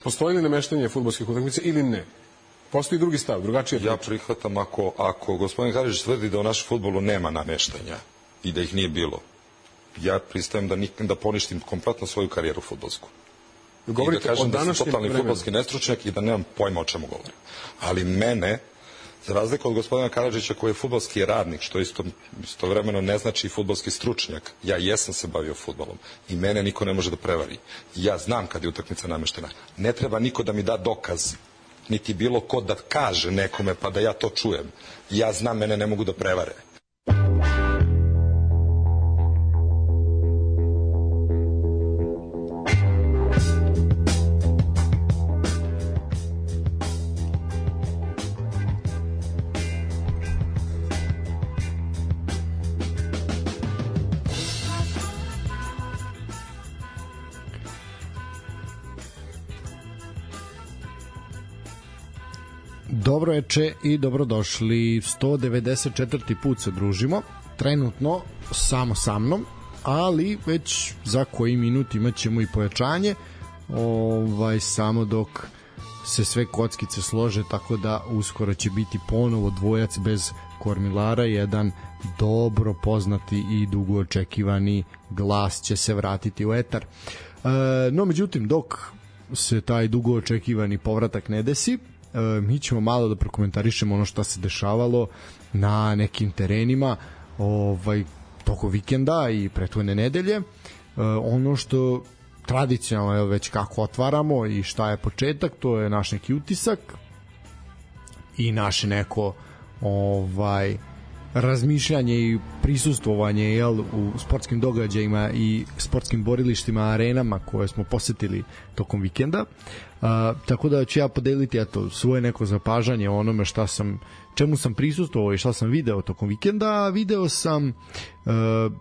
Postoji li nameštanje fudbalskih utakmica ili ne? Postoji drugi stav, drugačije. Ja prihvatam ako gospodin Karadžić tvrdi da u našem fudbalu nema nameštanja i da ih nije bilo. Ja pristajem da poništim kompletno svoju karijeru fudbalsku. I da kažem da sam totalni fudbalski nestručnjak i da nemam pojma o čemu govorim. Ali mene, za razliku od gospodina Karadžića koji je fudbalski radnik, što istovremeno ne znači fudbalski stručnjak, ja jesam se bavio fudbalom i mene niko ne može da prevari. Ja znam kad je utakmica nameštena. Ne treba niko da mi da dokaz, niti bilo ko da kaže nekome pa da ja to čujem. Ja znam, mene ne mogu da prevare. Dobro veče i dobrodošli. 194. put se družimo. Trenutno samo sa mnom, ali već za koji minut imat ćemo i pojačanje. Samo dok se sve kockice slože, tako da uskoro će biti ponovo dvojac bez kormilara. Jedan dobro poznati i dugo očekivani glas će se vratiti u etar. No, međutim, dok se taj dugo očekivani povratak ne desi, mi ćemo malo da prokomentarišemo ono što se dešavalo na nekim terenima toko vikenda i prethodne nedelje. Ono što tradicionalno već kako otvaramo i šta je početak, to je naš neki utisak i naše neko razmišljanje i prisustvovanje u sportskim događajima i sportskim borilištima, arenama koje smo posetili tokom vikenda. Tako da ću ja podeliti svoje neko zapažanje o onome čemu sam prisustvovao i šta sam video tokom vikenda. Video sam,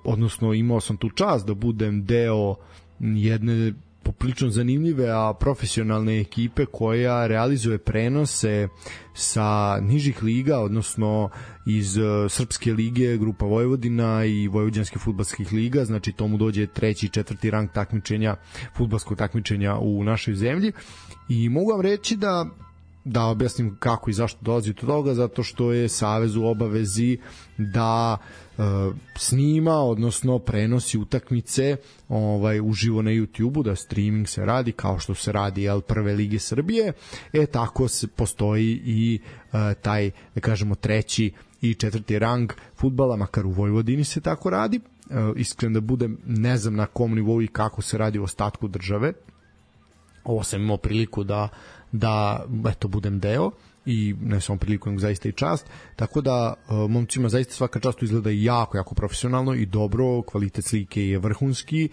odnosno imao sam tu čast da budem deo jedne poprilično zanimljive, a profesionalne ekipe koja realizuje prenose sa nižih liga, odnosno iz Srpske lige, Grupa Vojvodina i Vojvođanske fudbalskih liga, znači tomu dođe 3. i 4. rang takmičenja, fudbalskog takmičenja u našoj zemlji. I mogu vam reći da objasnim kako i zašto dolazi do toga, zato što je Savez u obavezi da snima, odnosno prenosi utakmice uživo na YouTube-u, da streaming se radi kao što se radi Prve lige Srbije. Tako postoji i taj, da kažemo, 3. i 4. rang fudbala, makar u Vojvodini se tako radi. Iskren da budem, ne znam na kom nivou i kako se radi u ostatku države. Ovo sam imao priliku da budem deo i ne samo priliku, nego zaista i čast. Tako da momcima zaista svaka čast, izgleda jako, jako profesionalno i dobro, kvalitet slike je vrhunski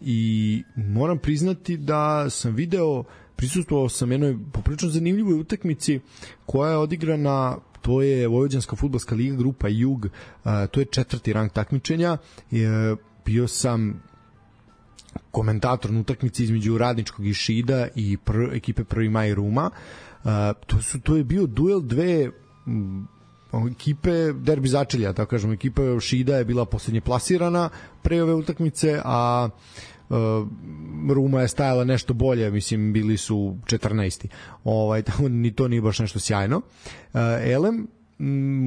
i moram priznati da sam prisustvovao sam jednoj poprilično zanimljivoj utakmici koja je odigrana, to je Vojvođanska fudbalska liga Grupa Jug, to je 4. rang takmičenja. Bio sam komentator na utakmici između Radničkog i Šida i ekipe Prvi maj Ruma. To je bio duel dve ekipe, derbi začelja, tako kažemo. Ekipa Šida je bila poslednje plasirana pre ove utakmice, a Ruma je stajala nešto bolje, mislim bili su 14. Tako ni to nije baš nešto sjajno.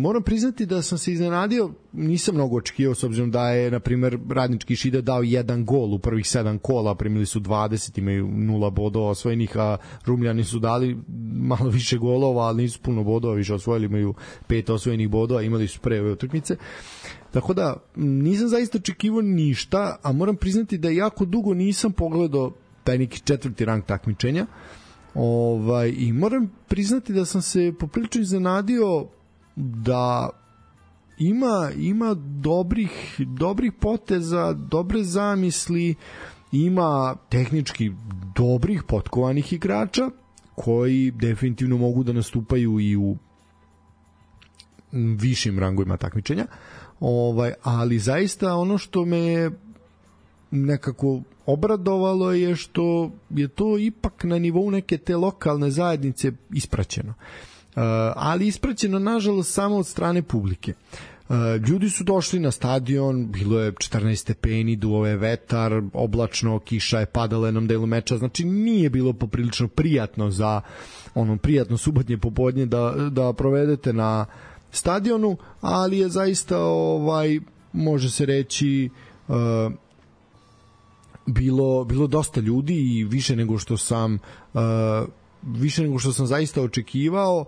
Moram priznati da sam se iznenadio, nisam mnogo očekivao, s obzirom da je, na primer, Radnički Šida dao 1 gol u prvih 7 kola, primili su 20, imaju 0 bodova osvojenih, a Rumljani su dali malo više golova, ali nisu puno bodova više osvojili, imaju 5 osvojenih bodova, imali su pre ove utakmice. Tako da nisam zaista očekivao ništa, a moram priznati da jako dugo nisam pogledao taj neki 4. rang takmičenja. I moram priznati da sam se poprilično iznenadio da ima dobrih poteza, dobre zamisli, ima tehnički dobrih potkovanih igrača koji definitivno mogu da nastupaju i u višim rangovima takmičenja. Ali zaista ono što me nekako obradovalo je što je to ipak na nivou neke te lokalne zajednice ispraćeno. Ali ispraćeno nažalost samo od strane publike. Ljudi su došli na stadion, bilo je 14 stepeni, duo je vetar, oblačno, kiša je padala jednom delu meča, znači nije bilo poprilično prijatno za prijatno subotnje popodnje da provedete na stadionu, ali je zaista može se reći bilo dosta ljudi i više nego što sam zaista očekivao,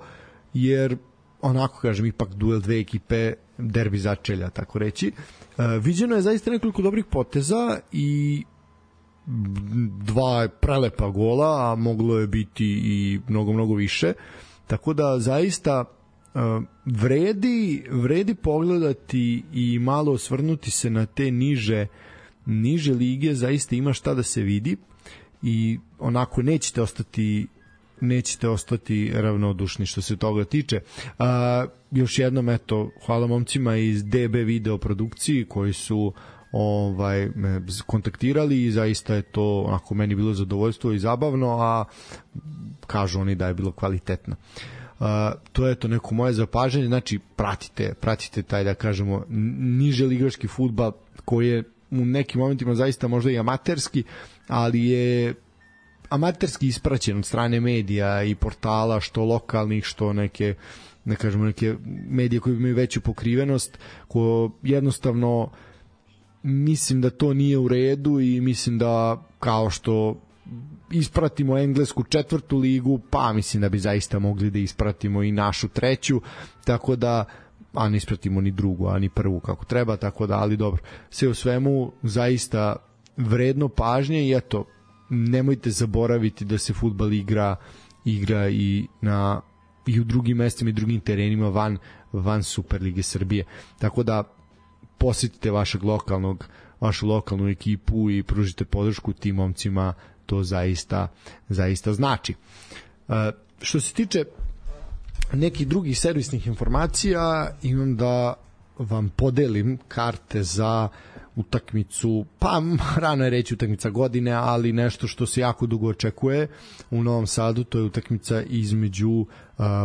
jer onako kažem, ipak duel dve ekipe, derbi začelja, tako reći. Viđeno je zaista nekoliko dobrih poteza i 2 prelepa gola, a moglo je biti i mnogo više, tako da zaista vredi pogledati i malo osvrnuti se na te niže lige, zaista ima šta da se vidi i onako nećete ostati ravnodušni što se toga tiče. Još jednom, eto, hvala momcima iz DB video produkciji koji su me kontaktirali i zaista je to onako meni bilo zadovoljstvo i zabavno, a kažu oni da je bilo kvalitetno. To je to neko moje zapažanje, znači pratite taj, da kažemo, niže ligaški fudbal koji je u nekim momentima zaista možda i amaterski, ali je amaterski ispraćen od strane medija i portala, što lokalnih, što neke medije koje imaju veću pokrivenost, ko jednostavno mislim da to nije u redu i mislim da kao što ispratimo englesku 4. ligu, pa mislim da bi zaista mogli da ispratimo i našu 3. tako da, a ne ispratimo ni 2. a ni 1. kako treba, tako da, ali dobro, sve u svemu zaista vredno pažnje i eto, nemojte zaboraviti da se fudbal igra i u drugim mestima i drugim terenima van Superlige Srbije, tako da posjetite vašu lokalnu ekipu i pružite podršku tim momcima, to zaista znači. Što se tiče nekih drugih servisnih informacija, imam da vam podelim karte za utakmicu, pa rano je reći utakmica godine, ali nešto što se jako dugo očekuje u Novom Sadu, to je utakmica između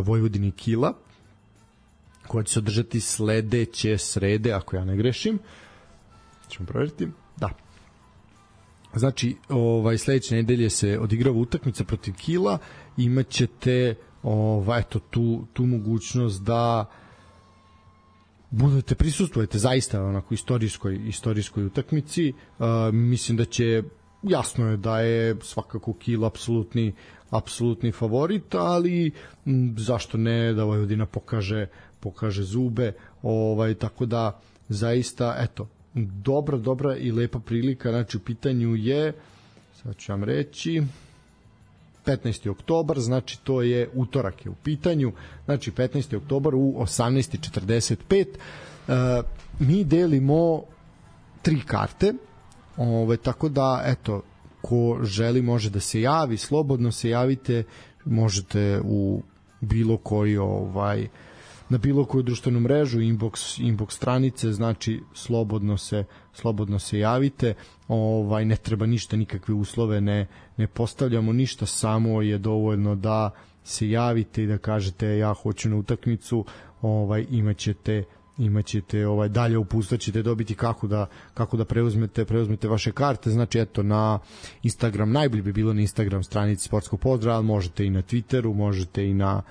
Vojvodine i Kila, koja će se održati sledeće srede, ako ja ne grešim. Ćemo provjeriti. Da. Znači, sledeće nedelje se odigrava utakmica protiv Kila, imaćete tu mogućnost da prisustvujete zaista onako istorijskoj utakmici. Mislim da će, jasno je da je svakako Kil apsolutni favorit, ali zašto ne da Vojvodina pokaže zube, tako da zaista, eto, dobra i lepa prilika. Znači, u pitanju je, sad ću vam reći, 15. oktobar, znači to je utorak je u pitanju, znači 15. oktobar u 18:45. Mi delimo 3 karte, tako da, eto, ko želi može da se javi, slobodno se javite, možete u bilo koji na bilo koju društvenu mrežu, inbox stranice, znači slobodno se javite, ne treba ništa, nikakve uslove ne postavljamo ništa, samo je dovoljno da se javite i da kažete ja hoću na utakmicu, imaćete dalje uputstva ćete dobiti kako da preuzmete vaše karte. Znači, eto, na Instagram, najbolje bi bilo na Instagram stranici Sportskog pozdrava, ali možete i na Twitteru, možete i na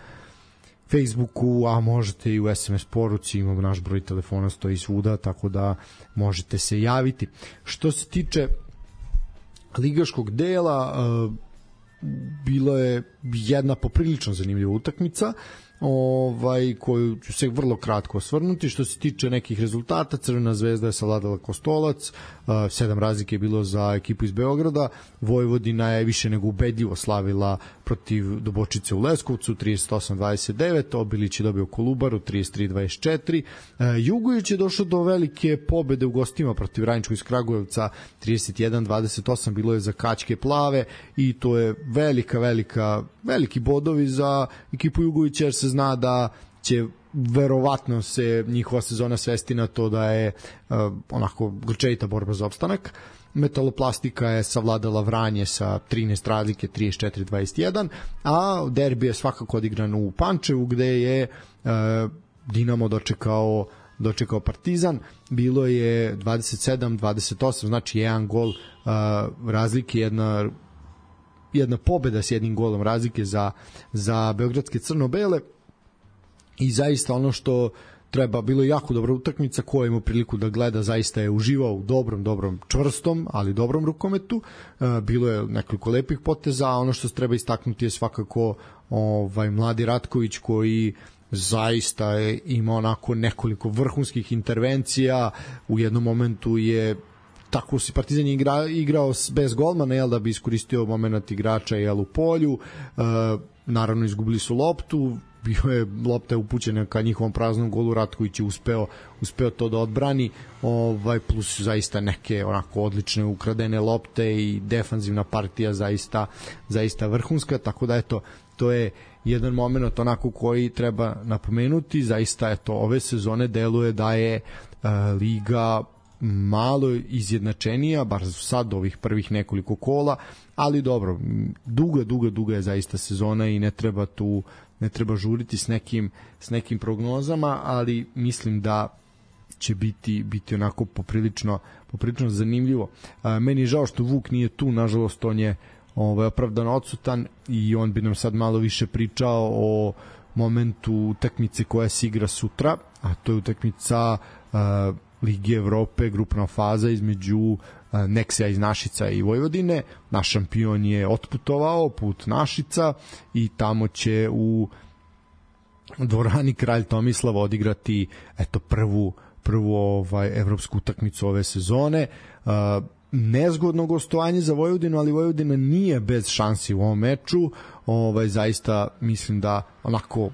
Facebooku, a možete i u SMS poruci, imamo naš broj telefona, stoji svuda, tako da možete se javiti. Što se tiče ligaškog dela, bilo je jedna poprilično zanimljiva utakmica, koju ću se vrlo kratko osvrnuti. Što se tiče nekih rezultata, Crvena zvezda je savladala Kostolac, 7 razlike je bilo za ekipu iz Beograda. Vojvodina je više nego ubedljivo slavila protiv Dobočice u Leskovcu 38-29, Obilić je dobio Kolubaru 33-24, Jugović je došao do velike pobede u gostima protiv Radničkog iz Kragujevca 31-28, bilo je za Kačke Plave i to je veliki bodovi za ekipu Jugovića, jer se zna da će verovatno se njihova sezona svesti na to da je onako grčevita borba za opstanak. Metaloplastika je savladala Vranje sa 13 razlike 34-21, a derbi je svakako odigran u Pančevu, gde je Dinamo dočekao dočekao Partizan. Bilo je 27-28, znači jedan gol razlike, jedna pobeda s jednim golom razlike za beogradske crno-bele. I zaista ono što treba, bilo je jako dobra utakmica, ko je imao priliku da gleda zaista je uživao u dobrom, čvrstom, ali dobrom rukometu. Bilo je nekoliko lepih poteza, a ono što se treba istaknuti je svakako mladi Ratković koji zaista je imao onako nekoliko vrhunskih intervencija. U jednom momentu je tako si Partizan igrao bez golmana, da bi iskoristio moment igrača u polju. Naravno izgubili su loptu, lopta je upućena ka njihovom praznom golu, Ratković je uspeo to da odbrani, plus zaista neke onako odlične ukradene lopte i defanzivna partija zaista vrhunska, tako da eto, to je jedan moment onako koji treba napomenuti. Zaista eto, ove sezone deluje da je liga malo izjednačenija, bar sad ovih prvih nekoliko kola, ali dobro, duga je zaista sezona i ne treba žuriti s nekim prognozama, ali mislim da će biti onako poprilično zanimljivo. Meni je žao što Vuk nije tu, nažalost on je opravdano odsutan i on bi nam sad malo više pričao o momentu utakmice koja se igra sutra, a to je utakmica Lige Evrope, grupna faza između Neksija iz Našica i Vojvodine. Naš šampion je otputovao put Našica i tamo će u dvorani Kralj Tomislav odigrati prvu evropsku utakmicu ove sezone. Nezgodno gostovanje za Vojvodinu, ali Vojvodina nije bez šansi u ovom meču. Zaista mislim da onako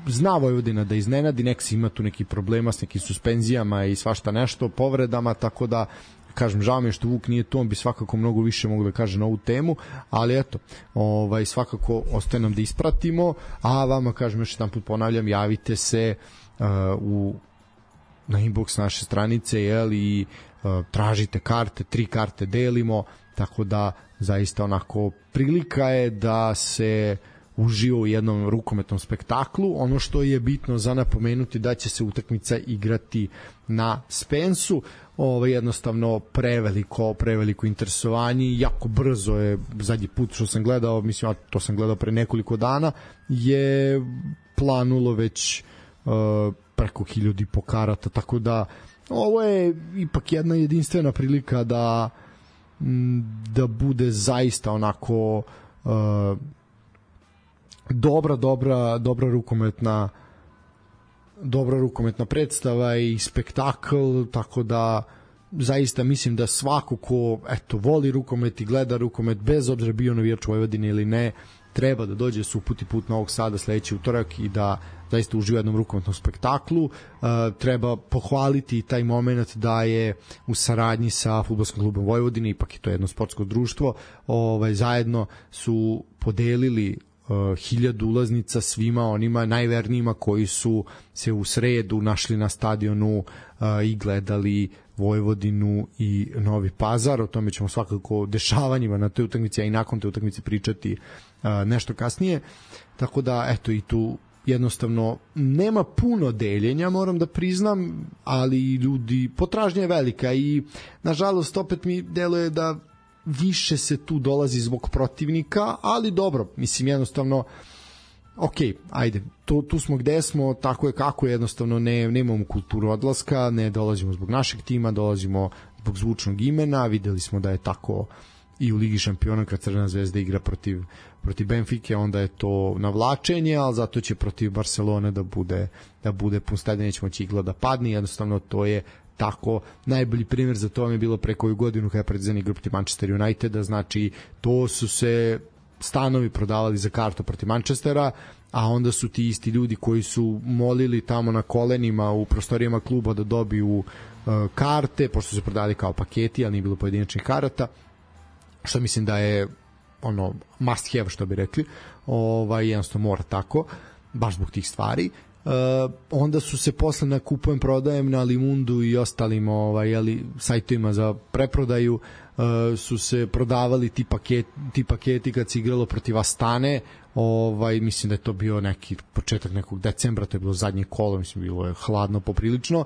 zna Vojvodina da iznenadi, Neksi ima tu neki problema s nekim suspenzijama i svašta nešto, povredama, tako da kažem, žao mi je što Vuk nije tu, on bi svakako mnogo više mogu da kaže na ovu temu, ali eto, svakako ostaje nam da ispratimo, a vama kažem još jedan put ponavljam, javite se na inbox naše stranice i tražite karte, 3 karte delimo, tako da zaista onako prilika je da se uživo u jednom rukometnom spektaklu. Ono što je bitno za napomenuti da će se utakmica igrati na Spensu. Jednostavno preveliko interesovanje, jako brzo je, zadnji put što sam gledao, mislim, to sam gledao pre nekoliko dana, je planulo već preko 1000 karata, tako da ovo je ipak jedna jedinstvena prilika da bude zaista onako dobra rukometna predstava i spektakl, tako da zaista mislim da svako ko voli rukomet i gleda rukomet, bez obzira bio navijač Vojvodine ili ne, treba da dođe se uputi put Novog Sada sledeći utorak i da zaista uživa u jednom rukometnom spektaklu. Treba pohvaliti taj moment da je u saradnji sa Fudbalskim klubom Vojvodine, ipak je to jedno sportsko društvo, zajedno su podelili 1000 ulaznica svima onima najvernijima koji su se u sredu našli na stadionu i gledali Vojvodinu i Novi Pazar. O tome ćemo svakako dešavanjima na toj utakmici, a i nakon te utakmice pričati nešto kasnije. Tako da, eto, i tu jednostavno nema puno deljenja, moram da priznam, ali ljudi, potražnja je velika i nažalost opet mi deluje da više se tu dolazi zbog protivnika, ali dobro, mislim, jednostavno ajde, tu smo gde smo, tako je kako, jednostavno nemamo kulturu odlaska, ne dolazimo zbog našeg tima, dolazimo zbog zvučnog imena. Videli smo da je tako i u Ligi šampiona kad Crvena zvezda igra protiv Benfike, onda je to navlačenje, ali zato će protiv Barcelone da bude pun stadion, neće moći igla da padne, jednostavno to je tako. Najbolji primjer za to vam je bilo pre koju godinu kada je Partizan igrao protiv Manchester Uniteda, znači to su se stanovi prodavali za kartu protiv Manchestera, a onda su ti isti ljudi koji su molili tamo na kolenima u prostorijama kluba da dobiju karte, pošto su se prodali kao paketi, ali nije bilo pojedinačnih karata, što mislim da je must have, što bi rekli, jednostavno mora tako, baš zbog tih stvari. onda su se posle na kupujem prodajem na Limundu i ostalim sajtovima za preprodaju su se prodavali ti paketi kad se igralo protiv Astane. Mislim da je to bio neki početak nekog decembra, to je bilo zadnje kolo, mislim bilo je hladno poprilično.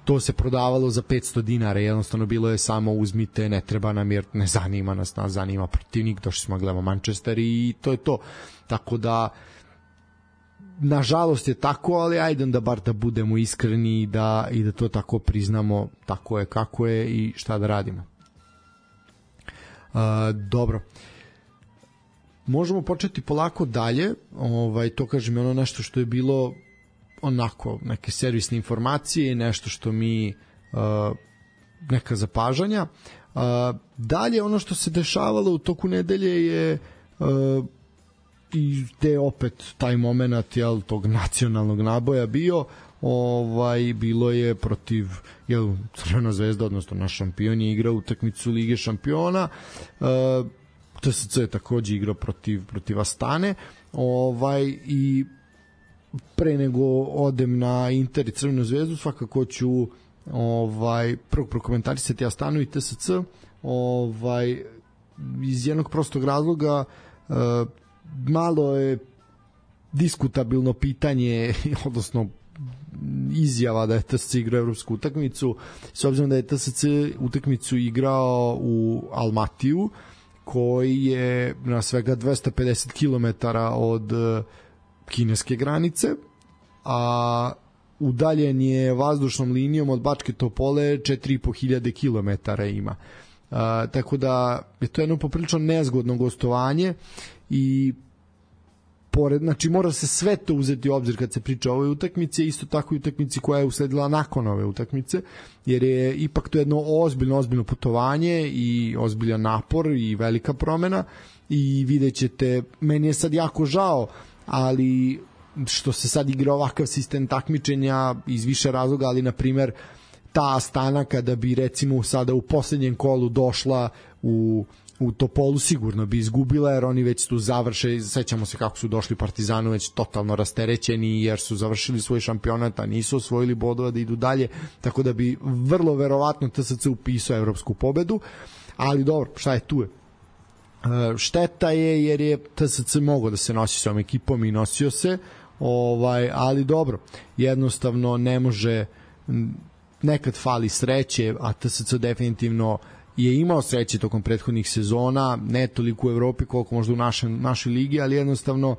To se prodavalo za 500 dinara, jednostavno bilo je samo uzmite, ne treba nam jer ne zanima nas zanima protivnik, došli smo gledamo Manchester i to je to. Tako da nažalost je tako, ali ajde da bar da budemo iskreni i da to tako priznamo, tako je kako je i šta da radimo. Dobro. Možemo početi polako dalje. To kažem ono nešto što je bilo onako neke servisne informacije, nešto što mi neka zapažanja. Dalje ono što se dešavalo u toku nedelje je i te opet taj moment tog nacionalnog naboja bio. Bilo je protiv Crvena zvezda, odnosno naš šampion je igrao utakmicu Lige šampiona. TSC je takođe igrao protiv Astane. I pre nego odem na Inter i Crvenu zvezdu, svakako ću prvo prokomentarisati Astanu i TSC iz jednog prostog razloga. Malo je diskutabilno pitanje, odnosno izjava da je TSC igrao evropsku utakmicu, s obzirom da je TSC utakmicu igrao u Almatiju, koji je na svega 250 km od kineske granice, a udaljen je vazdušnom linijom od Bačke Topole 4500 km ima. Tako da je to jedno poprilično nezgodno gostovanje i znači mora se sve to uzeti u obzir kad se priča o ovoj utakmici, isto tako i utakmici koja je usledila nakon ove utakmice, jer je ipak to jedno ozbiljno putovanje i ozbiljan napor i velika promena i vidjet ćete, meni je sad jako žao, ali što se sad igra ovakav sistem takmičenja iz više razloga, ali na primer ta Astana kada bi recimo sada u poslednjem kolu došla u Topolu sigurno bi izgubila, jer oni već tu završe, sećamo se kako su došli Partizanu već totalno rasterećeni jer su završili svoj šampionat, a nisu osvojili bodova da idu dalje, tako da bi vrlo verovatno TSC upisao evropsku pobedu, ali dobro, šta je tu je. Šteta je jer je TSC mogao da se nosi s ovom ekipom i nosio se, ali dobro, jednostavno ne može, nekad fali sreće, a TSC definitivno je imao sreće tokom prethodnih sezona, ne toliko u Evropi koliko možda u našoj ligi, ali jednostavno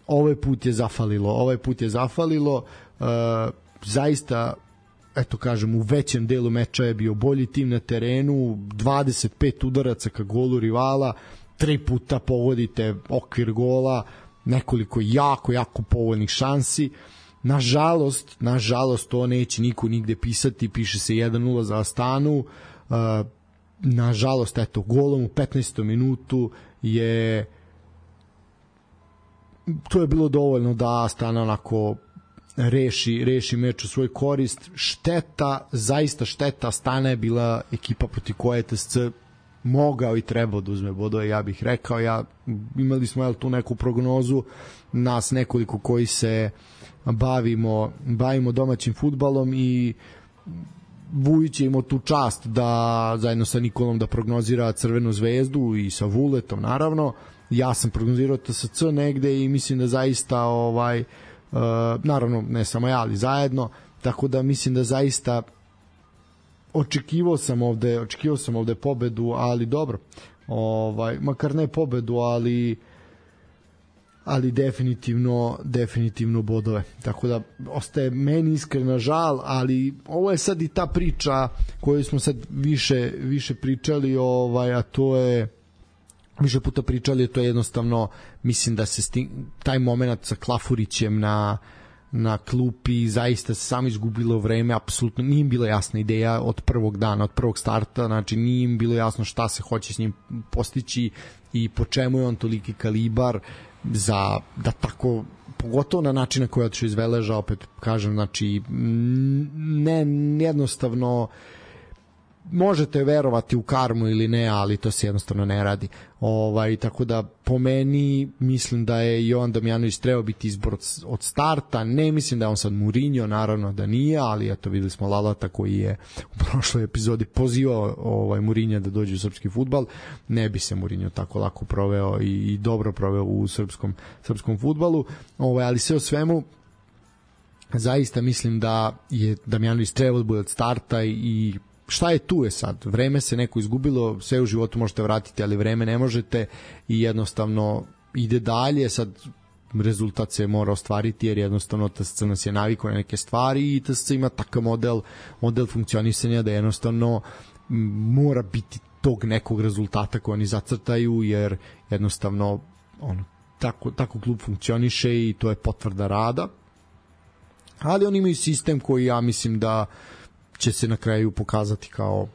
ovaj put je zafalilo. Zaista, eto kažem, u većem delu meča je bio bolji tim na terenu, 25 udaraca ka golu rivala, 3 puta pogodite okvir gola, nekoliko jako povoljnih šansi. Nažalost, to neće niko nigde pisati, piše se 1-0 za Astanu. Nažalost, eto, golom u 15. minutu to je bilo dovoljno da Astana onako reši meč u svoj korist. Zaista šteta, Astana je bila ekipa protiv koje TSC mogao i trebao da uzme bodove, ja bih rekao. Imali smo tu neku prognozu, nas nekoliko koji se bavimo domaćim fudbalom, i Vujić je imao tu čast da zajedno sa Nikolom da prognozira Crvenu zvezdu i sa Vuletom naravno. Ja sam prognozirao TSC negde i mislim da zaista naravno ne samo ja, ali zajedno, tako da mislim da zaista očekivao sam ovde pobedu, ali dobro, makar ne pobedu, ali definitivno bodove. Tako da ostaje meni iskreno žal, ali ovo je sad i ta priča koju smo sad više pričali, a to je više puta pričali, to je jednostavno, mislim da se taj moment sa Klafurićem na klupi zaista se samo izgubilo vreme, apsolutno nije im bila jasna ideja od prvog dana, od prvog starta, znači nije im bilo jasno šta se hoće s njim postići i po čemu je on toliki kalibar da tako, pogotovo na način na koji je otišao iz Veleža, opet kažem, znači jednostavno možete verovati u karmu ili ne, ali to se jednostavno ne radi. Tako da po meni mislim da je Jovan Damjanović trebao biti izbor od starta. Ne mislim da je on sad Mourinho, naravno da nije, ali eto videli smo Lalata koji je u prošloj epizodi pozivao Mourinho da dođe u srpski fudbal. Ne bi se Mourinho tako lako proveo i dobro proveo u srpskom fudbalu. Ali sve o svemu zaista mislim da je Damjanović trebao da bude od starta i šta je tu je sad? Vreme se neko izgubilo, sve u životu možete vratiti, ali vreme ne možete i jednostavno ide dalje. Sad rezultat se mora ostvariti jer jednostavno TSC nas je navikao na neke stvari i TSC ima takav model funkcionisanja da jednostavno mora biti tog nekog rezultata koji oni zacrtaju, jer jednostavno tako klub funkcioniše i to je potvrda rada. Ali oni imaju sistem koji ja mislim da će se na kraju pokazati kao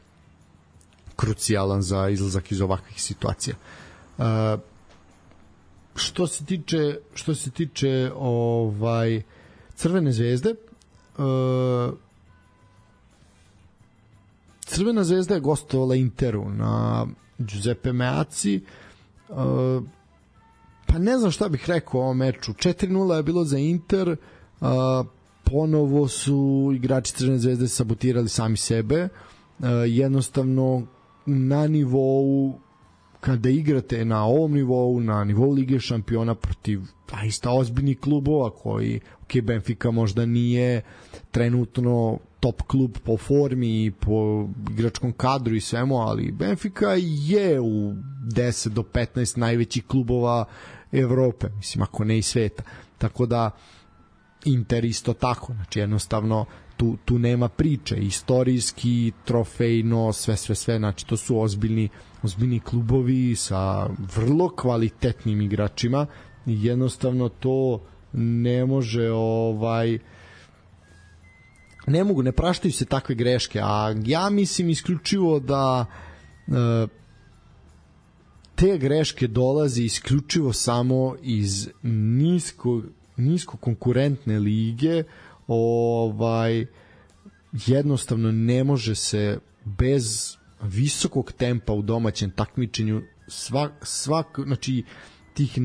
krucijalan za izlazak iz ovakvih situacija. Što se tiče Crvene zvezde, Crvena zvezda je gostovala Interu na Giuseppe Meazzi. Pa ne znam šta bih rekao o ovom meču. 4-0 je bilo za Inter. Ponovo su igrači Crvene zvezde sabotirali sami sebe. Jednostavno na nivou, kada igrate na ovom nivou, na nivou Lige šampiona protiv zaista ozbiljnih klubova koji, Benfica možda nije trenutno top klub po formi i po igračkom kadru i svemu, ali Benfica je u 10 do 15 najvećih klubova Evrope, mislim ako ne i sveta. Tako da Inter isto tako, znači jednostavno tu nema priče, istorijski, trofejno, sve, znači to su ozbiljni klubovi sa vrlo kvalitetnim igračima i jednostavno to ne može ne praštaju se takve greške, a ja mislim isključivo da te greške dolazi isključivo samo iz nisko konkurentne lige. Jednostavno ne može se bez visokog tempa u domaćem takmičenju znači tih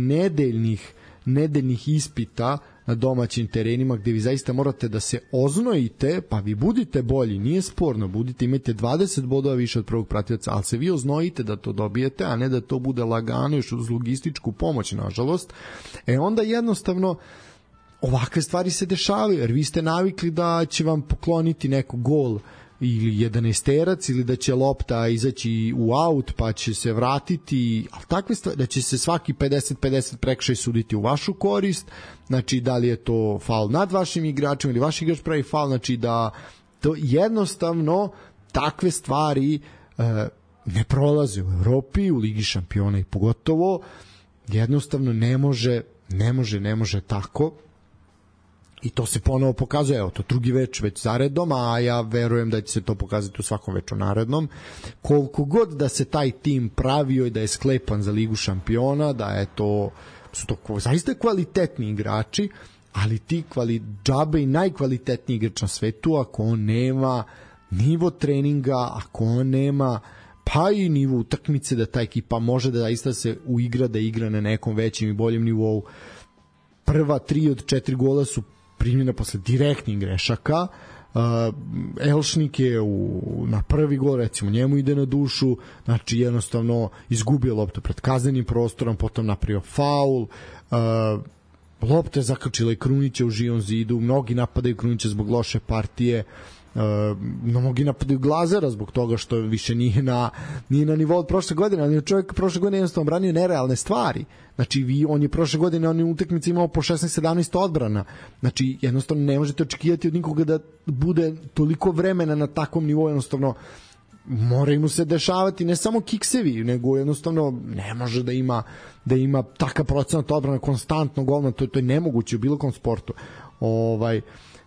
nedeljnih ispita na domaćim terenima gde vi zaista morate da se oznojite, pa vi budite bolji, nije sporno, imate 20 bodova više od prvog pratioca, ali se vi oznojite da to dobijete, a ne da to bude lagano još uz logističku pomoć, nažalost. Onda jednostavno ovakve stvari se dešavaju, jer vi ste navikli da će vam pokloniti neko gol ili 11-terac ili da će lopta izaći u aut pa će se vratiti, ali takve stvari, da će se svaki 50-50 prekršaj suditi u vašu korist, znači da li je to faul nad vašim igračem ili vaš igrač pravi faul, znači da to jednostavno takve stvari ne prolaze u Evropi, u Ligi šampiona i pogotovo jednostavno ne može tako. I to se ponovo pokazuje, evo to drugi već zaredom, a ja verujem da će se to pokazati u svakom veču narednom. Koliko god da se taj tim pravio i da je sklepan za Ligu šampiona, da su to zaista kvalitetni igrači, ali ti džabe i najkvalitetniji igrač na svetu, ako on nema nivo treninga, ako on nema pa i nivo utakmice da ta ekipa može da zaista se uigra, da igra na nekom većem i boljem nivou. Prva 3 od 4 gola su primljena posle direktnih grešaka. Elšnik je na prvi gol, recimo njemu ide na dušu, znači jednostavno izgubio loptu pred kaznenim prostorom, potom napravio faul, lopta je zakačila i Krunića u živom zidu, mnogi napadaju Krunića zbog loše partije, mnogi napadaju Glazera zbog toga što više nije na nivou od prošle godine, ali čovjek prošle godine jednostavno branio nerealne stvari. Znači on je prošle godine u utakmici imao po 16-17 odbrana, znači jednostavno ne možete očekivati od nikoga da bude toliko vremena na takvom nivou, jednostavno moraju mu se dešavati ne samo kiksevi, nego jednostavno ne može da ima takav procenat odbrana konstantno golman, to je nemoguće u bilo kom sportu.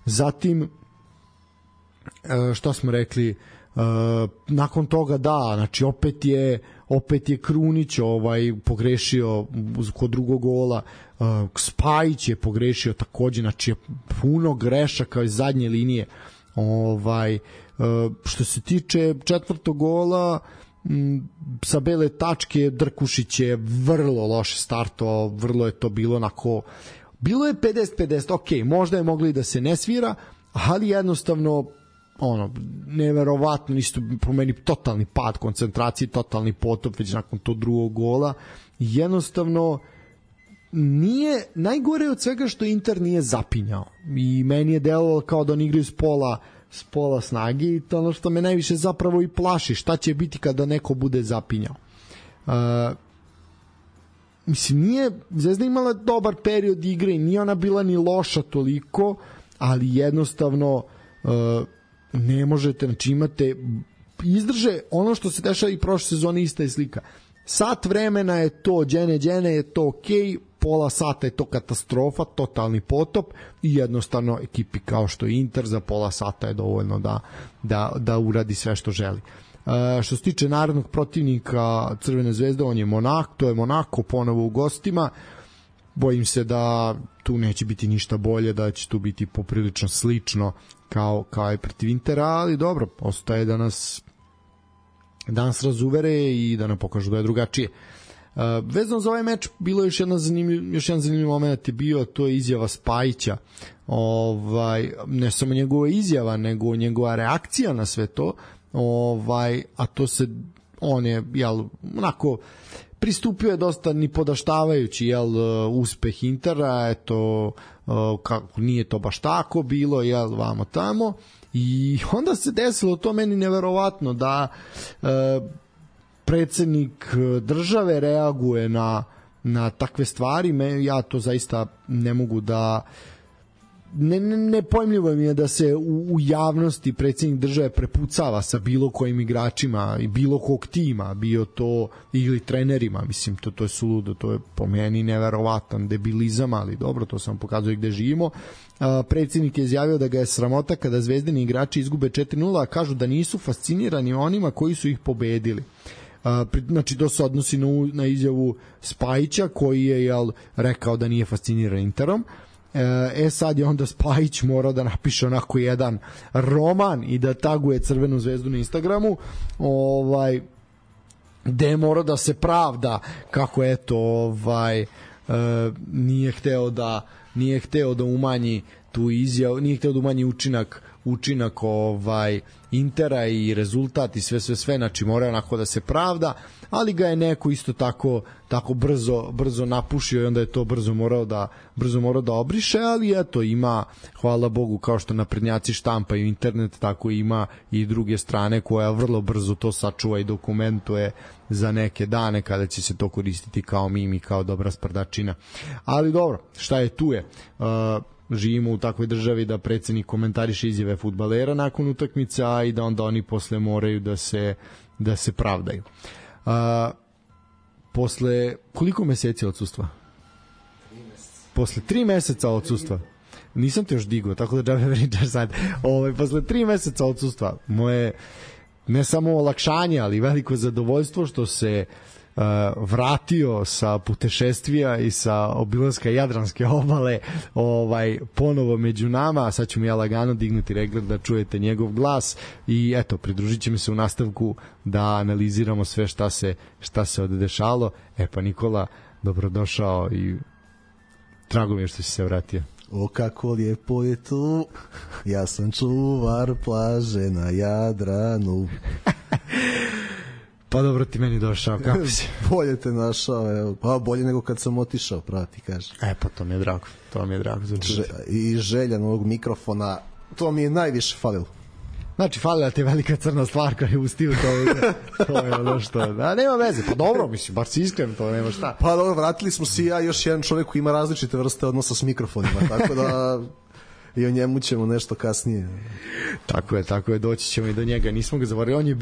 Zatim što smo rekli, nakon toga znači opet je Krunić pogrešio kod drugog gola, Spajić je pogrešio takođe, znači puno grešaka iz zadnje linije. Što se tiče četvrtog gola, sa bele tačke Drkušić je vrlo loše startovao, vrlo je to bilo onako, bilo je 50-50, ok, možda je mogli da se ne svira, ali jednostavno neverovatno, isto po meni totalni pad koncentracije, totalni potop već nakon tog drugog gola. Jednostavno nije, najgore od svega što Inter nije zapinjao i meni je delovalo kao da oni igraju s pola snage i to ono što me najviše zapravo i plaši, šta će biti kada neko bude zapinjao. Mislim, nije Zvezda imala dobar period igre i nije ona bila ni loša toliko, ali jednostavno ne možete, znači imate izdrže ono što se dešava i prošle sezone, ista je slika. Sat vremena je to džene je to okej, pola sata je to katastrofa, totalni potop i jednostavno ekipi kao što je Inter za pola sata je dovoljno da uradi sve što želi. Što se tiče narednog protivnika Crvene zvezde, on je Monak, to je Monako ponovo u gostima. Bojim se da tu neće biti ništa bolje, da će tu biti poprilično slično kao i protiv Intera, ali dobro, ostaje da nas razuvere i da nam pokažu da je drugačije. Vezano za ovaj meč bilo je još jedan zanimljiv moment je bio, to je izjava Spajića. Ne samo njegova izjava, nego njegova reakcija na sve to. A to se, on je onako pristupio je dosta nipodaštavajući uspeh Intera, eto, kako nije to baš tako bilo, vamo tamo, i onda se desilo to meni neverovatno da predsednik države reaguje na takve stvari. Ja to zaista ne mogu da nepojmljivo mi je da se u javnosti predsednik države prepucava sa bilo kojim igračima i bilo kog tima, bio to ili trenerima, mislim, to je suludo, to je po meni neverovatan debilizam, ali dobro, to sam pokazuje gde živimo. Predsednik je izjavio da ga je sramota kada zvezdini igrači izgube 4-0, a kažu da nisu fascinirani onima koji su ih pobedili. Znači, to se odnosi na izjavu Spajića koji je rekao da nije fasciniran Interom. Sad je onda Spajić morao da napiše onako jedan roman i da taguje Crvenu zvezdu na Instagramu, gde je morao da se pravda kako nije hteo da umanji tu izjavu, nije hteo da umanji učinak Intera i rezultat i sve, znači mora onako da se pravda, ali ga je neko isto tako brzo napušio i onda je to brzo morao da obriše, ali eto, ima, hvala Bogu, kao što naprednjaci štampaju internet, tako ima i druge strane koja vrlo brzo to sačuva i dokumentuje za neke dane kada će se to koristiti kao mim i kao dobra sprdačina. Ali dobro, šta je tu je. Živimo u takvoj državi da predsednik komentariše izjave fudbalera nakon utakmica i da onda oni posle moraju da se pravdaju. Posle koliko meseci odsustva? 3 meseca. Posle 3 meseca odsustva. Nisam te još digao, tako da džabe pričaš sad. Posle 3 meseca odsustva moje ne samo olakšanje, ali veliko zadovoljstvo što se vratio sa putešestvija i sa obilaska Jadranske obale ponovo među nama. Sad ću mi ja lagano dignuti regler da čujete njegov glas i eto, pridružit će mi se u nastavku da analiziramo sve šta se odešalo. Pa Nikola, dobrodošao i drago mi je što si se vratio. O, kako lijepo je tu, ja sam čuvar plaže na Jadranu. Pa dobro, ti meni došao, kako si? Bolje te našao, evo. Pa bolje nego kad sam otišao, prati, kaže. Pa to mi je drago za čuti. I želja novog mikrofona, to mi je najviše falilo. Znači, falila ti je velika crna stvar koja je ustio to je ono što... nema veze, pa dobro, mislim, bar si iskren, to nema šta. Pa dobro, vratili smo se ja još jedan čovjek koji ima različite vrste odnosa s mikrofonima, tako da... i o njemu ćemo nešto kasnije. Tako je, doći ćemo i do njega. Nismo ga zavorili, on je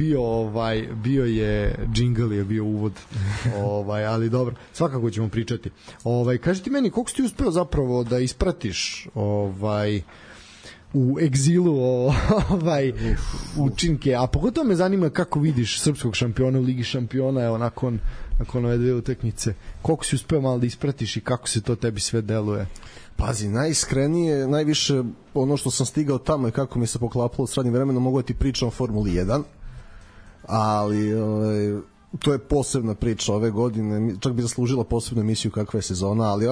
bio je džingl, je bio uvod. Ali dobro, svakako ćemo pričati. Kaži ti meni, koliko si ti uspeo zapravo da ispratiš u egzilu učinke, a pogotovo me zanima kako vidiš srpskog šampiona u Ligi šampiona, evo nakon ove dve utakmice. Koliko si uspeo malo da ispratiš i kako se to tebi sve deluje? Pazi, najiskrenije, najviše ono što sam stigao tamo i kako mi se poklapalo s radnim vremenom, mogu da ti pričam o Formuli 1, ali to je posebna priča ove godine, čak bi zaslužila posebnu emisiju kakva je sezona, ali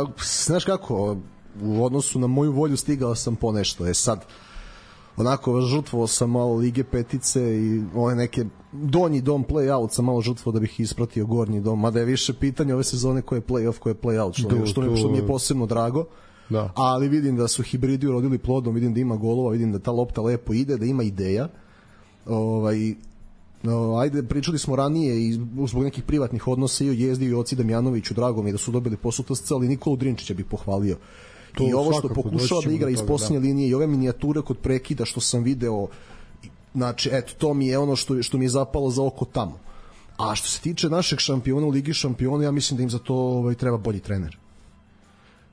znaš kako, u odnosu na moju volju stigao sam po nešto. Sad, onako žrtvovao sam malo Lige petice i ove neke donji dom play-out sam malo žrtvovao da bih ispratio gornji dom, mada je više pitanje ove sezone koje je play-off, koje je play-out, što mi je posebno drago. Da. Ali vidim da su hibridi urodili plodom, vidim da ima golova, vidim da ta lopta lepo ide, da ima ideja. Ajde, pričali smo ranije i zbog nekih privatnih odnosa i o Jezdi i o Oci Damjanoviću, drago mi je da su dobili posao TSC, ali Nikolu Drinčića bih pohvalio. To i ovo što pokušava da igra iz posljednje linije i ove minijature kod prekida što sam video, znači, eto, to mi je ono što mi je zapalo za oko tamo. A što se tiče našeg šampiona u Ligi šampiona, ja mislim da im za to treba bolji trener.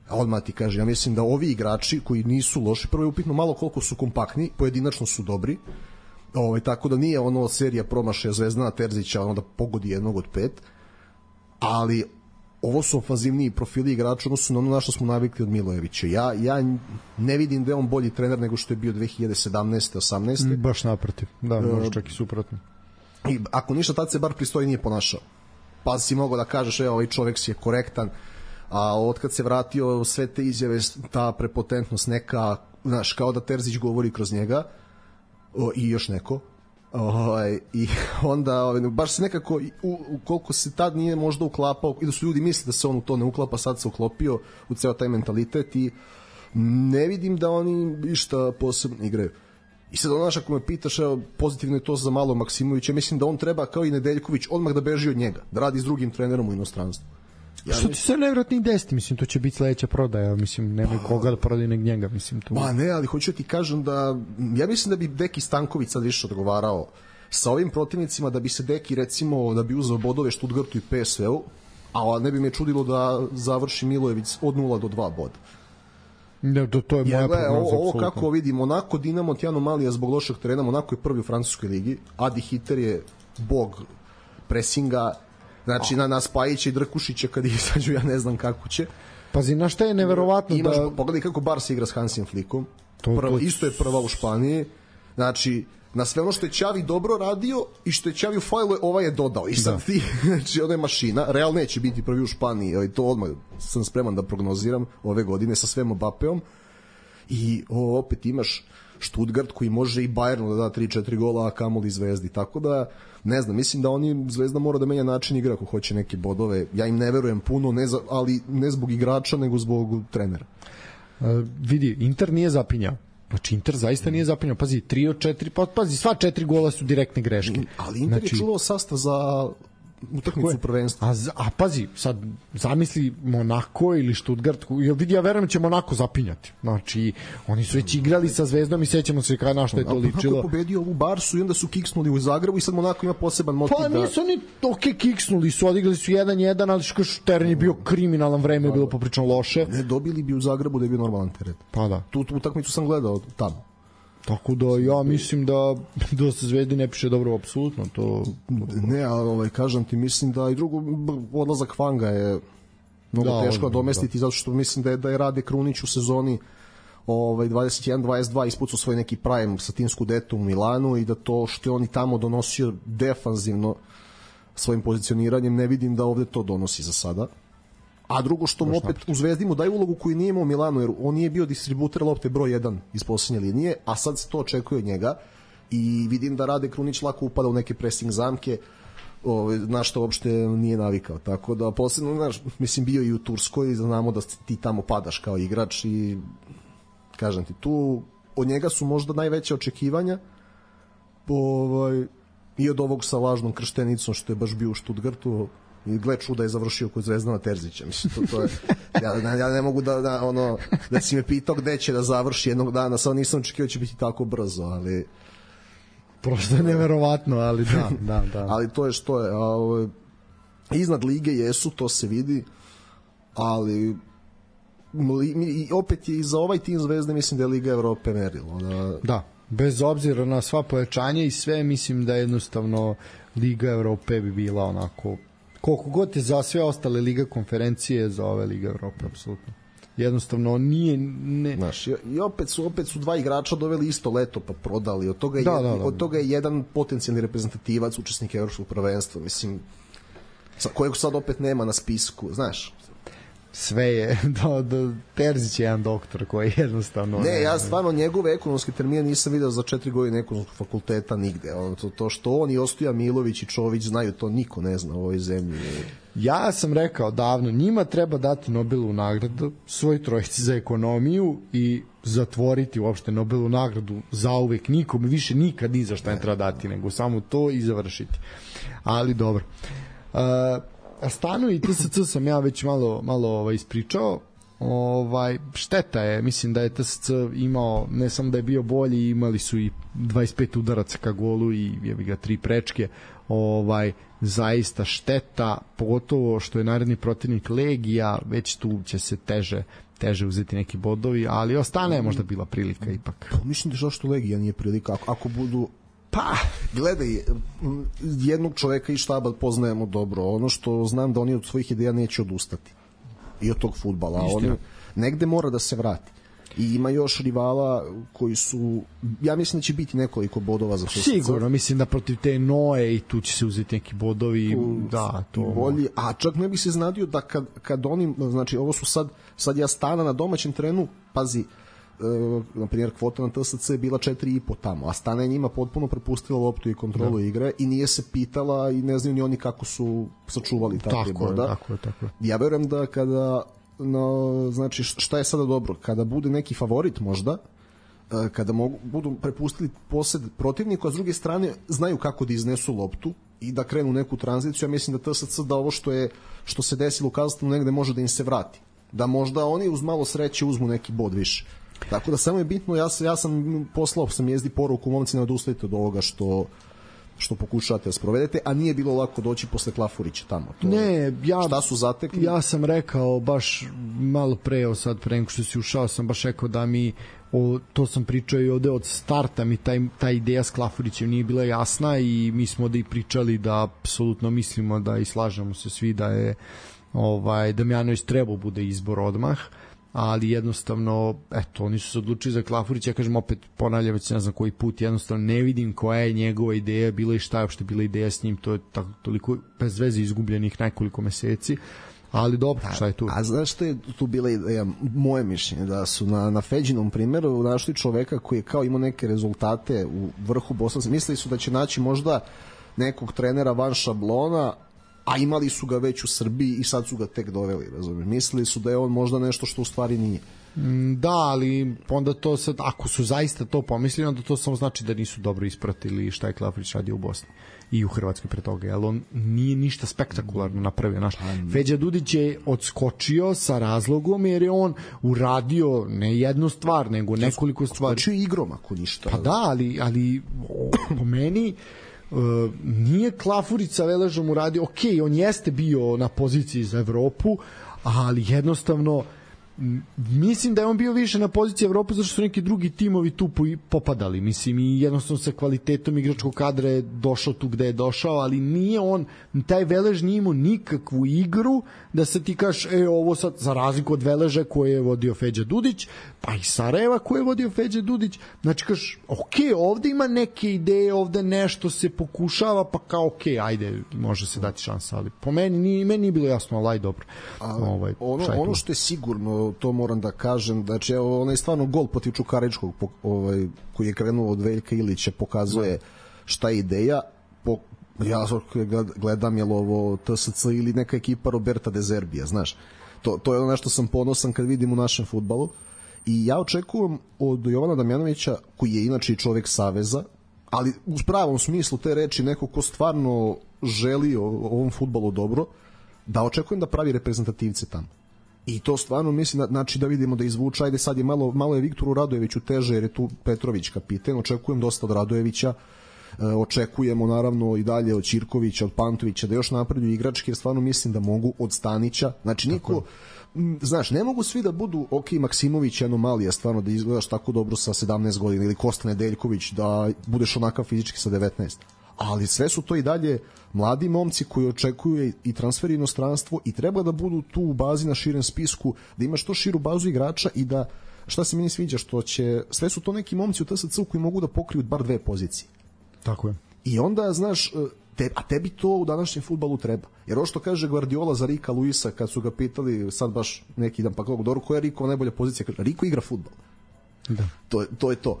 Odmah ti kažem, ja mislim da ovi igrači koji nisu loši, prvo je upitno malo koliko su kompaktni, pojedinačno su dobri, tako da nije ono serija promašaja Zvezdana Terzića, ono da pogodi jednog od 5, ali ovo su ofanzivniji profili igrača, odnosno na ono na što smo navikli od Milojevića. Ja ne vidim da je on bolji trener nego što je bio 2017. 18. Baš naprotiv, da, možda čak i suprotno. I ako ništa, tad se bar pristoji nije ponašao. Pa si mogao da kažeš, ovaj čovek si je korektan, a otkad se vratio sve te izjave, ta prepotentnost neka, znaš, kao da Terzić govori kroz njega i još neko, i onda baš se nekako koliko se tad nije možda uklapao i da su ljudi misli da se on u to ne uklapa, sad se uklopio u ceo taj mentalitet i ne vidim da oni išta posebno igraju. I sad ono, ako me pitaš, pozitivno je to za Malo Maksimovića, mislim da on treba kao i Nedeljković odmah da beži od njega, da radi s drugim trenerom u inostranstvu. Što ti se nevjerojatno i desiti, mislim, to će biti sledeća prodaja, mislim, nema koga da prodaje nek njega, mislim, to. Ma ne, ali hoću ti kažem da, ja mislim da bi Deki Stanković sad više odgovarao sa ovim protivnicima, da bi se Deki, recimo, da bi uzeo bodove Stuttgartu i PSV-u, a ne bi me čudilo da završi Milojević od 0 do 2 boda. Ne, to je moja prognoza. Ovo kako vidim, Monako, Dinamo, Tijano Malija zbog lošeg terena, Monako je prvi u francuskoj ligi, Adi Hiter je bog presinga, znači na Spajića i Drkušića kad izađu, ja ne znam kako će. Pazi, na šta je neverovatno da... Pogledaj kako Barca igra s Hansim Flickom, isto je prva u Španiji, znači na sve ono što je Ćavi dobro radio i što je Ćavi u fajlu, ovaj je dodao i sad ti, znači ona je mašina, Real neće biti prvi u Španiji, ali to odmah sam spreman da prognoziram ove godine sa svem Mbapeom i opet imaš Stuttgart koji može i Bayernu da da 3-4 gola, a kamoli Zvezdi, tako da ne znam, mislim da Zvezda mora da menja način igra ako hoće neke bodove, ja im ne verujem puno, ali ne zbog igrača nego zbog trenera. Vidi, Inter nije zapinjao. Znači, Inter zaista nije zapinjao. Pazi, 3 od 4, pazi, sva 4 gola su direktne greške. Ali Inter je čuvao sastav za utakmicu prvenstva. A pazi, sad zamisli Monako ili Stuttgart, vidi, ja verujem će Monako zapinjati. Znači, oni su već igrali sa Zvezdom i sećamo se na što je to ličilo. Monako je pobedio ovu Barsu i onda su kiksnuli u Zagrebu i sad Monako ima poseban motiv da... Pa nisu oni kiksnuli su, odigrali su 1-1, ali teren je bio kriminalan, vreme je bilo poprično loše. Ne, dobili bi u Zagrebu da je bio normalan teren. Pa da. Tu utakmicu sam gledao tamo. Tako da ja mislim da se Zvezdi ne piše dobro apsolutno to. Ne, ali kažem ti, mislim da i drugo odlazak Fanga je mnogo teško domestiti, zato što mislim da je Rade Krunić u sezoni 21-22 ispucao svoj neki prime sa tim Skudetom u Milanu i da to što je on i tamo donosio defanzivno svojim pozicioniranjem, ne vidim da ovde to donosi za sada. A drugo što mu opet u Zvezdi mu daje ulogu koju nije imao u Milanu, jer on nije bio distributer lopte broj 1 iz poslednje linije, a sad se to očekuje od njega i vidim da Rade Krunić lako upada u neke pressing zamke, na što uopšte nije navikao. Tako da posebno, znaš, mislim, bio i u Turskoj, znamo da ti tamo padaš kao igrač i kažem ti, tu od njega su možda najveće očekivanja i od ovog sa lažnom krštenicom što je baš bio u Stuttgartu. I gle čuda je završio kod Zvezdana Terzića, mislim, to je, ja ne mogu da si me pitao gde će da završi jednog dana, sad nisam očekivao će biti tako brzo, ali prosto je neverovatno, ali da. Ali to je što je, iznad lige jesu, to se vidi, ali opet je i za ovaj tim Zvezde mislim da je Liga Evrope merilo. Da, bez obzira na sva pojačanja i sve, mislim da jednostavno Liga Evrope bi bila onako koliko god je za sve ostale Liga konferencije, za ove Liga Evrope, apsolutno. jednostavno nije znaš, i opet su dva igrača doveli isto leto pa prodali, od toga je jedan potencijalni reprezentativac, učesnik evropskog prvenstva, mislim, kojeg sad opet nema na spisku, znaš. Sve je do Terzić je jedan doktor koji jednostavno ja stvarno njegove ekonomske termine nisam video za 4 godine ekonomskog fakulteta nigde. To što on i Ostoja Milović i Čović znaju, to niko ne zna u ovoj zemlji. Ja sam rekao davno, njima treba dati Nobelovu nagradu, svoj trojici za ekonomiju i zatvoriti uopšte Nobelovu nagradu zauvek, nikome više nikad ni za šta ne treba dati, nego samo to i završiti. Ali dobro. Stanu i TSC sam ja već malo ispričao. Šteta je, mislim da je TSC imao, ne samo da je bio bolji, imali su i 25 udaraca ka golu i jebi ga 3 prečke. Zaista šteta, pogotovo što je naredni protivnik Legija, već tu će se teže uzeti neki bodovi, ali ostane je možda bila prilika ipak. Mislim da što Legija nije prilika, ako budu gledaj, jednog čoveka iz štaba poznajemo dobro, ono što znam da oni od svojih ideja neće odustati i od tog fudbala, oni negde mora da se vrati i ima još rivala koji su, ja mislim da će biti nekoliko bodova za TSC. Sigurno, mislim da protiv te Noe i tu će se uzeti neki bodovi, to bolji, a čak ne bi se znadio da kad oni, znači ovo su sad ja Stana na domaćem terenu, pazi, na primjer kvota na TSC je bila 4,5 tamo, a Stana je njima potpuno prepustila loptu i kontrolu igre i nije se pitala i ne znaju ni oni kako su sačuvali takve boda. Tako je. Ja verujem da kada znači šta je sada dobro, kada bude neki favorit možda, kada budu prepustili posed protivniku, a s druge strane znaju kako da iznesu loptu i da krenu neku tranziciju, ja mislim da TSC da ovo što se desilo u Kazahstanu negde može da im se vrati, da možda oni uz malo sreće uzmu neki bod više. Tako da samo je bitno, ja sam poslao jezdi poruku, momci, ne odustajte od ovoga što pokušavate da sprovedete, a nije bilo lako doći posle Klafurića tamo. Šta su zatekli? Ja sam rekao baš malo pre, sad pre nego što si ušao, sam baš rekao da mi to sam pričao i ovde od starta, mi ta ideja s Klafurićem nije bila jasna i mi smo ovde i pričali da apsolutno mislimo da i slažemo se svi da je Damjanović trebao bude izbor odmah, ali jednostavno, oni su se odlučili za Klafurića, ja kažem opet, ponavljam već ne znam koji put, jednostavno ne vidim koja je njegova ideja bila i šta je uopšte bila ideja s njim, to je toliko bez veze izgubljenih nekoliko meseci, ali dobro, šta je tu? A znaš što je tu bila ideja, moje mišljenje, da su na Feđinom primjeru našli čoveka koji je kao imao neke rezultate u vrhu Bosne, mislili su da će naći možda nekog trenera van šablona, a imali su ga već u Srbiji i sad su ga tek doveli, razumiješ. Mislili su da je on možda nešto što u stvari nije. Da, ali onda to sad, ako su zaista to pomislili, onda to samo znači da nisu dobro ispratili šta je Klafurić radio u Bosni i u Hrvatskoj pre toga, jer on nije ništa spektakularno napravio. Feđa Dudić je odskočio sa razlogom jer je on uradio ne jednu stvar, nego nekoliko stvari. Odskočio igrom, ako ništa. Pa da, ali po meni nije Klafurić sa Veležom uradio, on jeste bio na poziciji za Evropu, ali jednostavno mislim da je on bio više na poziciji Evrope zato što su neki drugi timovi tu popadali, mislim, i jednostavno sa kvalitetom igračkog kadra je došao tu gde je došao, ali nije on, taj Velež nije imao nikakvu igru da se ti kažeš, ovo sad, za razliku od Veleža koje je vodio Feđa Dudić, pa i Sarajeva koje je vodio Feđa Dudić, znači kažeš, ovde ima neke ideje, ovde nešto se pokušava, pa kao ajde, može se dati šansa, ali po meni nije bilo jasno, ali dobro. Ono što je sigurno, to moram da kažem, znači onaj stvarno gol protiv Čukaričkog koji je krenuo od Veljka Ilića pokazuje šta je ideja. Ja gledam je li ovo TSC ili neka ekipa Roberta De Zerbija, znaš, to je ono nešto sam ponosan kad vidim u našem fudbalu i ja očekujem od Jovana Damjanovića, koji je inače i čovek saveza, ali u pravom smislu te reči, neko ko stvarno želi ovom fudbalu dobro, da očekujem da pravi reprezentativce tamo. I to stvarno mislim, znači da vidimo da izvuče, ajde sad je malo je Viktoru Radojeviću teže jer je tu Petrović kapiten, očekujem dosta od Radojevića, očekujemo naravno i dalje od Ćirkovića, od Pantovića da još napreduju igrački, jer stvarno mislim da mogu od Stanića, znači niko, znaš, ne mogu svi da budu, Maksimović je anomalija stvarno da izgledaš tako dobro sa 17 godina ili Kosta Nedeljković da budeš onakav fizički sa 19, ali sve su to i dalje mladi momci koji očekuju i transfer inostranstvo i treba da budu tu u bazi na širem spisku, da ima što širu bazu igrača i da, šta se meni sviđa, što će, sve su to neki momci u TSC-u koji mogu da pokriju bar 2 pozicije. Tako je. I onda, znaš, a tebi to u današnjem fudbalu treba. Jer ovo što kaže Guardiola za Rika Luisa, kad su ga pitali sad baš neki dan, pa kako, dobro, koja je Rikova najbolja pozicija? Riko igra fudbal. Da. To je to.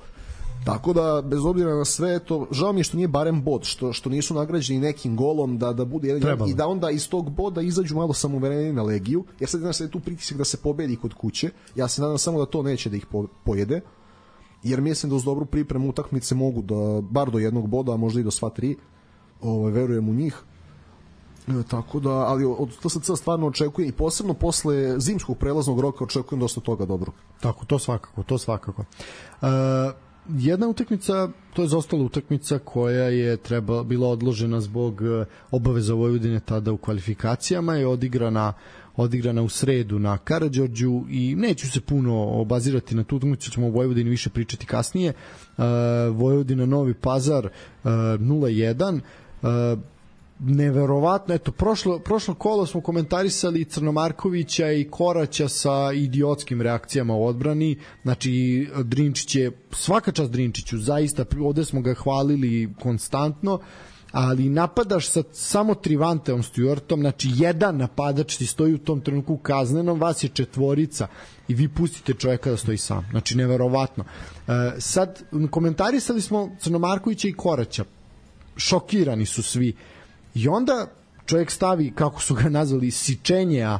Tako da, bez obzira na sve to, žao mi je što nije barem bod, što nisu nagrađeni nekim golom, da bude jedan, i da onda iz tog boda izađu malo samouvereni na Legiju, jer sad znaš, sad je tu pritisak da se pobedi kod kuće. Ja se nadam samo da to neće da ih pojede, jer mislim da uz dobru pripremu utakmice mogu da, bar do jednog boda, a možda i do sva 3, verujem u njih. Tako da, ali od TSC stvarno očekujem i posebno posle zimskog prelaznog roka očekujem dosta toga dobro. Tako, to svakako. Jedna utakmica, to je zostala utakmica koja je bila odložena zbog obaveza Vojvodine tada u kvalifikacijama, je odigrana u sredu na Karađorđu i neću se puno obazirati na tu utakmicu, ćemo o Vojvodini više pričati kasnije. Vojvodina Novi Pazar 0-1, neverovatno, eto, prošlo kolo smo komentarisali Crnomarkovića i Koraća sa idiotskim reakcijama u odbrani, znači Drinčić je, svaka čast Drinčiću, zaista, ovde smo ga hvalili konstantno, ali napadaš sa samo Trivanteom Stuartom, znači jedan napadač ti stoji u tom trenutku kaznenom, vas je 4 i vi pustite čoveka da stoji sam, znači neverovatno. Sad, komentarisali smo Crnomarkovića i Koraća, šokirani su svi. I onda čovjek stavi, kako su ga nazvali, sičenja,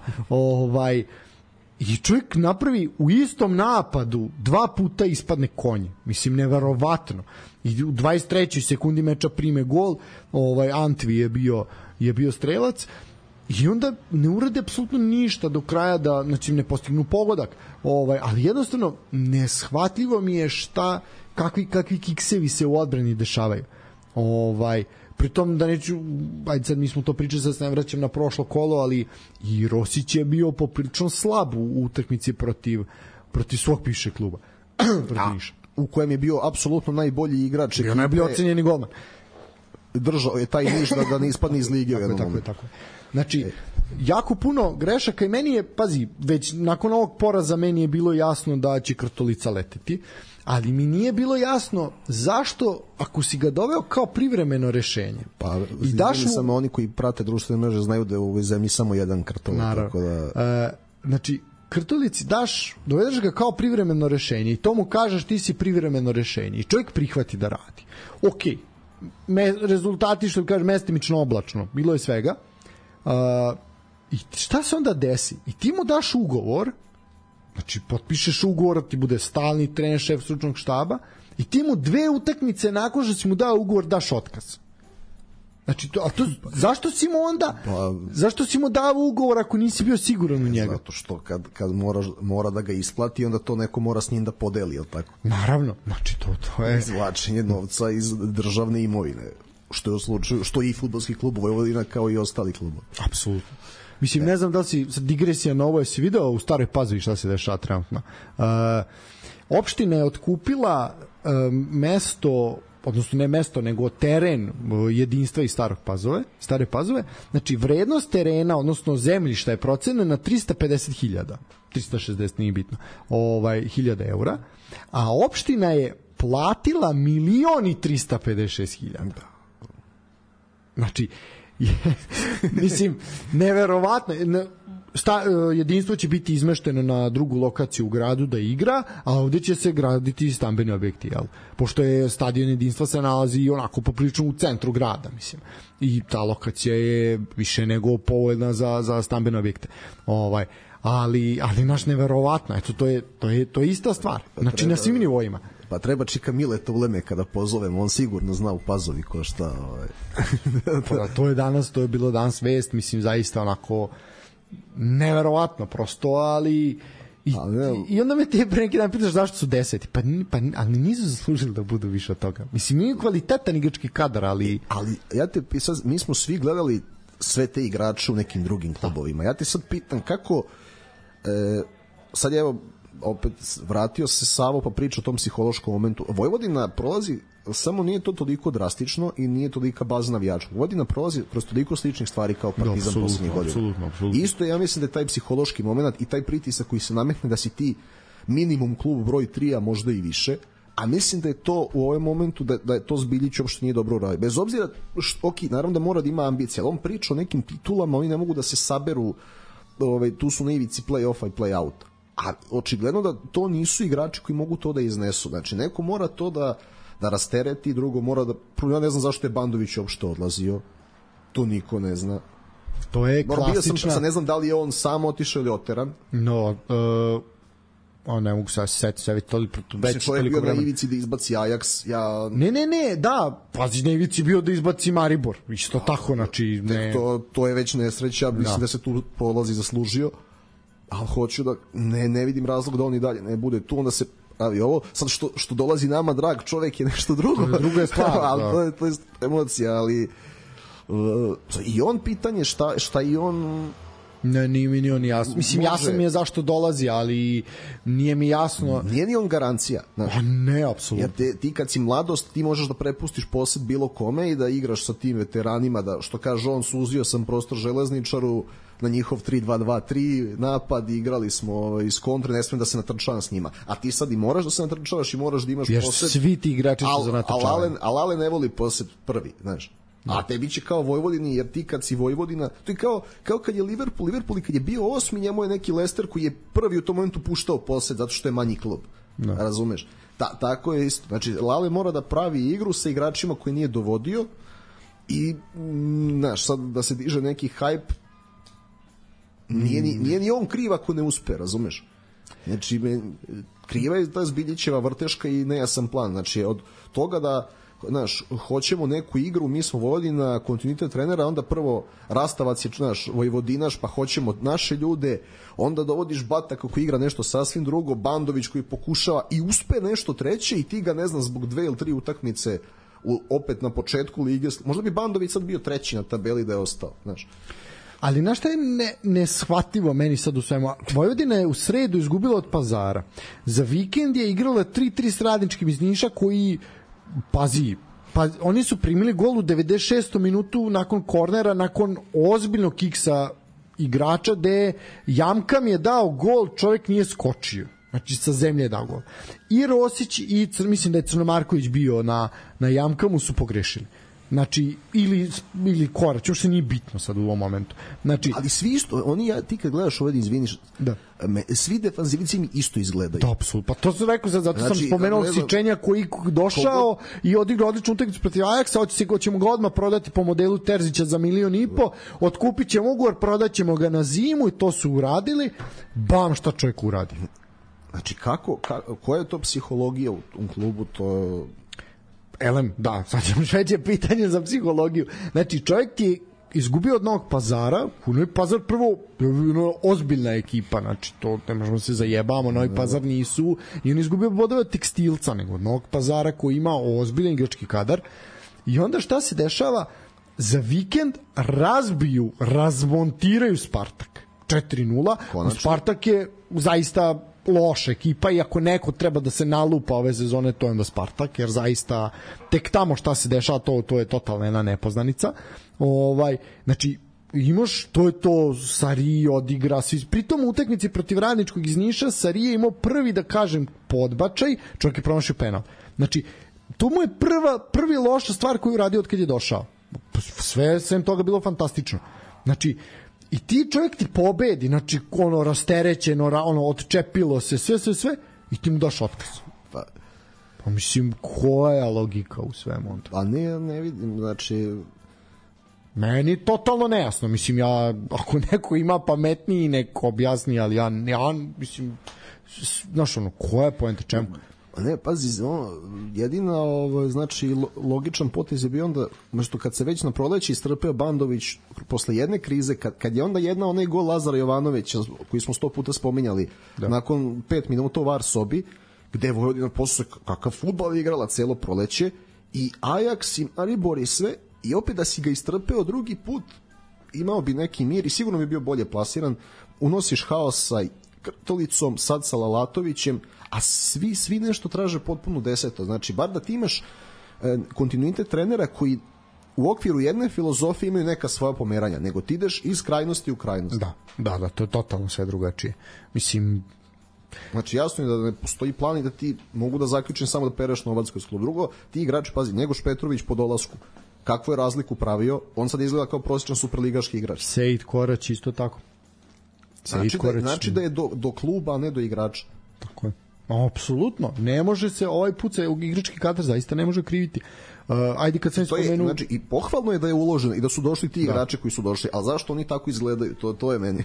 i čovjek napravi u istom napadu 2 puta ispadne konje. Mislim, neverovatno. I u 23. sekundi meča prime gol, Antvi je bio strelac, i onda ne urade apsolutno ništa do kraja da, znači, ne postignu pogodak. Ali jednostavno, neshvatljivo mi je kakvi kiksevi se u odbrani dešavaju. Pritom da neću, ajde sad mi smo to pričali, sad se ne vraćam na prošlo kolo, ali i Rosić je bio poprilično slab u utakmici protiv svog bivšeg kluba. U kojem je bio apsolutno najbolji igrač. Bio najbolji ocenjeni golman. Držao je taj niš da ne ispadne iz lige. Tako. Znači, jako puno grešaka i meni je, pazi, već nakon ovog poraza meni je bilo jasno da će Krtolica leteti, ali mi nije bilo jasno zašto, ako si ga doveo kao privremeno rešenje. Pa, i daš mu... samo oni koji prate društvene mreže znaju da je u ovoj zemlji samo jedan Krtolic. Tako da... znači, Krtolici dovedeš ga kao privremeno rešenje i to mu kažeš ti si privremeno rešenje i čovjek prihvati da radi. Ok, rezultati, što kaže, mestimično oblačno, bilo je svega. I šta se onda desi? I ti mu daš ugovor, znači potpišeš ugovor, ti bude stalni trener, šef stručnog štaba, i ti mu 2 utakmice nakon što si mu dao ugovor daš otkaz. Znači, zašto si mu onda zašto si mu dao ugovor ako nisi bio siguran u njega? Zato što kad mora da ga isplati, onda to neko mora s njim da podeli, je li tako? Naravno, znači to je izvlačenje novca iz državne imovine, što je u slučaju, što i fudbalski klub Vojvodina kao i ostali klubovi. Apsolutno. Mislim, ne znam da li si, digresija na ovo, jesi video u Staroj Pazovi šta se dešava trenutno. Opština je otkupila mesto, odnosno ne mesto, nego teren jedinstva iz Stare Pazove. Znači, vrednost terena, odnosno zemljišta je procenjena na 350.000, 360, nije bitno, hiljada eura, a opština je platila 1.356.000. Znači, mislim, neverovatno. Jedinstvo će biti izmešteno na drugu lokaciju u gradu da igra, a ovde će se graditi stambeni objekti, jel? Pošto je stadion jedinstva se nalazi onako poprilično u centru grada, mislim. I ta lokacija je više nego povoljna za stambene objekte. Ali naš neverovatno, eto, to je ista stvar. Znači, na svim nivoima. Pa treba Čika Mileta uleme kada pozovemo, on sigurno zna u Pazovi ko šta. To je bilo danas vest, mislim, zaista onako neverovatno prosto, ali i onda me te pre neki dan pitaš zašto su 10, ali nisu zaslužili da budu više od toga. Mislim, nije kvalitetan igrački kadar, ali ja te sad, mi smo svi gledali sve te igrače u nekim drugim klubovima. Ja te sad pitam kako sad evo opet vratio se Savo pa priča o tom psihološkom momentu. Vojvodina prolazi, samo nije to toliko drastično i nije tolika baza navijača. Vojvodina prolazi kroz toliko sličnih stvari kao Partizan poslednjih godina. Isto ja mislim da je taj psihološki moment i taj pritisak koji se nametne da si ti minimum klub broj 3, a možda i više, a mislim da je to u ovom momentu da je to Zbiljić uopšte nije dobro uradio. Bez obzira, ok, naravno da mora da ima ambicije, ali on priča o nekim titulama, oni ne mogu da se saberu, tu su na ivici play-offa i play-outa. A očigledno da to nisu igrači koji mogu to da iznesu. Znači, neko mora to da rastereti, drugo mora da... Ja ne znam zašto je Bandović uopšte odlazio. To niko ne zna. To je klasična... ne znam da li je on sam otišao ili oteran. No, ne mogu sad setiti sve toliko već toliko vremena. Čovjek bio na ivici da izbaci Ajax. Ne, da, pazi, na ivici bio da izbaci Maribor. Isto tako, znači... To je već nesreća, mislim da se tu polazi zaslužio. Ali hoću da, ne vidim razlog da on i dalje ne bude tu, onda se pravi ovo. Sad što dolazi nama drag čovjek je nešto drugo. To je druga stvar, ali to je emocija, ali i on pitanje šta i on... Ne, nije mi ni on jasno. Mislim, jasno mi je zašto dolazi, ali nije mi jasno... Nije ni on garancija. Znaš. Ne, apsolutno. Jer ti kad si mladost, ti možeš da prepustiš posed bilo kome i da igraš sa tim veteranima, da, što kaže on, suzio sam prostor Železničaru na njihov 3-2-2-3 napad, igrali smo iz kontre, ne smijem da se natrčavam s njima. A ti sad i moraš da se natrčavaš i moraš da imaš posed. Svi ti igrači su za natrčavanje. Ali Ale ne voli posed prvi, znaš. A tebi će kao Vojvodini, jer ti kad si Vojvodina, to je kao kad je Liverpool i kad je bio 8, njemu je neki Leicester koji je prvi u tom momentu puštao posed zato što je manji klub. No. Razumeš? Tako je isto. Znači, Lale mora da pravi igru sa igračima koji nije dovodio i, znaš, sad da se diže neki hype, nije ni on kriv ako ne uspe, razumeš? Znači, kriva je ta Zbiljićeva vrteška i nejasan plan. Znači, od toga da znaš, hoćemo neku igru, mi smo Vojvodina, kontinuitet trenera, onda prvo Rastavac je, znaš, Vojvodinaš, pa hoćemo naše ljude, onda dovodiš Bataka koji igra nešto sasvim drugo, Bandović koji pokušava i uspe nešto treće i ti ga, ne znam, zbog 2 ili 3 utakmice opet na početku lige, možda bi Bandović sad bio treći na tabeli da je ostao, znaš. Ali znaš šta je neshvativo meni sad u svemu? Vojvodina je u sredu izgubila od Pazara. Za vikend je igrala 3-3 s Radničkim iz Niša koji pazi, oni su primili gol u 96. minutu nakon kornera, nakon ozbiljnog kiksa igrača gde Jamkam je dao gol, čovjek nije skočio, znači sa zemlje je dao gol. I Rosić i mislim da je Crnomarković bio na Jamkamu, su pogrešili. Znači, ili Korać, uopšte nije bitno sad u ovom momentu. Znači, ali svi isto, ti kad gledaš ovdje, izviniš, svi defanzivnici mi isto izgledaju. Da, apsolutno. Pa to sam rekao, zato sam spomenuo Sičenja koji došao i odigrao odličnu utakmicu protiv Ajaksa, ćemo ga odmah prodati po modelu Terzića za 1,5 miliona, otkupit ćemo ugovor, prodat ćemo ga na zimu i to su uradili. Bam, šta čovjek uradi. Znači, koja je to psihologija u klubu, to... Elem, da, sad ćemo šveće pitanje za psihologiju. Znači, čovjek ti je izgubio od Novog Pazara, Novi Pazar prvo ozbiljna ekipa, znači to ne možemo se zajebamo, Novi Pazar nisu, i on izgubio bodove od Tekstilca, nego od Novog Pazara koji ima ozbiljan igrački kadar. I onda šta se dešava? Za vikend razmontiraju Spartak 4-0. Spartak je zaista loša ekipa i ako neko treba da se nalupa ove sezone, to je onda Spartak, jer zaista tek tamo šta se dešava, to je totalna jedna nepoznanica. Znači, imaš, to je to, Sarije odigra, pritom u utakmici protiv Radničkog iz Niša Sarije je imao prvi, da kažem, podbačaj, čovjek je promašio penal. Znači, to mu je prvi loša stvar koju radi od kad je došao. Sve sem toga bilo fantastično. Znači, i ti čovjek ti pobedi, znači rasterećeno, odčepilo se, sve, i ti mu daš otkaz. Pa mislim, koja je logika u svemu? Pa ne vidim, znači... Meni totalno nejasno, mislim, ako neko ima pametniji, neko objasni, ali ja mislim, znaš, koja je poenta, čemu? Ne, pazi, jedina znači logičan potez je bio onda, što kad se već na proleće istrpeo Bandović posle jedne krize, kad je onda onaj gol Lazara Jovanovića koji smo 100 puta spominjali, nakon 5 minuta u VAR sobi, gde je Vojvodina posle kakav fudbal igrala celo proleće i Ajax i Maribor i sve, i opet da si ga istrpeo drugi put, imao bi neki mir i sigurno bi bio bolje plasiran, unosiš haosa Krtolicom, sad sa Lalatovićem, a svi nešto traže potpuno deseto. Znači, bar da ti imaš kontinuitet trenera koji u okviru jedne filozofije imaju neka svoja pomeranja, nego ti ideš iz krajnosti u krajnost. Da, to je totalno sve drugačije. Mislim, znači jasno je da ne postoji plan i da ti mogu da zaključim samo da pereš novac kroz klub. Drugo, ti igrači, pazi, Njegoš Petrović po dolasku, kakvu je razliku pravio, on sad izgleda kao prosječan superligaški igrač. Sejid Korać isto tako. Znači da je do kluba, a ne do igrača. Tako je. Apsolutno, ne može se ovaj put se igrački kadar zaista ne može kriviti. Ajde kad sam spomenuo, znači i pohvalno je da je uloženo i da su došli ti igrači koji su došli, a zašto oni tako izgledaju? To je meni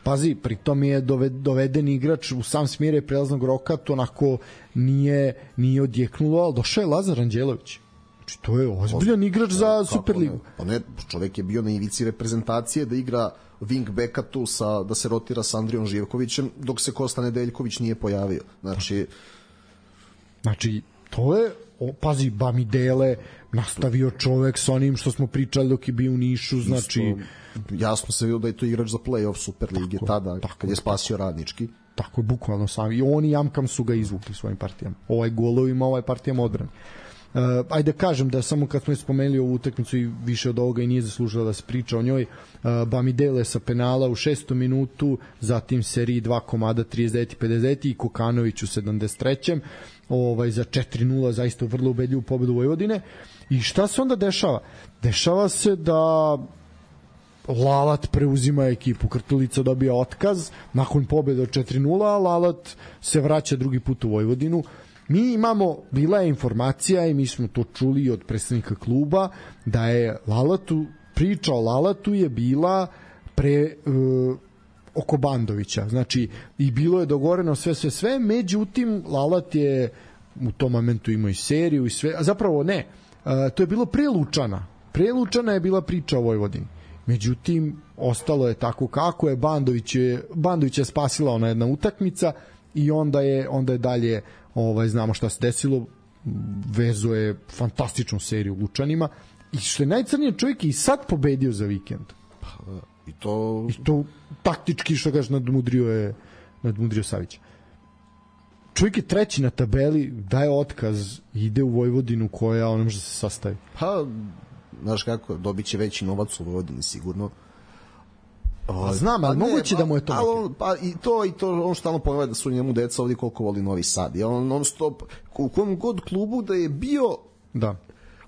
Pazi, pritom je doveden igrač u sam smjere prelaznog roka, to onako nije odjeknulo, ali došao je Lazar Anđelović. Znači, to je ozbiljan igrač za Superligu. Pa ne, čovjek je bio na ivici reprezentacije da igra wing backa tu da se rotira sa Andrijom Živkovićem dok se Kosta Nedeljković nije pojavio. Znači to je, pazi, Bamidele nastavio čovek sa onim što smo pričali dok je bio u Nišu, znači jasno se vidio da je to igrač za play-off Superlige tada, kad je spasio Radnički. Tako je, bukvalno sam. I on i Jamkam su ga izvukli svojim partijama. Ovaj golovima, ovaj partijama odbrani. Ajde kažem da samo kad smo spomenuli ovu utakmicu i više od ovoga i nije zaslužila da se priča o njoj, Bamidele sa penala u 6. minutu, zatim seriji 2 komada 39 i 50 i Kokanović u 73. Za 4-0 zaista vrlo ubedljivu pobedu Vojvodine. I šta se onda dešava? Dešava se da Lalat preuzima ekipu, Krtolica dobija otkaz nakon pobede od 4-0, a Lalat se vraća drugi put u Vojvodinu. Mi imamo, bila je informacija i mi smo to čuli od predstavnika kluba, da je priča o Lalatu je bila oko Bandovića, znači i bilo je dogovoreno sve, međutim Lalat je u tom momentu imao i seriju i sve, a zapravo ne, to je bilo pre Lučana je bila priča o Vojvodini, međutim ostalo je tako kako je, Bandović je spasila ona jedna utakmica i onda je dalje znamo šta se desilo, vezo je fantastičnu seriju Lučanima i što je najcrnije, čovjek je i sad pobedio za vikend. I to taktički, što kaže, nadmudrio Savića. Čovjek je treći na tabeli, daje otkaz, ide u Vojvodinu koja on može da se sastavi. Pa, znaš kako, dobit će veći novac u Vojvodini sigurno. Znam, ali moguće da mu je to i to on stalno ponavlja da su njemu deca ovdje koliko voli Novi Sad. I on non stop, u kom god klubu da je bio,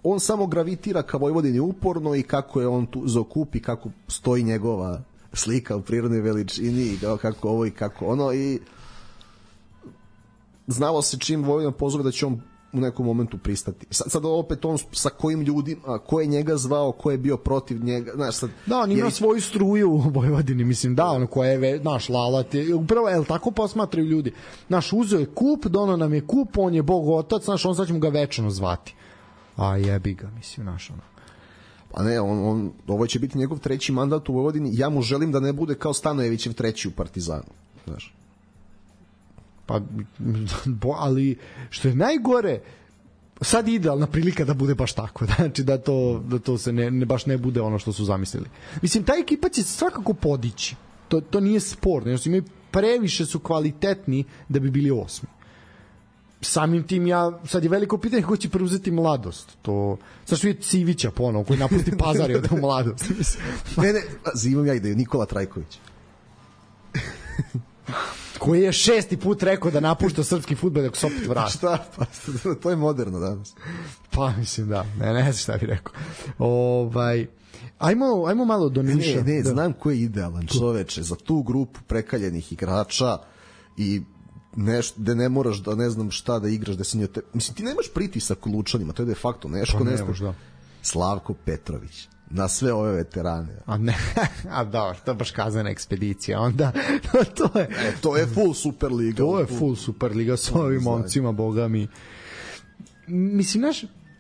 on samo gravitira ka Vojvodini uporno i kako je on tu zakupi, kako stoji njegova slika u prirodnoj veličini i kako ovo i kako ono, i znalo se čim Vojvodina pozove da će on u nekom momentu pristati. Sad opet on sa kojim ljudima, ko je njega zvao, ko je bio protiv njega, znaš, sad on ima svoju struju u Vojvodini, mislim, ono koja je, naš Lalat je, upravo, tako posmatraju ljudi. Naš uzeo je kup, dono nam je kup, on je Bog otac, naš, on sad ćemo ga večno zvati. A jebi ga, mislim, naš, ono. Pa ne, ovo će biti njegov treći mandat u Vojvodini, ja mu želim da ne bude kao Stanojevićev treći u Partizanu, znaš. Pa, ali što je najgore, sad idealna prilika da bude baš tako, znači da to se baš ne bude ono što su zamislili. Mislim, ta ekipa će svakako podići, to nije sporno, previše su kvalitetni da bi bili 8. Samim tim sad je veliko pitanje ko će preuzeti Mladost. Sad što je Civića ponovo koji napusti Pazar i ode u Mladost. Ne, imam ja ideju, Nikola Trajković. Koji je 6. put rekao da napušta srpski fudbal dok se opet vrati. Šta? Pa, to je moderno danas. Pa, mislim, da. Ne znam šta bih rekao. Ajmo malo do Niša. Ne, znam ko je idealan čoveče za tu grupu prekaljenih igrača i gde ne moraš da ne znam šta da igraš, da se nije... Mislim, ti nemaš pritisak u Lučanima, to je de facto nešto. Slavko Petrović. Na sve ove veterane. Dobro, to je baš kazana ekspedicija. Onda, to je full Superliga. To je full Superliga s ovim momcima, boga mi. Mislim,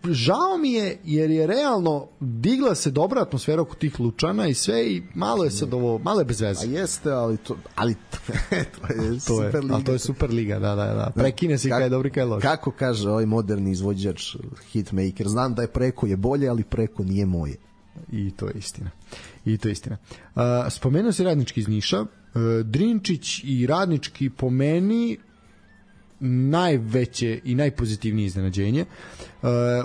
žao mi je, jer je realno digla se dobra atmosfera oko tih Lučana i sve, i malo je sad ovo, malo je bez veze. A jeste, ali to je Superliga. Ali to je Superliga, da. Prekine si kada je dobri, kada je loš. Kako kaže ovaj moderni izvođač hitmaker, znam da je preko je bolje, ali preko nije moje. I to je istina. Spomenuo se Radnički iz Niša, Drinčić i Radnički po meni najveće i najpozitivnije iznenađenje.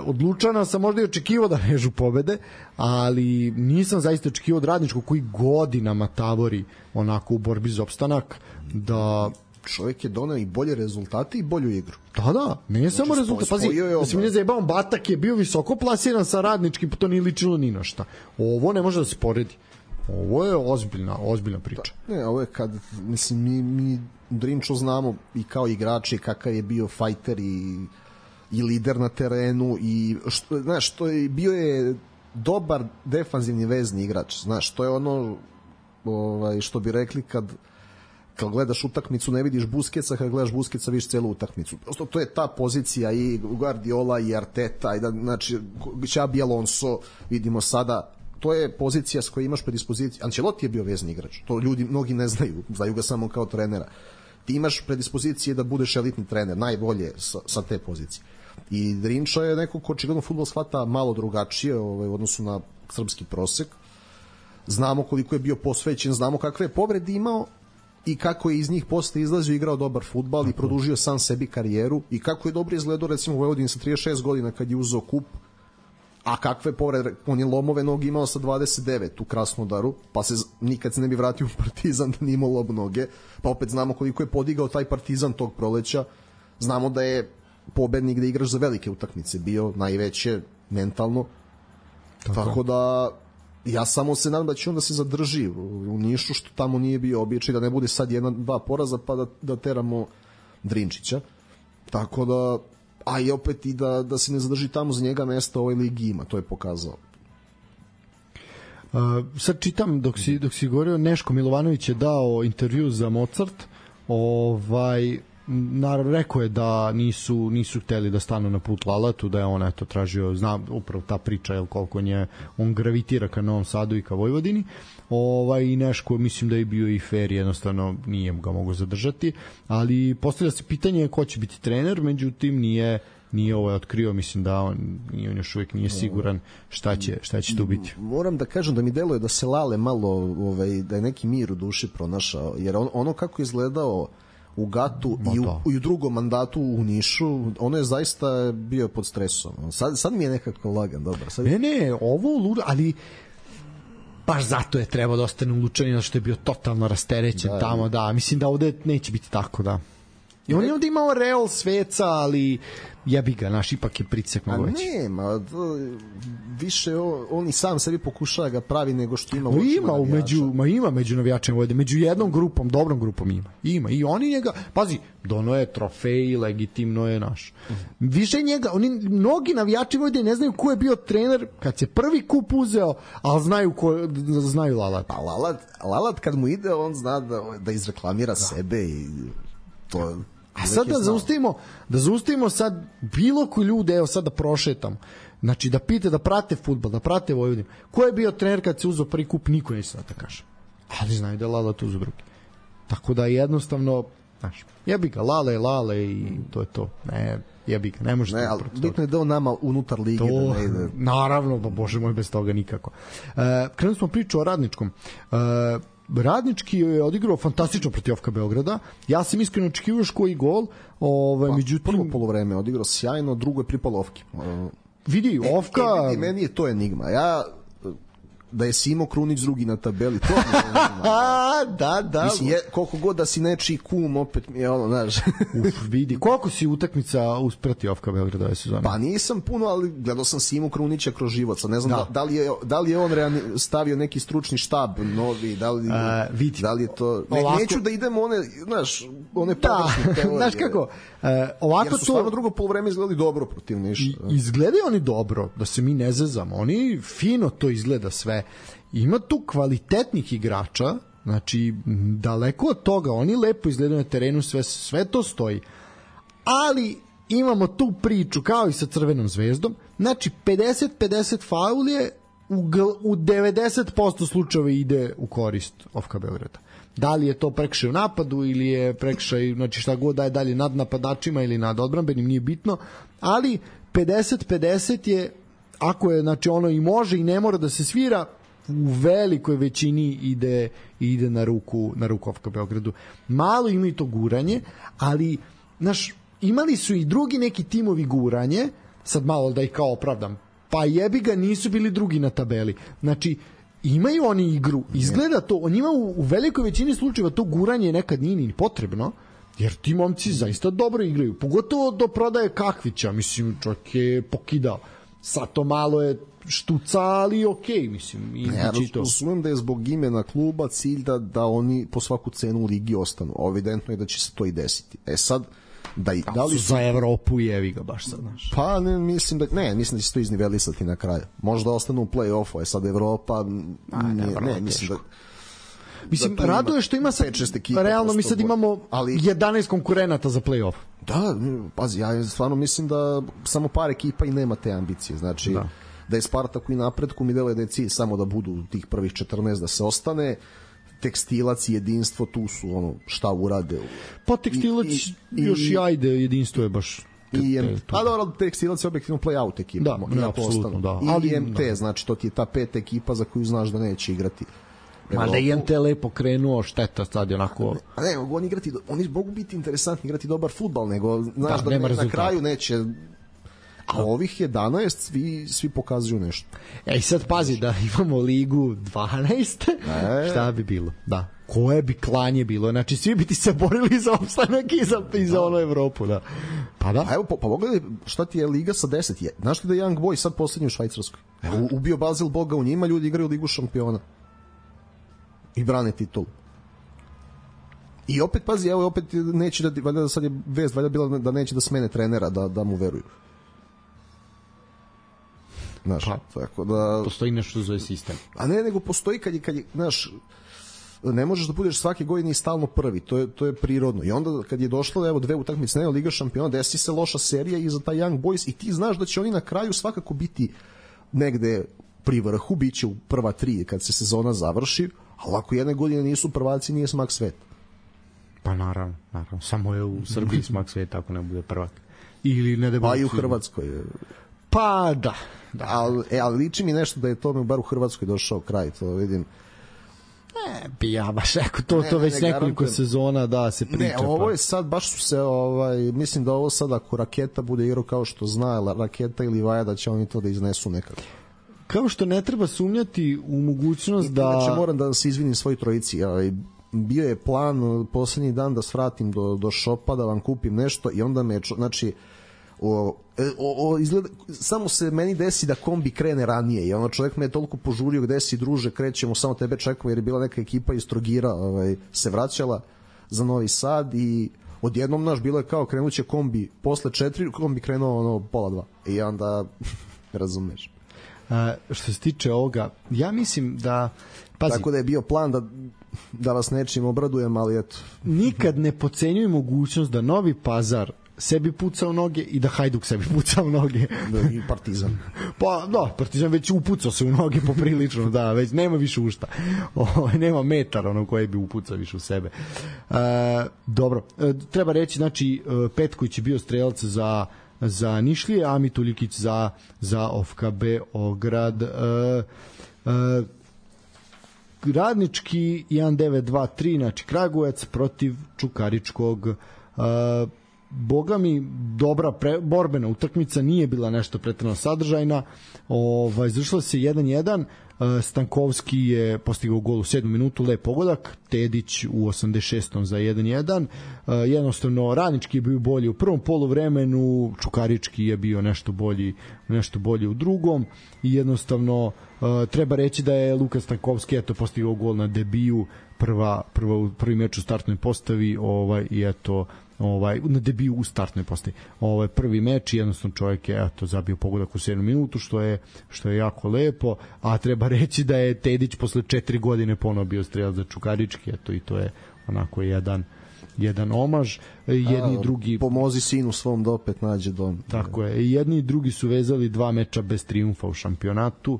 Od Lučana sam možda i očekivao da režu pobede, ali nisam zaista očekivao od Radničkog koji godinama tavori onako u borbi za opstanak, da čovjek je doneo i bolje rezultate i bolju igru. Da, ne znači, samo rezultat. Pazi, da se mi ne zajebavam, Batak je bio visoko plasiran sa Radničkim, pa to nije ličilo ni na šta. Ovo ne može da se poredi. Ovo je ozbiljna priča. Da, ne, ovo je kad, mislim, mi Drinču znamo i kao igrači kakav je bio fajter i lider na terenu i znaš, što je bio je dobar defanzivni vezni igrač. Znaš, to je ono što bi rekli kad gledaš utakmicu ne vidiš Busquetsa, kad gledaš Busquetsa vidiš celu utakmicu. Prosto to je ta pozicija i Guardiola i Arteta i da, znači Xabi Alonso vidimo sada, to je pozicija s kojoj imaš predispoziciju. Ancelotti je bio vezni igrač, to ljudi mnogi ne znaju ga samo kao trenera. Ti imaš predispozicije da budeš elitni trener, najbolje sa te pozicije. I Drinča je neko ko očigledno fudbal shvata malo drugačije u odnosu na srpski prosek. Znamo koliko je bio posvećen, znamo kakve je povrede imao i kako je iz njih posle izlazio, igrao dobar fudbal i produžio sam sebi karijeru i kako je dobro izgledao recimo u Vojvodini sa 36 godina kad je uzeo kup, a kakve povrede, on je lomove noge imao sa 29 u Krasnodaru, pa se nikad se ne bi vratio u Partizan da nije imao lob noge, pa opet znamo koliko je podigao taj Partizan tog proleća, znamo da je pobednik da igraš za velike utakmice bio, najveće mentalno, tako da ja samo se nadam da će on da se zadrži u Nišu, što tamo nije bio običaj, da ne bude sad 1-2 poraza pa da teramo Drinčića, tako da a i opet i da se ne zadrži tamo za njega mesta u ovoj ligi ima, to je pokazao. Sad čitam dok si govorio, Neško Milovanović je dao intervju za Mozart, naravno rekao je da nisu hteli da stanu na put Lalatu, da je on eto tražio, znam upravo ta priča, jel koliko on gravitira ka Novom Sadu i ka Vojvodini, i Neško mislim da je bio i fair, jednostavno nije ga mogo zadržati, ali postavlja se pitanje ko će biti trener, međutim nije otkrio, mislim da on još uvijek nije siguran šta će tu biti. Moram da kažem da mi deluje da se Lale malo, da je neki mir u duši pronašao, jer ono kako je izgledao u Gatu i u drugom mandatu u Nišu, ono je zaista bio pod stresom. Sad mi je nekako lagan, dobar. Ne, ovo luda, ali baš zato je trebao da ostane u Lučanima, što je bio totalno rasterećen tamo, da. Mislim da ovde neće biti tako, da. I on je ovde imao real sveca, ali jebi ga, naš ipak je pritisak mnogo veći. Više on i sam sebi pokušava ga pravi nego što ima ima među navijačima Vojvodine, među jednom grupom, dobrom grupom ima i oni njega, pazi, dono je trofej, legitimno je naš. Više njega, mnogi navijači Vojvodine ne znaju ko je bio trener kad se prvi kup uzeo, ali znaju Lalat. Pa Lalat kad mu ide, on zna da izreklamira sebe i to. A sad da zaustavimo sad bilo koji ljude, evo sad da prošetam, znači da pite, da prate fudbal, da prate Vojvodinu. Ko je bio trener kad se uzeo prvi kup, niko neće da kaže. Ali znaju da je Lala uzeo drugi. Tako da jednostavno, znaš, jebi ga, Lale i to je to. Ne, jebi ga, ne može. Ne, ali bitno je da on nama unutar lige to, da ne ide. Naravno, pa bože moj, bez toga nikako. Krenuli smo priču o Radničkom. Radnički je odigrao fantastično protiv FK Beograda. Ja sam iskreno očekivao još koji gol. Međutim, prvo polovreme odigrao sjajno, drugo je pripalo Ofki. Vidi, Ofka... Meni je to enigma. Da je Simo Krunić drugi na tabeli, to da. Mislim, koliko god da si nečiji kum, opet mi je ono, znaš. Vidi, koliko si utakmica usprati Ofka Beograda ove sezone? Pa nisam puno, ali gledao sam Simu Krunića kroz život. Ne znam da li je on stavio neki stručni štab novi, da li je to... Neću da idemo one površne teorije. Znaš kako? Jer su stvarno drugo polovreme izgledali dobro protiv Niša. Izgledaju oni dobro, da se mi ne zezamo. Oni fino to izgleda sve. Ima tu kvalitetnih igrača, znači daleko od toga, oni lepo izgledaju na terenu, sve to stoji. Ali imamo tu priču kao i sa Crvenom zvezdom, znači 50-50 faul je u 90% slučajeva ide u korist OFK Beograda. Da li je to prekršaj u napadu ili je prekršaj, znači šta god da je dalje nad napadačima ili nad odbrambenim, nije bitno, ali 50-50 je, ako je, znači ono i može i ne mora da se svira, u velikoj većini ide na ruku OFK Beogradu. Malo imaju to guranje, ali imali su i drugi neki timovi guranje, sad malo da ih kao opravdam, pa jebi ga, nisu bili drugi na tabeli. Znači, imaju oni igru, izgleda to, njima u velikoj većini slučajeva to guranje nekad nije ni potrebno, jer ti momci zaista dobro igraju, pogotovo do prodaje Kakvića, mislim, čovjek je pokidao. Sad to malo je štuca, ali okej, mislim. Razumem da je zbog imena kluba cilj da oni po svaku cenu u ligi ostanu. Evidentno je da će se to i desiti. Sad, da li su za Evropu jevi ga baš sad, znaš. Pa mislim da će se to iznivelisati na kraju. Možda ostanu u play-offu, sad Evropa mislim da mislim, raduje što ima sad, realno mi sad imamo 11 konkurenata za play-off. Da, pazi, ja stvarno mislim da samo par ekipa i nema te ambicije. Znači, da je Spartak u napretku, mi deluje da je cilj samo da budu tih prvih 14, da se ostane. Tekstilac i Jedinstvo, tu su šta urade. Pa Tekstilac još i ajde, Jedinstvo je baš... Pa dobro, Tekstilac je objektivno play-out ekipa. Da, apsolutno, da. I MT, znači to ti je ta 5 ekipa za koju znaš da neće igrati. Ma da je MT lepo krenuo, šteta sad je onako... A ne, mogu oni mogu biti interesantni, igrati dobar fudbal, nego znaš da na kraju neće... A ovih 11 svi pokazuju nešto. I sad pazi da imamo ligu 12, šta bi bilo? Da. Koje bi klanje bilo? Znači svi bi ti se borili za opstanak i za ono Evropu, da. Pa da. A evo, pa pogledaj šta ti je liga sa 10. Znaš ti da je Young Boy sad poslednji u Švajcarskoj? Evo, ubio Basel Boga u njima, ljudi igraju ligu šampiona. I brane titulu. I opet, pazi, evo, opet neće valjda sad je vest, valjda bila da neće da smene trenera, da mu veruju. Znaš, tako da... Postoji nešto zove sistem. A ne, nego postoji kad je, znaš, ne možeš da budeš svake godine i stalno prvi, to je prirodno. I onda kad je došlo, evo, 2 utakmice, ne, Liga šampiona, desi se loša serija i za taj Young Boys i ti znaš da će oni na kraju svakako biti negde pri vrhu, bit će u prva 3 kad se sezona završi, ali ako jedne godine nisu prvaci, nije smak sveta. Pa naravno, samo je u Srbiji smak sveta ako ne bude prvak. Ili ne da bude... Pa i u Hrvatskoj je... Pa da. Ali liči mi nešto da je tome bar u Hrvatskoj došao kraj, to vidim. Ne, bi ja baš rekao, to već nekoliko sezona da se priča. Ne, ovo je sad, baš su se, mislim da ovo sad ako Raketa bude igrao kao što zna, Raketa ili Vaja, da će oni to da iznesu nekako. Kao što ne treba sumnjati u mogućnost da... Znači, moram da se izvinim svoj trojici, bio je plan poslednji dan da svratim do šopa, da vam kupim nešto i onda me, znači, izgleda, samo se meni desi da kombi krene ranije i ono čovjek me je toliko požurio, gde si druže, krećemo, samo tebe čekamo, jer je bila neka ekipa iz Trogira se vraćala za Novi Sad i odjednom naš bilo je kao krenuće kombi posle 4, kombi krenuo pola 2 i onda razumeš. Što se tiče ovoga, ja mislim da pazi, tako da je bio plan da vas nečim obradujem, ali eto. Nikad ne podcenjuj mogućnost da Novi Pazar sebi puca u noge i da Hajduk sebi puca u noge. I Partizan. Pa da, Partizan već upucao se u noge poprilično, da, već nema više ušta. Nema metar koji bi upucao više u sebe. Dobro, treba reći, znači, Petković je bio strelac za Nišlije, a Mitulikić za OFK Beograd. Radnički 1-9-2-3, znači Kragujevac protiv Čukaričkog. Boga mi, dobra borbena utakmica, nije bila nešto pretjerano sadržajna. Završila se 1-1. Stankovski je postigao gol u 7. minutu, lep pogodak, Tedić u 86. za 1-1. Jednostavno, Radnički je bio bolji u prvom poluvremenu, Čukarički je bio nešto bolji u drugom i jednostavno treba reći da je Luka Stankovski postigao gol na debiju, prvi meč u startnoj postavi i na debiju u startnoj postavi. Prvi meč i jednostavno čovjek je zabio pogodak u 7. minutu, što je jako lepo, a treba reći da je Tedić posle 4 godine ponovo bio strelac za Čukarički, i to je onako jedan omaž. Jedni i drugi pomozi sinu svom da opet nađe dom. Tako je. Jedni i drugi su vezali 2 meča bez trijumfa u šampionatu.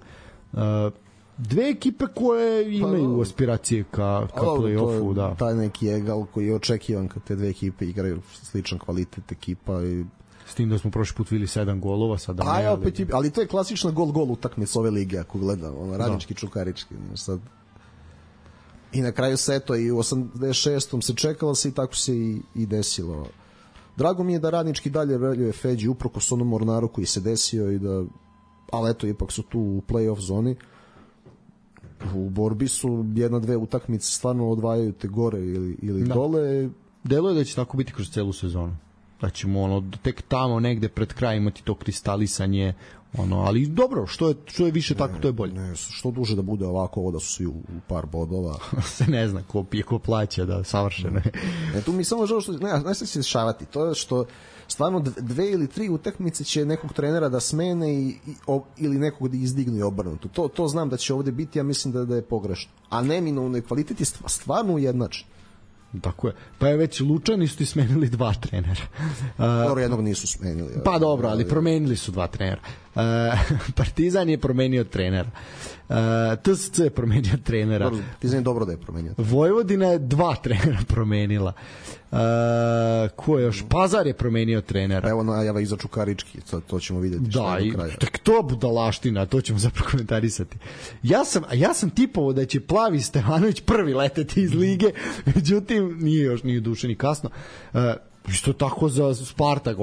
Dve ekipe koje imaju aspiracije ka play-offu, da. Taj neki egal koji je očekivan kad te dve ekipe igraju sličan kvalitet ekipa i S tim da smo prošli put videli 7 golova, sada ne. Ali to je klasična gol utakmica ove lige, ako gledam, radnički čukarički. Sad. I na kraju se eto i u 86. se čekalo se i tako se i desilo. Drago mi je da radnički dalje veljuje Feđi uprkos onom Mornaru koji se desio i da, ali eto ipak su tu u play-off zoni. U borbi su 1-2 utakmice stvarno odvajaju te gore ili dole. Deluje da će tako biti kroz celu sezonu. Da ćemo tek tamo negde pred kraj imati to kristalisanje, ali dobro, što je više tako, to je bolje. Ne, što duže da bude ovako, ovo da su svi u par bodova. Se ne zna ko pije, ko plaća, da savršeno je. Tu mi samo žao što, ne se dešavati, to je što stvarno 2 ili 3 utakmice će nekog trenera da smene ili nekog da izdignu i obrnuto. To znam da će ovde biti, ja mislim da je pogrešno. A neminovno je kvalitet je stvarno ujednačen. Tako je. Pa je već Lučani su ti smenili 2 trenera. Dobro, jednog nisu smenili. Pa dobro, ali promenili su 2 trenera. Partizan je promenio trenera. TSC je promenio trenera. Partizan je dobro da je promenio. Vojvodina je 2 trenera promenila. Ko je još? Pazar je promenio trenera. Evo najava iza Čukarički, to ćemo vidjeti. Da, i tek to budalaština, to ćemo zapravo komentarisati. Ja sam tipovao da će Plavi Stevanović prvi leteti iz lige, međutim nije duše ni kasno. Isto tako za Spartak,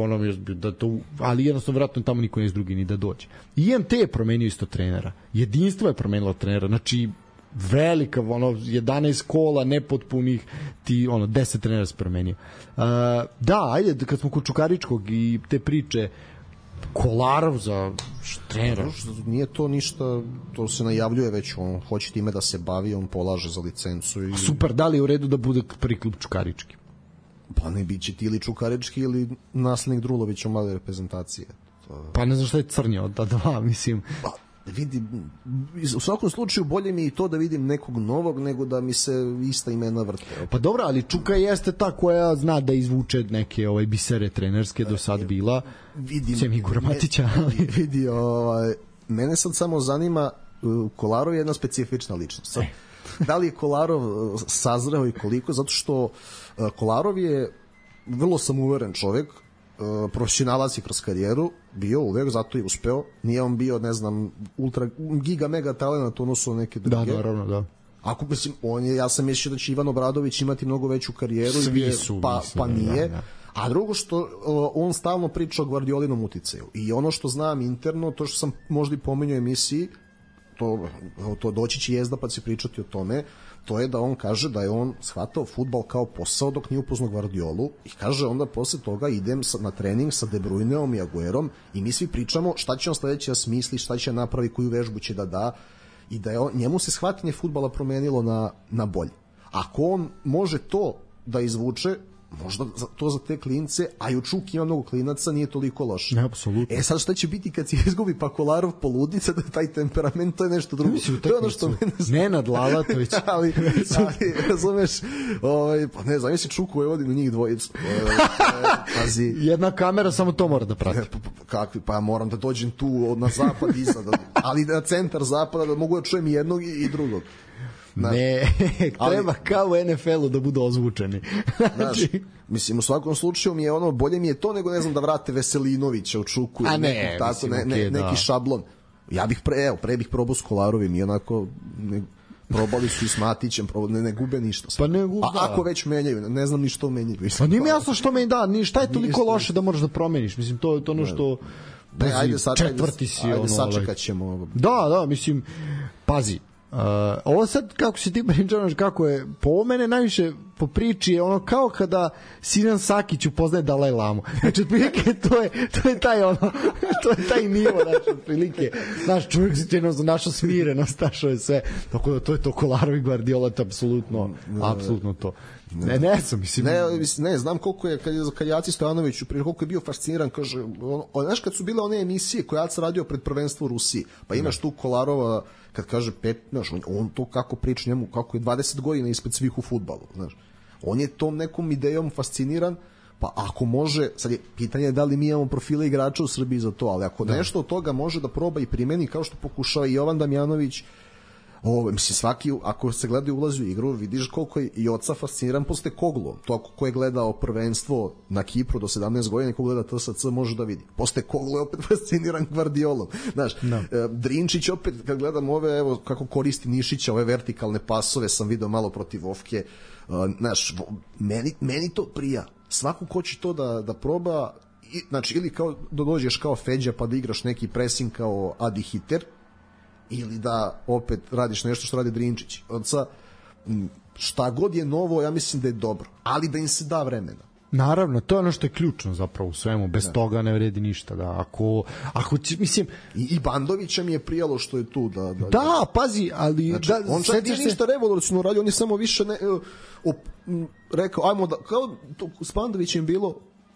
ali jednostavno vjerojatno tamo niko nije drugi ni da dođe. IMT je promenio isto trenera. Jedinstvo je promenilo trenera. Znači, velika, 11 kola nepotpunih, 10 trenera se promenio. Da, ajde, kad smo kod Čukaričkog i te priče, Kolarov za trenera. Nije to ništa, to se najavljuje već, on hoće time da se bavi, on polaže za licencu. Super, da li je u redu da bude prvi klub Čukarički? Pa ne biće ti ili Čukarički ili naslednik Drulović u mlade reprezentacije. Pa ne znam šta je crnje od dva, mislim. Pa vidi, u svakom slučaju bolje mi i to da vidim nekog novog nego da mi se ista imena vrte. Pa dobro, ali Čuka jeste ta koja zna da izvuče neke bisere trenerske do sad bila. Sem Igora Matića. Vidi, mene sad samo zanima, Kolarov je jedna specifična ličnost. Sad, da li je Kolarov sazreo i koliko? Zato što Kolarov je vrlo samouveren čovjek, profesionalac je kroz karijeru bio uvek, zato je uspeo. Nije on bio, ne znam, ultra giga mega talent u odnosu na neke druge. Da, naravno, da. Ako mislim, ja sam mislio da će Ivan Obradović imati mnogo veću karijeru. Svi su, pa nije. Da. A drugo što on stalno priča o Gvardiolinom uticaju. I ono što znam interno, to što sam možda i pomenuo u emisiji, to doći će Jezda pa će pričati o tome, to je da on kaže da je on shvatao fudbal kao posao dok nije upoznao Gvardiolu i kaže onda posle toga idem na trening sa De Bruyneom i Aguerom i mi svi pričamo šta će on sledeće da smisli, šta će napravi, koju vežbu će da da i da je njemu se shvatanje fudbala promenilo na bolje. Ako on može to da izvuče, možda to za te klince, a i u Čuki ima mnogo klinaca, nije toliko loše. Ne, apsolutno. Sad šta će biti kad se izgubi pa Kolarov poludica, da taj temperament, to je nešto drugo. To je ono što mene znam. Nenad Lalatović. ali razumeš, pa ne znam, misli Čuku je vodim njih dvojicu. Pazi. Jedna kamera samo to mora da prati. Kakvi, pa ja moram da dođem tu na zapad iza, ali na centar zapada da mogu da čujem i jednog i drugog. Ne, treba kao u NFL-u da budu ozvučeni. Znači, mislim, u svakom slučaju mi je bolje mi je to nego, ne znam, da vrate Veselinovića u Čuku ili neki šablon. Ja bih pre bih probao s Kolarovim i onako probali su i s Matićem, ne gube ništa. Pa ne gube, ako već menjaju, ne znam ni što menjaju. Pa nije mi jasno što menjaju, da, šta je toliko loše da moraš da promeniš, mislim, to je ono što... Ajde sačekat ćemo. Da, mislim, pazi, ovo sad kako si ti pričao, kako je po mene najviše po priči je ono kao kada Sinan Sakić upoznaje Dalaj Lamu. Znači otprilike to je taj to je taj nivo, znači otprilike naš čovjek se našao smirenost, našao je sve, tako da to je to Kolarov i Gvardiola, apsolutno to. Ne, znam koliko je kad Jaci Stojanović koliko je bio fasciniran, kaže, znaš kad su bile one emisije koje Jac radio pred prvenstvo u Rusiji, pa imaš tu Kolarova kad kaže on to kako priča njemu, kako je 20 godina ispred svih u fudbalu, znaš. On je tom nekom idejom fasciniran, pa ako može, sad je pitanje da li mi imamo profile igrača u Srbiji za to, ali ako nešto od toga može da proba i primeni kao što pokušava i Jovan Damjanović, Mislim, svaki, ako se gleda i ulazi u igru, vidiš koliko je i oca fasciniran posle Koglom. To ko je gledao prvenstvo na Kipru do 17 godina i ko gleda TSC može da vidi. Posle Koglo je opet fasciniran Gvardiolom. Znaš, Drinčić opet, kad gledam ove, evo, kako koristi Nišića, ove vertikalne pasove sam video malo protiv Ofke. Znaš, meni to prija. Svako ko će to da proba, znači, ili kao da dođeš kao Feđa pa da igraš neki pressing kao Adi Hiter, ili da opet radiš nešto što radi Drinčić. Šta god je novo, ja mislim da je dobro, ali da im se da vremena. Naravno, to je ono što je ključno zapravo u svemu, bez toga ne vredi ništa. Da. Ako će, mislim... I Bandovića mi je prijalo što je tu. Da, pazi, ali... Znači, on sad nije ništa revolucionarno radio, on je samo više rekao, ajmo da, kao to s Bandovićem bilo,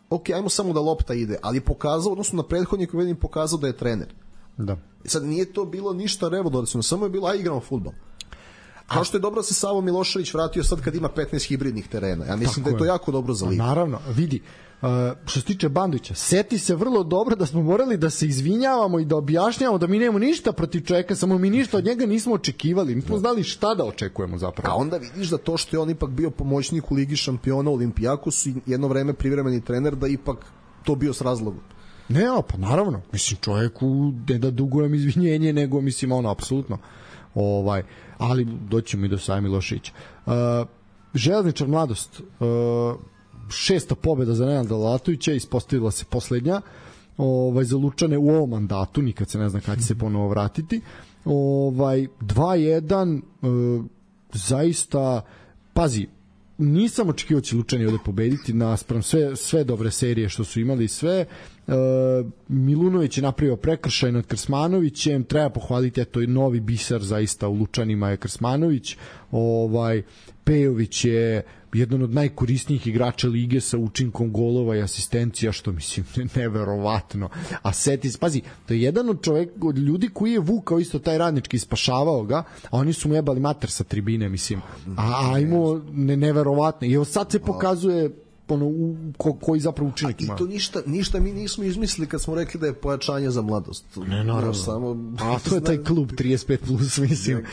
ok, ajmo samo da lopta ide, ali je pokazao, odnosno na prethodniku vidim pokazao da je trener. Da. Sad nije to bilo ništa revolucionarno, samo je bilo aj igramo fudbal. Kao što je dobro da se Savo Milošević vratio sad kad ima 15 hibridnih terena. Ja mislim da je to jako dobro za ligu. Naravno, vidi, što se tiče Bandovića, seti se vrlo dobro da smo morali da se izvinjavamo i da objašnjavamo da mi nemamo ništa protiv čoveka, samo mi ništa od njega nismo očekivali, nismo znali šta da očekujemo zapravo. A onda vidiš da to što je on ipak bio pomoćnik u Ligi šampiona u Olimpijakosu i jedno vreme privremeni trener, da ipak to bio s razlogom. Ne, pa naravno, mislim čovjeku ne da dugujem izvinjenje, nego mislim ono, apsolutno. Ali doćemo i do Save Miloševića. Železničar Mladost, 6. pobjeda za Nenada Lalatovića, ispostavila se poslednja za Lučane u ovom mandatu, nikad se ne zna kada će se ponovo vratiti. 2-1, zaista, pazi, nisam očekivao će Lučani ovde pobediti naspram sve dobre serije što su imali, sve. Milunović je napravio prekršaj nad Krsmanovićem, treba pohvaliti, eto je novi biser zaista u Lučanima je Krsmanović. Pejović je jedan od najkorisnijih igrača lige sa učinkom golova i asistencija, što mislim neverovatno. A Setis, pazi, to je jedan od ljudi koji je vukao isto taj radnički, spašavao ga, a oni su mu jebali mater sa tribine, mislim. A imao neverovatno. I evo sad se pokazuje koji zapravo učinak ima. I to ništa mi nismo izmislili kad smo rekli da je pojačanje za Mladost. Ne, naravno. A to je taj klub 35+, mislim.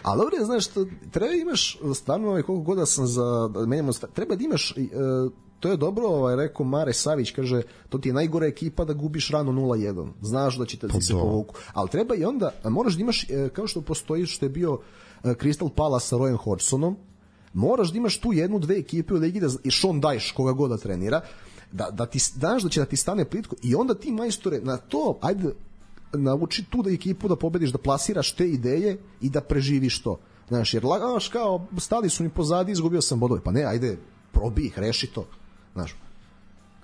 Ali dobro je, znaš, treba imaš stvarno koliko god da sam treba da imaš, to je dobro, rekao Mare Savić, kaže, to ti je najgora ekipa da gubiš rano 0-1, znaš da će ti se povuku, ali treba i onda, moraš da imaš, kao što postoji što je bio Crystal Palace sa Royem Hodgsonom, moraš da imaš tu jednu, dve ekipe u ligi i Sean Dyche, koga god da trenira, da ti znaš da će da ti stane plitko i onda ti majstore na to, ajde, nauči tu da ekipu da pobediš, da plasiraš te ideje i da preživiš to. Znaš, jer kao stali su mi pozadi, izgubio sam bodove. Pa ne, ajde, probi ih, reši to. Znaš.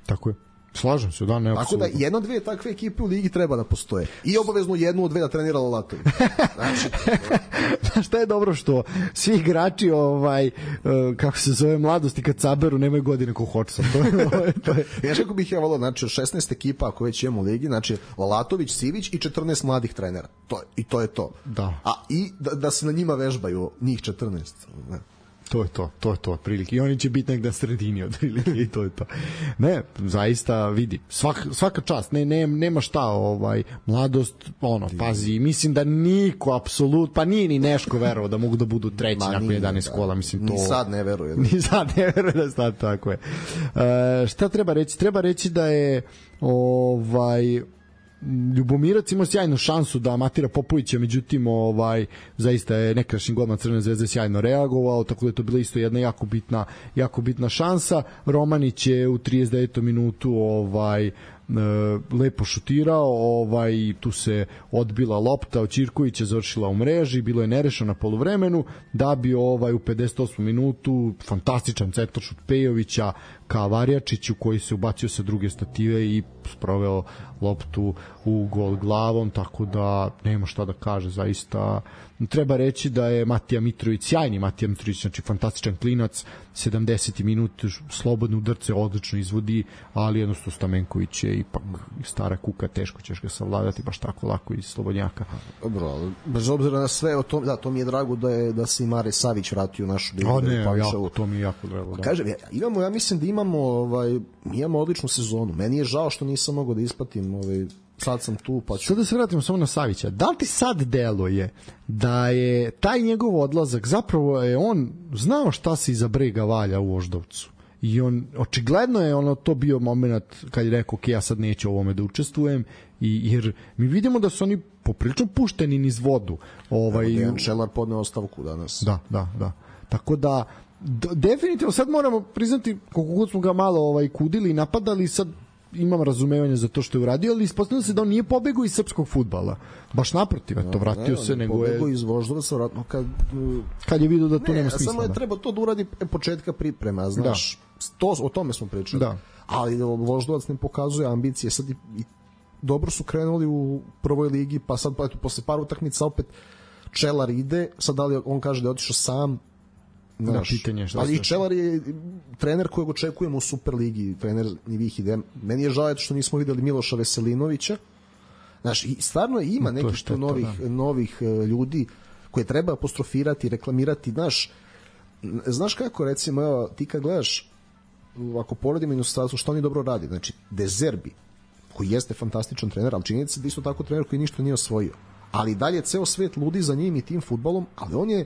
Tako je. Slažem se, da, ne. Tako da jedno, dve takve ekipe u ligi treba da postoje. I obavezno jednu od dve da trenira Lalatović. Znači, šta je dobro što svi igrači kako se zove Mladosti kad saberu nemaju godine ko Hodgson. To je. Ja kako bih ja volao, znači 16 ekipa ako već imamo u ligi, znači Lalatović, Sivić i 14 mladih trenera. To je to. Da. A i da se na njima vežbaju njih 14. Ne. To je to, otprilike. I oni će biti negde na sredini, otprilike, i to je to. Ne, zaista, vidi, svaka čast, nema šta, Mladost, pazi, mislim da niko, apsolutno, pa nije ni Neško verovao da mogu da budu treći nakon 11 kola, mislim, to... Ni sad ne veruje. Ni sad ne veruje da sad tako je. Šta treba reći? Treba reći da je, Ljubomirac imao sjajnu šansu da amatira Popovića, međutim zaista je nekadašnji golman Crvene zvezde sjajno reagovao, tako da je to bila isto jedna jako bitna šansa. Romanić je u 39. minutu lepo šutirao, tu se odbila lopta od Ćirkovića, završila u mreži, bilo je nerešeno na poluvremenu, da bi u 58. minutu fantastičan centaršut Pejovića ka Varjačiću koji se ubacio sa druge stative i sproveo loptu u gol glavom, tako da nema šta da kaže, zaista treba reći da je Matija Mitrović, sjajni Matija Mitrović, znači fantastičan klinac, 70. minut slobodne udarce odlično izvodi, ali jednostavno Stamenković je ipak stara kuka, teško ćeš ga savladati baš tako lako iz slobodnjaka. Dobro, bez obzira na sve, to mi je drago da se i Mare Savić vratio u našu ligu. To mi je jako drago. Da. Kažem, ja mislim da imamo odličnu sezonu. Meni je žao što nisam mogao da isplatim sad sam tu, pa ću... Sad da se vratimo samo na Savića. Da li ti sad deluje da je taj njegov odlazak, zapravo je on znao šta se iza brega valja u Voždovcu? I on, očigledno je to bio moment kad je rekao, ok, ja sad neću ovome da učestvujem, jer mi vidimo da su oni poprilično pušteni niz vodu. Dejan Čelar podneo ostavku danas. Da. Tako da, definitivno sad moramo priznati, koliko god smo ga malo kudili i napadali, sad imam razumevanje za to što je uradio, ali ispostavljeno se da on nije pobegao iz srpskog fudbala. Baš naprotiv, vratio se, nego je... Pobegao iz Voždovaca, vratno kad je vidio da tu nema smisla. Samo je treba to da uradi početka priprema, znaš. O tome smo pričali. Da. Ali Voždovac ne pokazuje ambicije. Sad i dobro su krenuli u prvoj ligi, pa sad posle par utakmica opet Čelar ide, sad da li on kaže da je otišao sam, ali i Čelar je trener kojeg očekujemo u Superligi, trener Nivih ide. Meni je žao što nismo videli Miloša Veselinovića. Znaš, i stvarno ima nekih novih ljudi koje treba apostrofirati, reklamirati. Znaš kako, recimo, evo, ti kad gledaš, ako poredimo inostranstvo, što oni dobro radi, znači De Zerbi, koji jeste fantastičan trener, ali činjenica se da isto tako trener koji ništa nije osvojio, ali dalje ceo svet ludi za njim i tim fudbalom, ali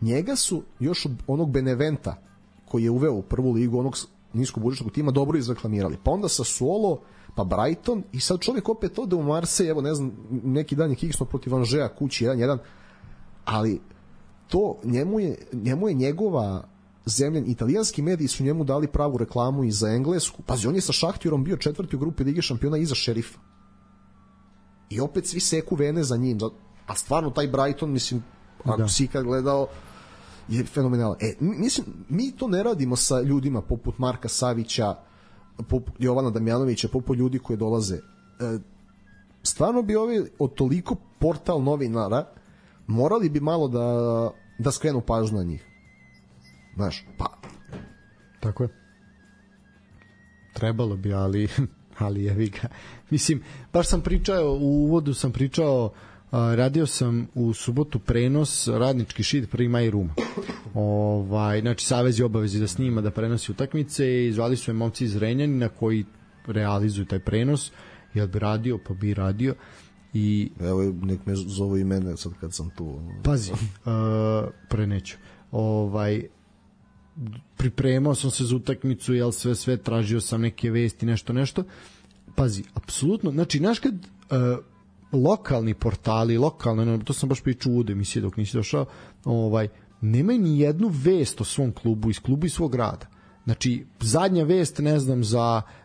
njega su još od onog Beneventa koji je uveo u prvu ligu onog niskobudžetskog tima dobro izreklamirali, pa onda Sassuolo, pa Brighton, i sad čovjek opet ode u Marseille, evo ne znam, neki dan je kiksno protiv Anžeja kući 1-1, ali to njemu je njegova zemlja, italijanski mediji su njemu dali pravu reklamu i za Englesku. Pazi, on je sa Šahtjorom bio 4. u grupi Lige šampiona iza Šerifa. I opet svi seku vene za njim. A stvarno taj Brighton, mislim, ako si ikad gledao, je fenomenalan. Mislim, mi to ne radimo sa ljudima poput Marka Savića, poput Jovana Damjanovića, poput ljudi koji dolaze. Stvarno bi ovi od toliko portal novinara morali bi malo da skrenu pažnju na njih. Znaš, pa... Tako je. Trebalo bi, ali jevi ga. Mislim, baš sam pričao, u uvodu sam pričao, radio sam u subotu prenos Radnički šid Prvi maj Ruma. Znači, Savez je obavezi da snima, da prenosi utakmice i zvali su je momci iz Renjanina koji realizuju taj prenos. Jel bi radio, pa bi radio. I... Evo, nek me zovu i mene sad kad sam tu. Pazi, preneću. Pripremao sam se za utakmicu, jel sve tražio sam neke vesti, nešto. Pazi, apsolutno, znači, znaš kad lokalni portali, to sam baš pričao u emisiji dok nisi došao, nemaju ni jednu vest o svom klubu, iz klubu i svog grada. Znači, zadnja vest, ne znam,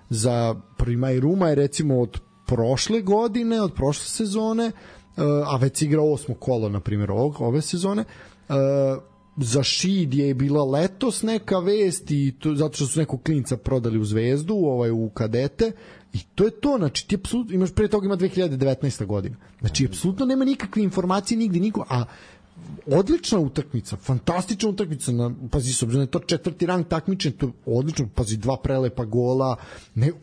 za Prvi maj Ruma je recimo od prošle godine, od prošle sezone, a već igra 8. kolo, na primjer, ove sezone. Za Šid je bila letos neka vest i to, zato što su nekog klinca prodali u Zvezdu, u kadete, i to je to. Znači, ti apsolutno imaš, pre toga ima 2019. godina. Znači, apsolutno nema nikakve informacije nigde, niko, a odlična utakmica, fantastična utakmica, pazi, s obzirom da je to 4. rang takmičenja, to je odlično, pazi, 2 prelepa gola,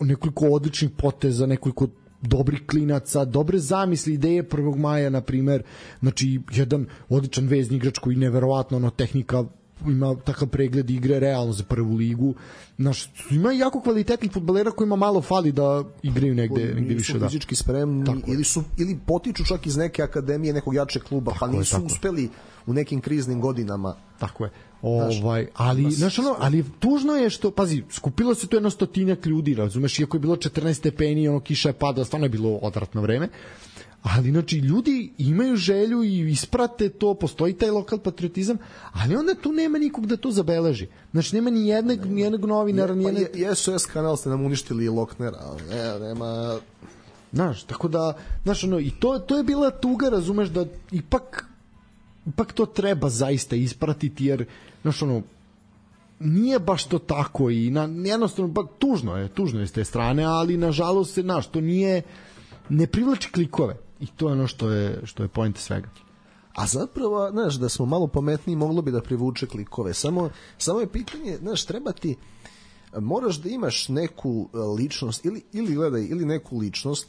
nekoliko odličnih poteza, nekoliko dobrih klinaca, dobre zamisli, ideje 1. maja, na primer, znači jedan odličan vezni igrač koji neverovatno tehnika, ima takav pregled igre realno za prvu ligu. Znaš, ima jako kvalitetnih fudbalera kojima malo fali da igraju negde više. Nisu fizički spremni ili potiču čak iz neke akademije, nekog jačeg kluba, pa nisu uspeli u nekim kriznim godinama. Tako je. Ali tužno je što, pazi, skupilo se tu 100 ljudi, razumeš, iako je bilo 14 stepeni, kiša je padala, stvarno je bilo odvratno vreme, ali znači ljudi imaju želju i isprate to, postoji taj lokal patriotizam, ali onda tu nema nikog da to zabeleži. Znači nema ni jednog novinara, SOS kanal ste nam uništili i Loknera, nema... Znaš, tako da, i to je bila tuga, razumeš, da ipak to treba zaista ispratiti, jer nije baš to tako i jednostavno, tužno je s te strane, ali nažalost se, to ne privlači klikove i to je ono što je point svega. A zapravo, da smo malo pametniji, moglo bi da privuče klikove, samo je pitanje, treba ti, moraš da imaš neku ličnost ili neku ličnost,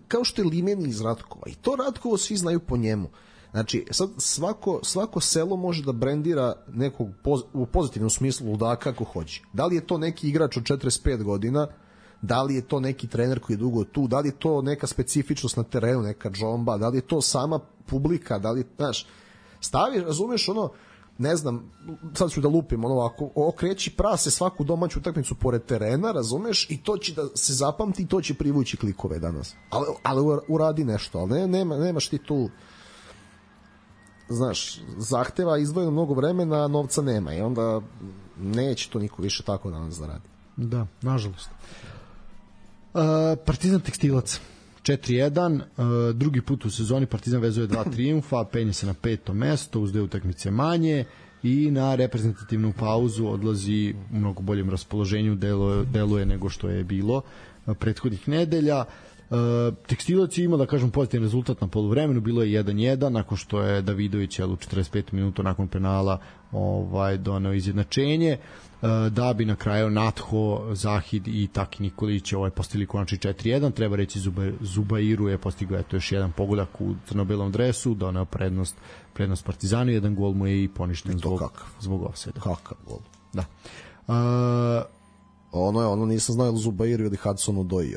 kao što je Limeni iz Ratkova, i to Ratkovo svi znaju po njemu. Znači, sad svako selo može da brendira nekog u pozitivnom smislu ludaka kako hoće. Da li je to neki igrač od 45 godina, da li je to neki trener koji je dugo tu, da li je to neka specifičnost na terenu, neka džomba, da li je to sama publika, da li, znaš, stavi, razumeš, ono, ne znam, sad ću da lupim, ono ovako, okreći prase svaku domaću utakmicu pored terena, razumeš, i to će da se zapamti i to će privući klikove danas. Ali uradi nešto, ali nemaš ti tu, znaš, zahteva izdvojeno mnogo vremena, a novca nema i onda neće to niko više tako danas da radi. Da, nažalost. Partizan Tekstilac 4-1, drugi put u sezoni Partizan vezuje 2 trijumfa, penje se na 5. mesto uz 2 utakmice manje i na reprezentativnu pauzu odlazi u mnogo boljem raspoloženju, deluje nego što je bilo prethodnih nedelja. Tekstilac je imao, da kažem, pozitivan rezultat na poluvremenu, bilo je 1-1 nakon što je Davidović u 45 minuta nakon penala doneo izjednačenje, da bi na kraju Natho, Zahid i Taki Nikolić postigli konačni 4-1. Treba reći, Zubairu je postigao još jedan pogodak u crno-belom dresu, doneo prednost Partizanu, jedan gol mu je i poništen zbog ofsajda. Kakav gol. Da. Ono nisam znao ili Zubairu ili Hudsonu Doji.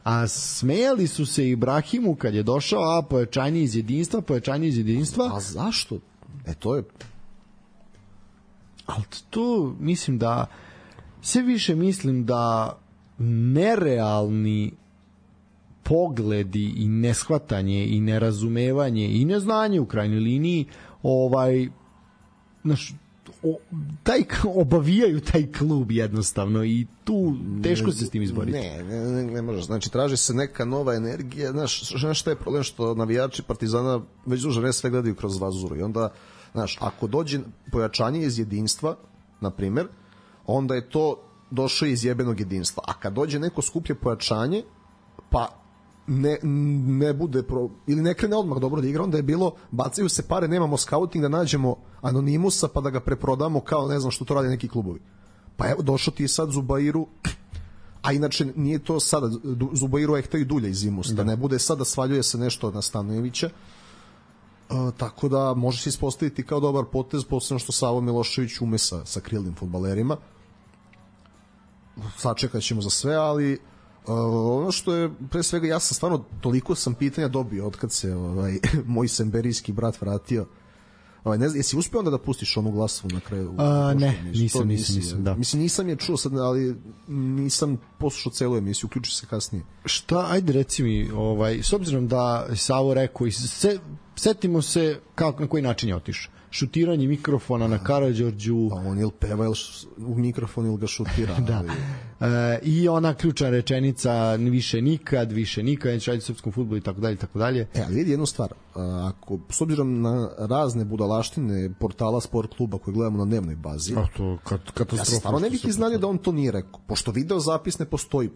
A smejali su se Ibrahimu kad je došao, pojačanje iz jedinstva. A zašto? To je... Ali to mislim da sve više mislim da nerealni pogledi i neshvatanje i nerazumevanje i neznanje u krajnjoj liniji obavijaju taj klub jednostavno i tu teško se s tim izboriti. Ne može. Znači, traži se neka nova energija. Znaš šta je problem, što navijači Partizana već duže vreme sve gledaju kroz vazuru i onda, znaš, ako dođe pojačanje iz jedinstva, na primer, onda je to došlo iz jebenog jedinstva. A kad dođe neko skuplje pojačanje, pa ne bude ili ne krene odmah dobro da igra, onda je bilo bacaju se pare, nemamo scouting da nađemo anonimusa pa da ga preprodamo kao ne znam što to rade neki klubovi. Pa evo, došao ti sad Zubairu, a inače nije to sada, Zubairu je hteo i dulje iz Imusa, da ne bude sada svaljuje se nešto na Stanojevića, tako da može se ispostaviti kao dobar potez, posebno što Savo Milošević ume sa krilnim fudbalerima. Sačekat ćemo za sve, ali ono što je, pre svega, ja sam stvarno toliko sam pitanja dobio od kad se moj semberijski brat vratio. Ne znam, jesi uspio onda da pustiš onu glasovu na kraju? Ne, nisam, da. Mislim, nisam je čuo sad, ali nisam poslušao celu emisiju, uključi se kasnije. Šta, ajde reci mi, s obzirom da Savo rekao, setimo se na koji način je otišao. Šutiranje mikrofona na Karađorđu. Pa on ili peva u mikrofon ili ga šutira. Da. I ona ključna rečenica više nikad, neće raditi u srpskom fudbalu i tako dalje. Ali vidi jednu stvar, ako s obzirom na razne budalaštine portala Sport kluba koje gledamo na dnevnoj bazi, ja se stvarno ne bih iznadio da on to nije rekao, pošto video zapis ne postoji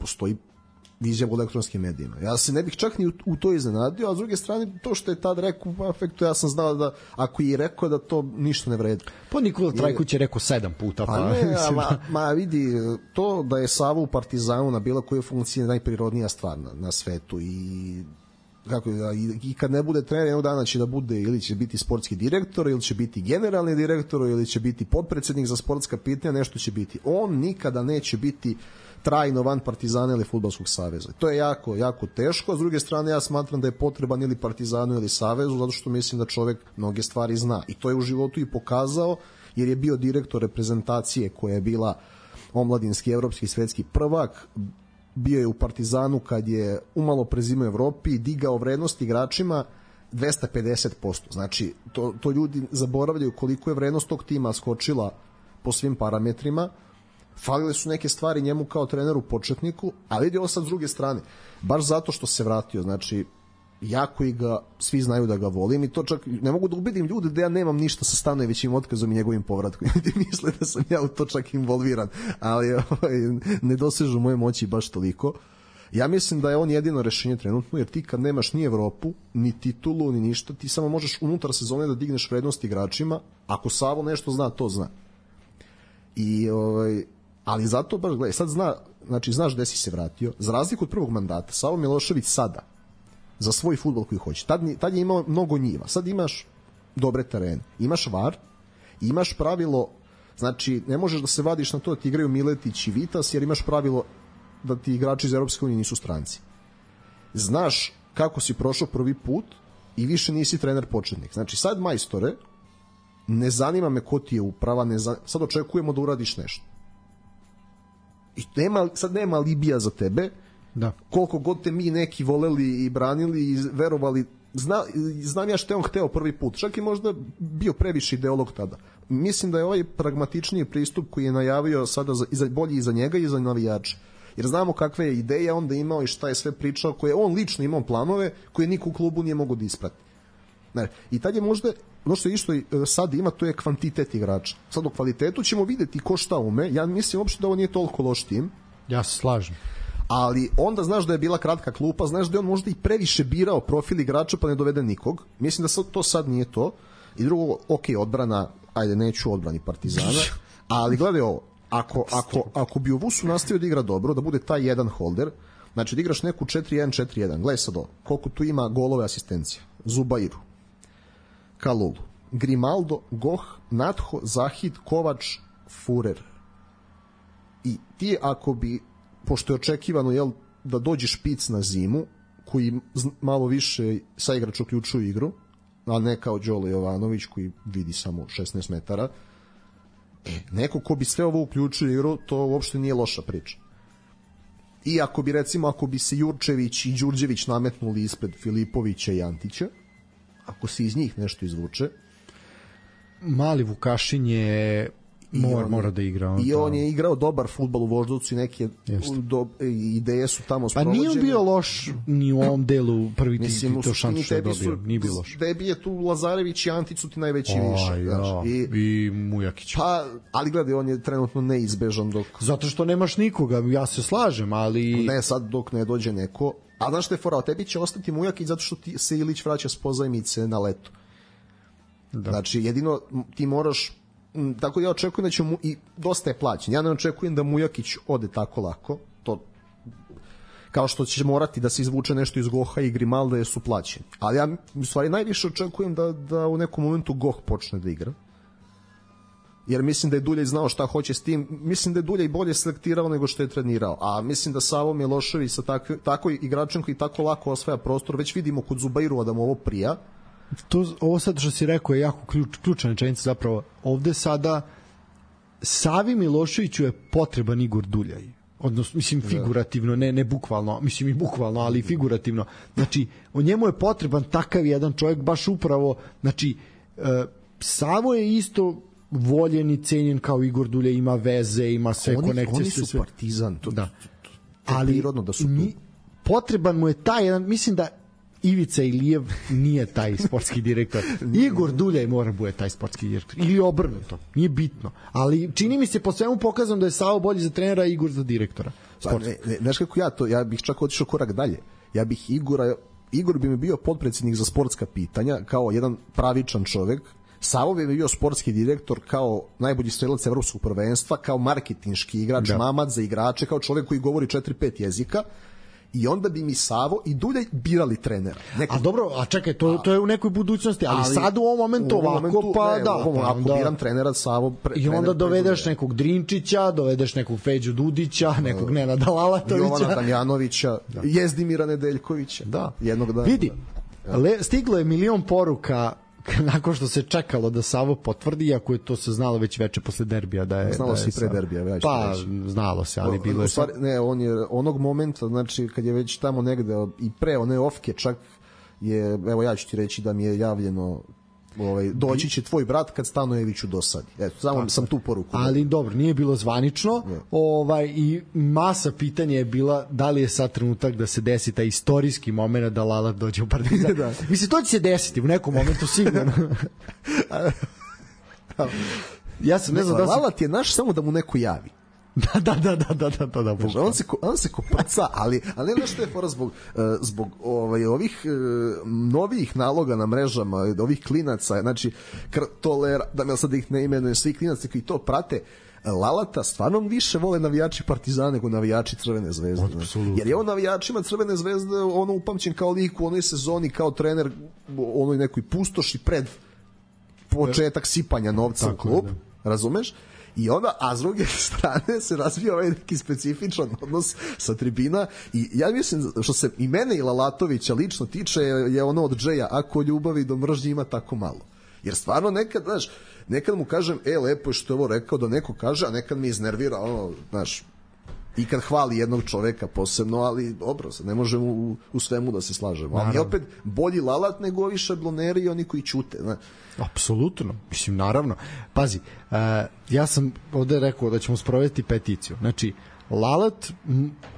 izjava u elektronskim medijima. Ja se ne bih čak ni u to iznenadio, a s druge strane, to što je tad rekao u afektu, ja sam znao da ako je rekao da to ništa ne vredi. Pa Nikola Trajković je rekao 7 puta. Vidi, to da je Savo u Partizanu na bilo koje funkcije najprirodnija stvar na svetu i kad ne bude trener, jednog dana će da bude ili će biti sportski direktor, ili će biti generalni direktor, ili će biti potpredsednik za sportska pitanja, nešto će biti. On nikada neće biti trajno van Partizana ili Fudbalskog saveza. To je jako, jako teško, a s druge strane ja smatram da je potreban ili Partizanu ili Savezu, zato što mislim da čovek mnoge stvari zna. I to je u životu i pokazao, jer je bio direktor reprezentacije koja je bila omladinski, evropski, svetski prvak, bio je u Partizanu kad je umalo prezimao Evropi i digao vrednost igračima 250%. Znači, to ljudi zaboravljaju koliko je vrednost tog tima skočila po svim parametrima. Falile su neke stvari njemu kao treneru početniku, a vidi ovo sad s druge strane, baš zato što se vratio, znači jako i ga, svi znaju da ga volim i to čak ne mogu da ubedim ljude da ja nemam ništa sa Stanojevićim otkazom i njegovim povratkom. Ljudi misle da sam ja u to čak involviran, ali ne dosežu moje moći baš toliko. Ja mislim da je on jedino rešenje trenutno, jer ti kad nemaš ni Evropu, ni titulu, ni ništa, ti samo možeš unutar sezone da digneš vrednost igračima. Ako Savo nešto zna, to zna. Ali zato baš, gledaj, sad znaš gde si se vratio. Za razliku od prvog mandata, Savo Milošević sada za svoj fudbal koji hoće. Tad je imao mnogo njiva. Sad imaš dobre terene. Imaš VAR, imaš pravilo Znači, ne možeš da se vadiš na to da ti igraju Miletić i Vitas, jer imaš pravilo da ti igrači iz Europske unije nisu stranci. Znaš kako si prošao prvi put i više nisi trener početnik. Znači, sad, majstore, ne zanima me ko ti je uprava, sad očekujemo da uradiš nešto. I sad nema alibija za tebe, da. Koliko god te mi neki voleli i branili i verovali, znam ja što je on hteo prvi put, čak i možda bio previše ideolog tada. Mislim da je ovaj pragmatičniji pristup koji je najavio sada bolji i za njega i za navijača, jer znamo kakve je ideje onda imao i šta je sve pričao, koje on lično imao planove koje niko u klubu nije mogao da isprati. I tad je možda ono što je išto sad ima, to je kvantitet igrača. Sad u kvalitetu ćemo videti ko šta ume. Ja mislim uopšte da ovo nije toliko loš tim. Ja se slažem. Ali onda znaš da je bila kratka klupa, znaš da je on možda i previše birao profil igrača pa ne dovede nikog. Mislim da to sad nije to. I drugo, ok, odbrana, ajde, neću odbrani Partizana, ali gledaj ovo, ako bi u Vusu nastavio da igra dobro, da bude taj jedan holder, znači da igraš neku 4-1-4-1, gledaj sad ovo, koliko tu ima golove asistencija. Zubairu, Kalulu, Grimaldo, Goh, Natho, Zahid, Kovač, Furer. I ti ako bi, pošto je očekivano da dođe špic na zimu, koji malo više sa igrač uključuju igru, a ne kao Đole Jovanović koji vidi samo 16 metara, neko ko bi sve ovo uključio igru, to uopšte nije loša priča. I ako bi se Jurčević i Đurđević nametnuli ispred Filipovića i Antića, ako se iz njih nešto izvuče. Mali Vukašin je mora da igra. I on je igrao dobar fudbal u Voždovcu i neke ideje su tamo sprovođene. Pa nije bio loš ni u ovom delu prvi ti to šansu što je dobio. Nije bio loš. Debi je tu Lazarević i Antić su ti najveći više. I Mujakić. Pa, ali gledaj, on je trenutno neizbežan dok... Zato što nemaš nikoga, ja se slažem, ali... Ne, sad dok ne dođe neko... A znaš što je fora, tebi će ostati Mujakić zato što se Ilić vraća s pozajmice na leto. Da. Znači, jedino ti moraš... Tako ja očekujem da će i dosta je plaćen. Ja ne očekujem da Mujakić ode tako lako. To kao što će morati da se izvuče nešto iz Goha i Grimalda jer su plaćeni. Ali ja u stvari najviše očekujem da u nekom momentu Goh počne da igra. Jer mislim da je Duljaj znao šta hoće s tim. Mislim da je Duljaj bolje selektirao nego što je trenirao. A mislim da Savo Milošević sa tako igračem koji tako lako osvaja prostor, već vidimo kod Zubairova da mu ovo prija. Ovo sad što si rekao je jako ključna rečenica zapravo. Ovde sada Savi Miloševiću je potreban Igor Duljaj. Odnosno, mislim, figurativno, ne bukvalno, mislim i bukvalno, ali figurativno. Znači, o njemu je potreban takav jedan čovjek, baš upravo, znači, Savo je isto voljen i cenjen kao Igor Duljaj, ima veze, ima sve konekcije. Oni su Partizan, to da. Ali prirodno da su tu. Potreban mu je taj jedan, mislim da Ivica Ilijev nije taj sportski direktor. Igor Duljaj mora bude taj sportski direktor. Ili obrnuto, nije bitno. Ali čini mi se po svemu pokazam da je Savo bolji za trenera, a Igor za direktora. Znaš kako ja bih čak otišao korak dalje. Ja bih Igor bi mi bio podpredsjednik za sportska pitanja, kao jedan pravičan čovek. Savo bi bio sportski direktor kao najbolji strelac evropskog prvenstva, kao marketinški igrač, mamad za igrače, kao čovek koji govori 4-5 jezika. I onda bi mi Savo i Duljaj birali trenera. A dobro, a čekaj, to je u nekoj budućnosti, ali sad u ovom momentu ovako, pa da. Ako biram trenera Savo... I onda dovedeš nekog Drinčića, dovedeš nekog Feđu Dudića, nekog Nenada Lalatovića. Jovana Damjanovića, Jezdimira Nedeljkovića. Da. Jednog dana. Vidi, stiglo je 1.000.000 poruka nakon što se čekalo da Savo potvrdi, iako je to se znalo već veče posle derbija da je... Znalo se i pre derbija. Pa, znalo se, ali bilo je... Ne, on je onog momenta, znači, kad je već tamo negde, i pre one ofke čak je, evo ja ću ti reći da mi je javljeno doći će tvoj brat kad Stanojeviću dosadi. Eto, samo sam tu poruku. Ali dobro, nije bilo zvanično. I masa pitanja je bila da li je sad trenutak da se desi taj istorijski moment da Lalat dođe u Partizan. Da. Mislim, to će se desiti u nekom momentu sigurno. Ja sam ne znam da Lalat je naš samo da mu neko javi. Da. On se koprca, ali ne znaš što je fora zbog ovih novih naloga na mrežama, ovih klinaca, znači da me sad ih ne imenujem, svi klinaci koji to prate, Lalata stvarno više vole navijači Partizana nego navijači Crvene zvezde. Jer je on navijačima Crvene zvezde upamćen kao lik u onoj sezoni, kao trener onoj nekoj pustoši pred početak sipanja novca u klub, razumeš? I onda, a s druge strane se razvija ovaj neki specifičan odnos sa tribina i ja mislim, što se i mene i Lalatovića lično tiče, je ono od Džeja, ako ljubavi do mržnje ima tako malo. Jer stvarno nekad, znaš, nekad mu kažem, lepo je što je ovo rekao da neko kaže, a nekad mi iznervira, ono, znaš, i kad hvali jednog čoveka posebno, ali dobro, ne možemo u svemu da se slažemo. Ali opet bolji Lalat nego ovi šabloneri i oni koji ćute. Ne? Apsolutno, mislim, naravno. Pazi, ja sam ovde rekao da ćemo sprovesti peticiju. Znači, Lalat,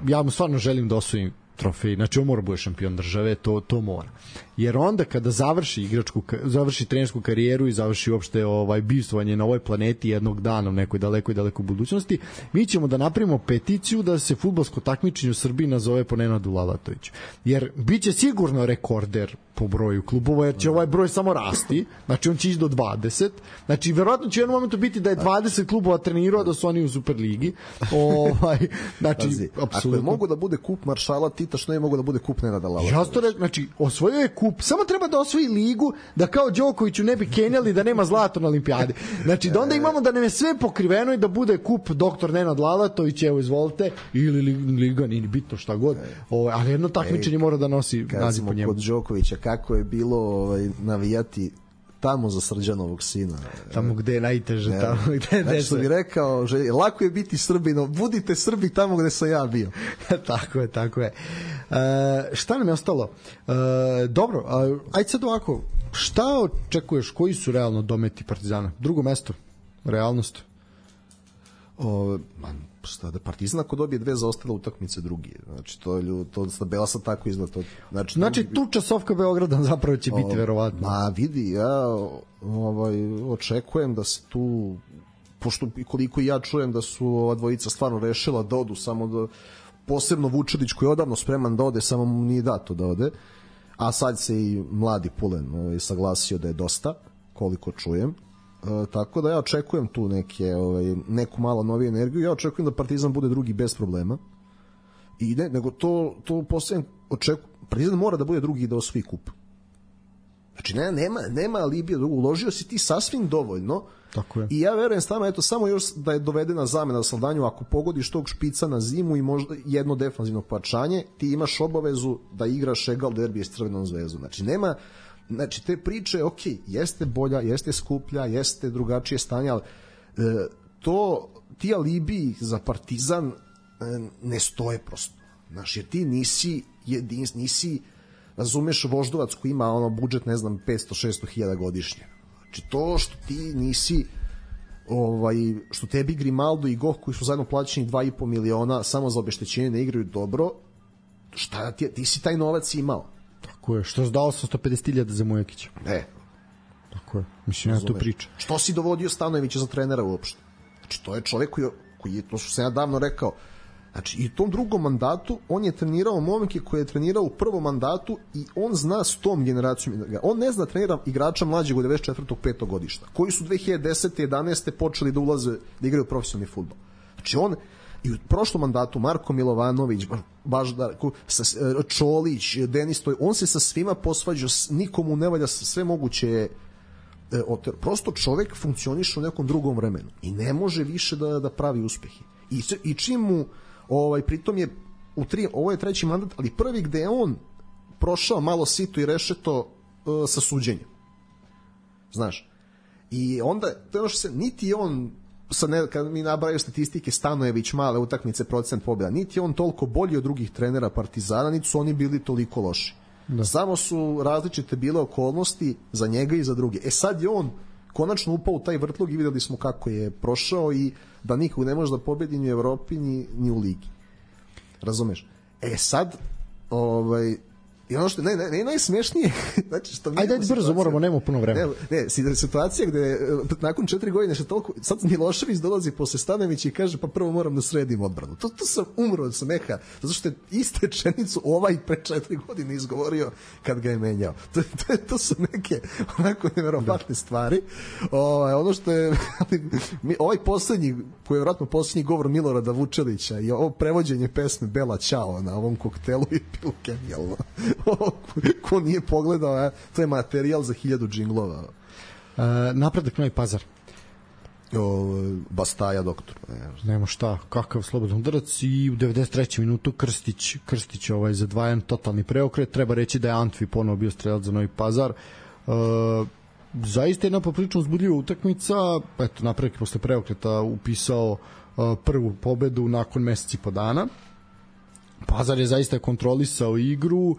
ja mu stvarno želim da osvojim trofej, znači on mora bude šampion države, to mora. Jer onda kada završi trenersku karijeru i završi uopšte bivstvovanje na ovoj planeti jednog dana u nekoj dalekoj budućnosti, mi ćemo da napravimo peticiju da se fudbalsko takmičenje u Srbiji nazove po Nenadu Lalatoviću. Jer biće sigurno rekorder po broju klubova, jer će ovaj broj samo rasti, znači on će ići do 20, znači verovatno će u jednom momentu biti da je 20 klubova trenirao da su oni u Superligi. Znači, ako mogu da bude kup maršala Tita, što ne mogu da bude kup Nenada Lalatovića? Znači, osvojio je kup, samo treba da osvoji ligu, da kao Đokoviću ne bi kenjali da nema zlato na olimpijadi. Znači, da onda imamo da nam je sve pokriveno i da bude kup doktor Nenad Lalatović, evo izvolite, ili liga, nije bitno šta god, ali jedno takmičenje mora da nosi naziv po njemu. Kod Đokovića, kako je bilo navijati tamo za Srđanovog sina. Tamo gde je najteže, tamo gde je znači, što bi rekao, lako je biti Srbino, budite Srbi tamo gde sam ja bio. Tako je. Šta nam je ostalo? Dobro, ajde sad ovako, šta očekuješ, koji su realno dometi Partizana? Drugo mesto, realnost? Šta da Partizan ako dobije 2 zaostale utakmice drugi, znači to tabela sad tako izgleda. Znači tuča Sofka Beograda zapravo će biti verovatno. Vidi, ja očekujem da se tu, pošto koliko ja čujem da su ova dvojica stvarno rešila da odu, samo da, posebno Vučedić koji je odavno spreman da ode, samo mu nije dato da ode, a sad se i mladi Pulen saglasio da je dosta, koliko čujem. Tako da ja očekujem tu neku malo noviju energiju. Ja očekujem da Partizan bude drugi bez problema. I nego to posebno očekujem. Partizan mora da bude drugi i da osvoji kup. Znači nema alibija drugo. Uložio si ti sasvim dovoljno. Tako je. I ja verujem samo još da je dovedena zamena Saldanju, ako pogodiš tog špica na zimu i možda jedno defanzivno parčanje, ti imaš obavezu da igraš egal derbije s Crvenom zvezdom. Znači te priče, ok, jeste bolja, jeste skuplja, jeste drugačije stanje, ali ti alibi za Partizan ne stoje prosto. Znači, jer ti nisi razumeš Voždovac koji ima budžet, ne znam, 500-600 hiljada godišnje. Znači, to što ti nisi što tebi Grimaldo i Goh koji su zajedno plaćeni 2,5 miliona samo za obeštećenje ne igraju dobro, šta ti si taj novac imao. Tako je, što je dao 150.000 za Mujakića. Tako je, mislim, ja tu pričam. Što si dovodio Stanojevića za trenera uopšte? Znači, to je čovek koji je, to što sam ja davno rekao, znači, i u tom drugom mandatu on je trenirao momke koje je trenirao u prvom mandatu i on zna s tom generacijom. On ne zna trenira igrača mlađeg od 94. 5. godišta, koji su 2010. 11. počeli da ulaze, da igraju profesionalni fudbal. Znači, on i u prošlom mandatu Marko Milovanović, Čolić, Denis Toj, on se sa svima posvađa, nikomu ne valja, sve moguće prosto čovek funkcioniše u nekom drugom vremenu i ne može više da pravi uspehe. I čim mu pritom je ovo je treći mandat, ali prvi gde je on prošao malo sito i rešeto sa suđenjem. Znaš. I onda to je ono što se niti on kad mi nabraju statistike Stanojević male utakmice procent pobjeda, niti je on toliko bolji od drugih trenera Partizana, niti su oni bili toliko loši. Samo su različite bile okolnosti za njega i za druge. Sad je on konačno upao u taj vrtlog i videli smo kako je prošao i da nikog ne može da pobedi ni u Evropi ni u ligi. Razumeš? Sad i ono što ne najsmešnije, znači što ajde brzo, moramo, nemamo puno vremena. Situacija gde nakon 4 godine što toliko, sad Milošević dolazi posle Stanojevića i kaže pa prvo moram da sredim odbranu. To sam umro od smeha, zato što je iste rečenicu pre 4 godine izgovorio kad ga je menjao. To su neke onako neverovatne stvari. Ono što je ovaj poslednji, koji je vjerojatno poslednji govor Milorada Vučelića i ovo prevođenje pesme Bela Ćao na ovom koktelu i pilu genijalno. Ko nije pogledao, to je materijal za 1000 džinglova. Napredak Novi Pazar. Bastaja doktor. Nema šta, kakav slobodan udarac i u 93. minutu Krstić za 2-1 totalni preokret. Treba reći da je Antvi ponovo bio strelac za Novi Pazar. Zaista jedna poprilično uzbudljiva utakmica. Eto, Napredak posle preokreta upisao prvu pobedu nakon meseci po dana. Pazar je zaista kontrolisao igru,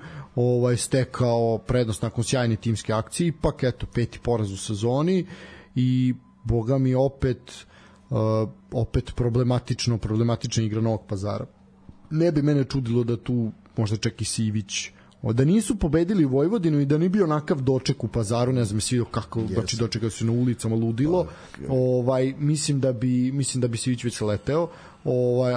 stekao prednost nakon sjajne timske akcije, ipak eto 5. poraz u sezoni i boga mi opet problematična igra Novog Pazara. Ne bi mene čudilo da tu možda čak i Sivić, da nisu pobedili Vojvodinu i da nije bio onakav doček u Pazaru, ne znam, svi kako, znači dočekali su na ulicama ludilo, mislim da bi Sivić već leteo,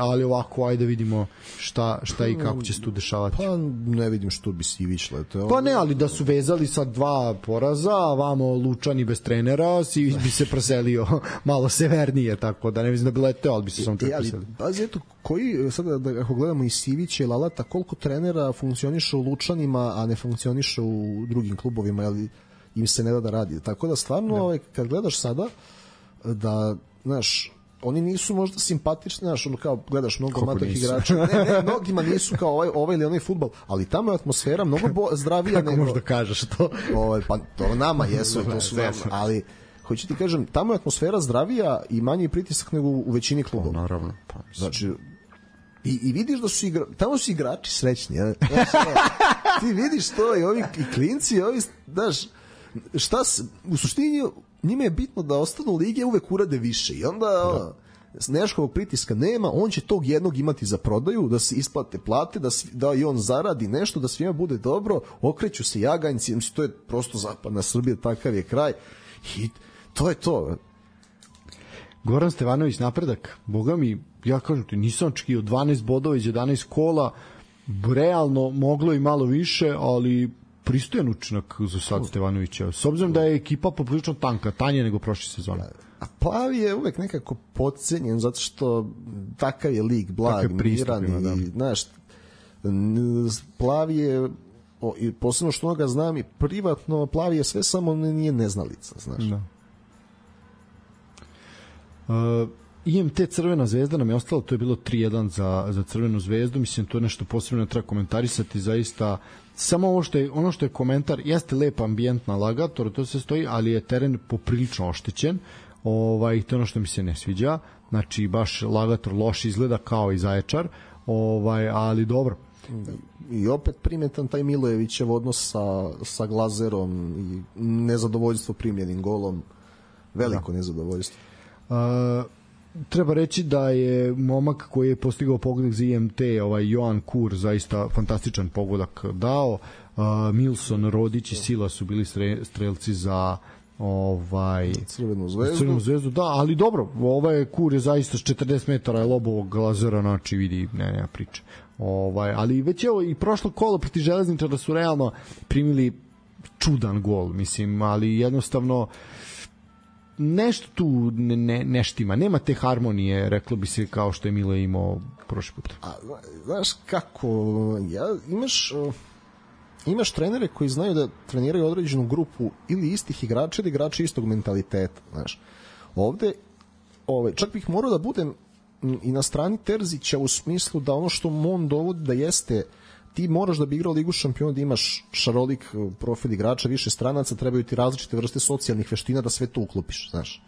ali ovako, ajde vidimo šta i kako će se tu dešavati. Pa ne vidim što bi Sivić leteo. Pa ne, ali da su vezali sa 2 poraza, a vamo Lučani bez trenera, Sivić bi se preselio malo severnije, tako da ne mislim da bi leteo, ali bi se samo čak preselio. Pazi, eto, koji, sada ako gledamo i Sivića i Lalata, koliko trenera funkcioniše u Lučanima, a ne funkcioniše u drugim klubovima, ali im se ne da radi. Tako da stvarno, kad gledaš sada, da, znaš, oni nisu možda simpatični, znaš, ono kao gledaš mnogo matih igrača. Ne, mnogima nisu kao ovaj ili onaj fudbal, ali tamo je atmosfera mnogo zdravija nego. Kako možda kažeš to? Pa to nama jesu, to su nama, ali hoću ti kažem, tamo je atmosfera zdravija i manji pritisak nego u većini klubova. Naravno, pa znači i vidiš da su tamo su igrači srećni, ja. Ti vidiš to i ovi i klinci, ovi, znaš, u suštini njima je bitno da ostanu lige, uvek urade više i onda Neškovog pritiska nema, on će tog jednog imati za prodaju, da se isplate plate, da i on zaradi nešto, da svima bude dobro, okreću se jaganjci, to je prosto zapadna Srbija, takav je kraj i to je to. Goran Stevanović, Napredak, boga mi, ja kažem ti, nisam očekio 12 bodova iz 11 kola, realno moglo i malo više, ali pristojan učinak za sad Stevanovića, s obzirom da je ekipa poprilično tanje nego prošle sezone. A Plavi je uvek nekako podcenjen zato što takav je lig, blag, miran i znaš, Plavi je i posebno što ga znam i privatno, Plavi je sve samo nije neznalica, znaš. Da. IMT Crvena zvezda nam je ostalo, to je bilo 3-1 za Crvenu zvezdu, mislim to je nešto posebno treba komentarisati, zaista samo ono što je komentar, jeste lep ambijent na Lagatoru, to se stoji, ali je teren poprilično oštećen, to je ono što mi se ne sviđa, znači baš Lagator loš izgleda kao i Zaječar, ali dobro. I opet primetan taj Milojevićev odnos sa Glazerom i nezadovoljstvo primljenim golom, veliko nezadovoljstvo. Treba reći da je momak koji je postigao pogodak za IMT, Joan Kur, zaista fantastičan pogodak dao. Milson, Rodić i Sila su bili strelci za Crvenu zvezdu. Da, ali dobro, Kur je zaista s 40 metara je lobovog Glazera, znači vidi, nema priče. Ali već evo i prošlo kolo protiv Železničara su realno primili čudan gol, mislim, ali jednostavno nešto tu neštima, nema te harmonije, reklo bi se, kao što je Mile imao prošli put. A znaš kako, imaš trenere koji znaju da treniraju određenu grupu ili istih igrača ili igrača istog mentaliteta, znaš. Ovde čak bih morao da budem i na strani Terzića u smislu da ono što on dovodi da jeste, ti moraš da bi igrao Ligu šampiona, da imaš šarolik profil igrača, više stranaca, trebaju ti različite vrste socijalnih veština da sve to uklopiš, znaš.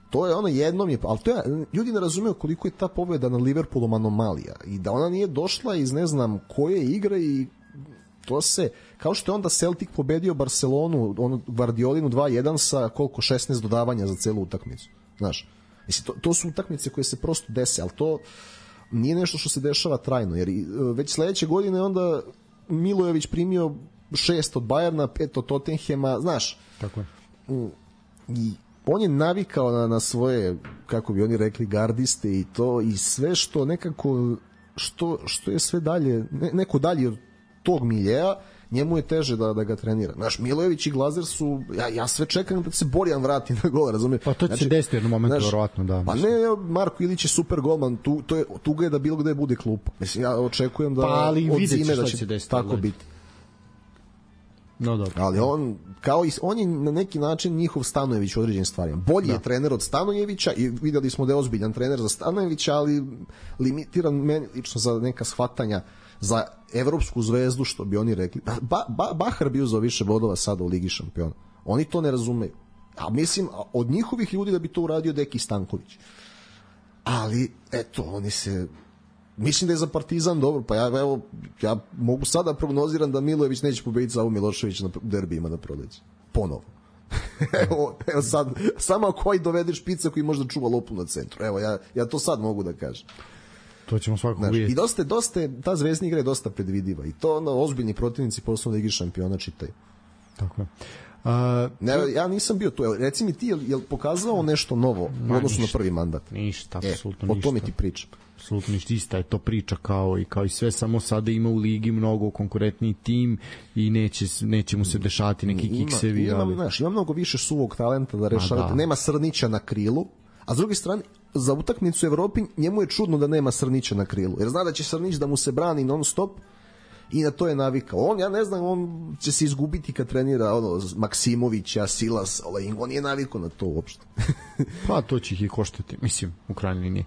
To je ono jednom je, ali to je, ljudi ne razumeju koliko je ta pobeda na Liverpoolom anomalija i da ona nije došla iz ne znam koje igre i to se, kao što je onda Celtic pobedio Barcelonu, Guardiolinu 2-1 sa koliko 16 dodavanja za celu utakmicu, znaš. Mislim, to su utakmice koje se prosto dese, ali to nije nešto što se dešava trajno, jer već sledeće godine onda Milojević primio 6 od Bajerna, 5 od Tottenhema, znaš. Tako je. I on je navikao na svoje, kako bi oni rekli, gardiste i to, i sve što nekako, što je sve dalje, neko dalje od tog miljeja, njemu je teže da ga trenira. Znaš, Milojević i Glazer su, ja sve čekam da se Borjan vrati na gol, razumiješ? Pa to će se desiti jednom momentu, verovatno, da. Pa ne, Marko Ilić je super golman, tu ga je da bilo gde bude klupa. Mislim, ja očekujem da od zime da će tako biti. No, dobro. Ali on je na neki način njihov Stanojević u određenim stvarima. Bolji je trener od Stanojevića i videli smo da je ozbiljan trener za Stanojevića, ali limitiran meni lično za neka shvatanja za evropsku zvezdu, što bi oni rekli. Bahar bi uzeo više bodova sada u Ligi šampiona. Oni to ne razumeju. A mislim, od njihovih ljudi da bi to uradio Deki Stanković. Ali, eto, oni se... Mislim da je za Partizan dobro, pa ja mogu sada prognoziram da Milojević neće pobediti Savu Milošević na derbijima na proleće. Ponovo. evo sad, samo koji dovede špica koji možda čuva lopu na centru. Evo, ja to sad mogu da kažem. To ćemo svakako vidjeti. I dosta ta zvezdna igra je dosta predvidiva i to ozbiljni protivnici posebno da igri šampiona čitaju. Tako je. Ja nisam bio tu. Reci mi ti, je li pokazao nešto novo u odnosu na prvi mandat? Ništa, apsolutno ništa. O tome ti pričam. Apsolutno ništa, ista je to priča kao i sve, samo sada ima u ligi mnogo konkurentniji tim i neće mu se dešavati neki kiksevi. Ima mnogo više suvog talenta da rešava. Nema Srnića na krilu, a s druge strane, za utakmicu u Evropi njemu je čudno da nema Srnića na krilu, jer zna da će Srnić da mu se brani non stop i na to je navikao. Ja ne znam, on će se izgubiti kad trenira Maksimovića, Silas, on nije navikao na to uopšte. Pa to će ih i koštati, mislim, u krajnjoj liniji.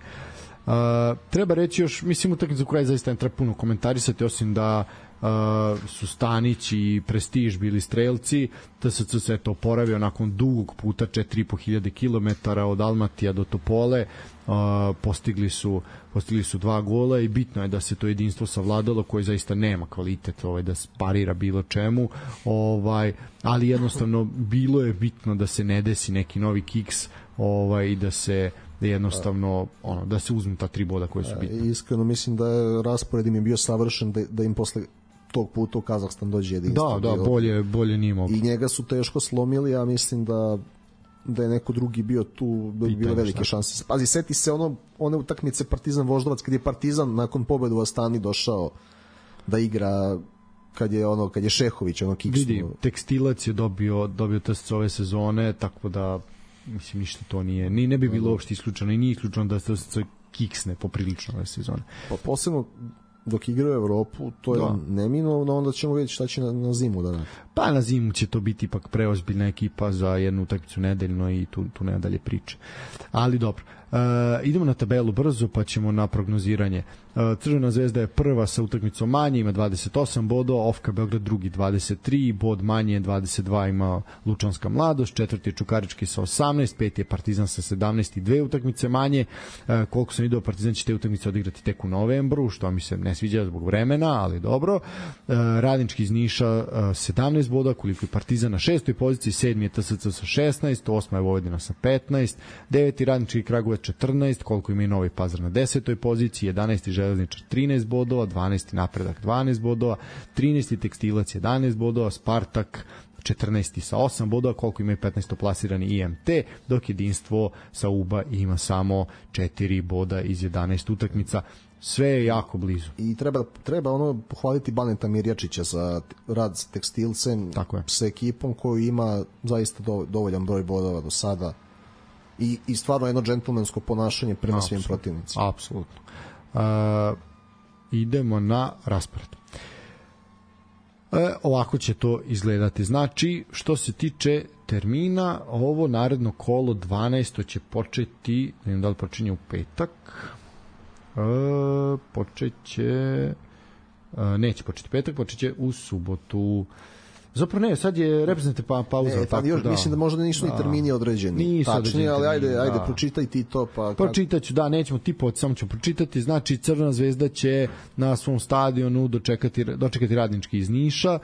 Treba reći još, mislim, utakmicu u kraju zaista ne treba puno komentarisati, osim da su Stanić i Prestiž bili strelci. TSC se to oporavio nakon dugog puta 4.500 km od Almatija do Topole. Postigli su 2 gola i bitno je da se to jedinstvo savladalo, koje zaista nema kvalitet da parira bilo čemu, ali jednostavno bilo je bitno da se ne desi neki novi kiks i da se jednostavno da se uzmu ta 3 boda koje su bitne. Iskreno mislim da je raspored im je bio savršen, da im posle tog puta u Kazahstan dođe jedinstvo. Da, bolje nije mogu. I njega su teško slomili, ja mislim da je neko drugi bio tu, da bi bile velike šanse. Pazi, seti se one utakmice Partizan Voždovac, kad je Partizan nakon pobede u Astani došao da igra kad je Šehović kiksnuo. Vidi, Tekstilac je dobio TSC ove sezone, tako da mislim ništa to nije, ne bi bilo uopšte isključeno i nije isključeno da se kiksne poprilično ove sezone. Pa posebno dok igra u Evropu, to je neminovno, onda ćemo vidjeti šta će na zimu da radi. Pa na zimu će to biti ipak preozbiljna ekipa za jednu utakmicu nedeljno i tu nema dalje priče. Ali dobro. Idemo na tabelu brzo, pa ćemo na prognoziranje. Crvena zvezda je prva sa utakmicom manje, ima 28 bodova, Ofka Beograd drugi 23, bod manje 22 ima Lučanska Mladost, četvrti je Čukarički sa 18, peti je Partizan sa 17 i 2 utakmice manje. Koliko sam vidio, Partizan će te utakmice odigrati tek u novembru, što mi se ne sviđa zbog vremena, ali dobro. Radnički iz Niša 17 boda, koliko je Partizan na 6. poziciji, 7. je TSC sa 16, 8. je Vojvodina sa 15, 9. Radnički Kragujevac 14, koliko ima i Novi Pazar na 10. poziciji, 11. Železničar 13 bodova, 12. Napredak 12 bodova, 13. Tekstilac 11 bodova, Spartak 14. sa 8 bodova, koliko ima i 15. plasirani IMT, dok jedinstvo sa UBA ima samo 4 boda iz 11 utakmica. Sve je jako blizu. I treba pohvaliti Baneta Mirjačića za rad s Tekstilcem, sa ekipom koju ima zaista dovoljan broj bodova do sada i stvarno jedno džentlmensko ponašanje prema svim protivnicima. Apsolutno. Idemo na raspored. Ovako će to izgledati. Znači, što se tiče termina, ovo naredno kolo 12. će početi, ne znam da li počinje u petak, neće početi petak, počeće u subotu. Zapravo ne, sad je reprezentativna pauza. Mislim da možda nisu ni termini određeni. Tačnije, ali ajde pročitaj ti to. Pročitaću, nećemo tipovati, samo ću pročitati. Znači, Crvena zvezda će na svom stadionu dočekati Radnički iz Niša.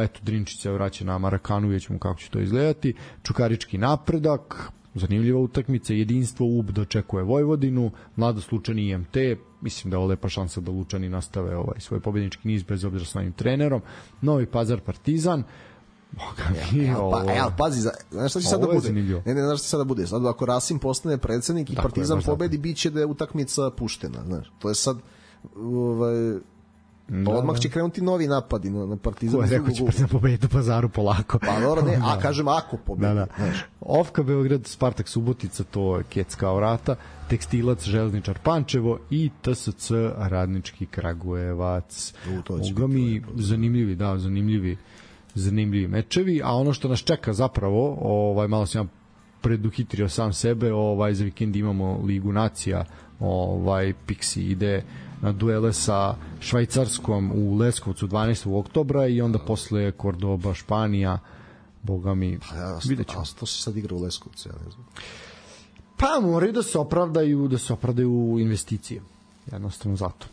Eto, Drinčić se vraća na Marakanu, vidjet ćemo kako će to izgledati. Čukarički Napredak, zanimljiva utakmica, jedinstvo UB dočekuje Vojvodinu, Mladost Lučani IMT, mislim da je ovo lepa šansa da Lučani nastave svoj pobednički niz bez obzira s novim trenerom. Novi Pazar Partizan. Pazi, znaš šta će sada bude? Znaš šta sada bude? Sad ako Rasim postane predsednik i Partizan pobedi, bit će da je utakmica puštena. Znaš, to je sad odmah će krenuti novi napadi na Partizan. Ko je rekao će Partizan pobediti u Pazaru polako. Pa dobro, ne, kažem ako pobedi. Ofka Beograd, Spartak Subotica, to je Kecka vrata, Tekstilac, Železničar Pančevo i TSC Radnički Kragujevac. Zanimljivi zanimljivi mečevi, a ono što nas čeka zapravo, malo sam ja preduhitrio sam sebe, za vikend imamo Ligu nacija, Pixi ide na duele sa Švajcarskom u Leskovcu 12. oktobra i onda posle Kordoba, Španija, boga mi, vidjet ćemo. A to se sad igra u Leskovcu, ja ne znam. Pa moraju da se opravdaju investicije. Jednostavno zato.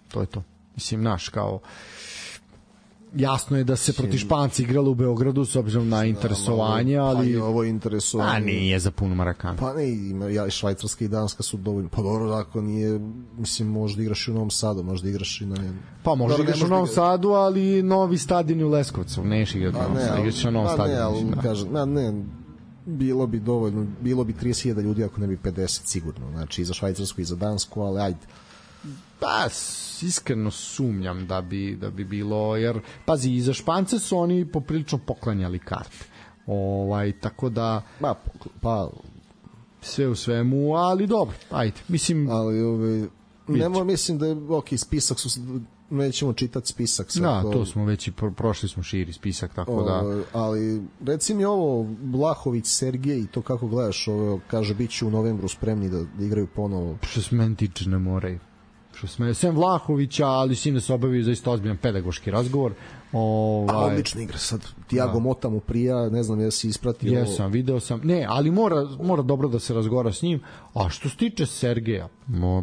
To je to. Mislim, kao jasno je da se protiv Španci igralo u Beogradu s obzirom na interesovanje, ali... Pa i ovo interesovanje... A nije za puno Marakana. Pa ne, i Švajcarska i Danska su dovoljno... Pa dobro, ako nije... Mislim, možda igraš i u Novom Sadu, možda igraš i na... Pa možda igraš u Novom Sadu, ali novi stadion u Leskovcu. Neš igrati u Novom Sadu, igraš na Novom stadionu. Ne, bilo bi dovoljno, bilo bi 30.000 ljudi ako ne bi 50 sigurno, znači i za Švajcarsku i za Dansku, ali ajde. Pa, iskreno sumnjam da bi bilo, jer, pazi, i za Špance su oni poprilično poklanjali karte. Tako da... Pa, sve u svemu, ali dobro, ajde, mislim... Ali, mislim da je, spisak su... nećemo čitati spisak. To smo već i prošli smo širi spisak, tako da... Ali, reci mi ovo, Vlahović, Sergej i to kako gledaš, kaže, bit će u novembru spremni da igraju ponovo. Što se meni tiče, ne moraju. Sem Vlahovića, ali s njim da se obavio zaista ozbiljan pedagoški razgovor. Odlična igra sad. Tiago Mota mu prija, ne znam jesi ispratio. Jesam, video sam. Ne, ali mora dobro da se razgovara s njim. A što se tiče Sergeja,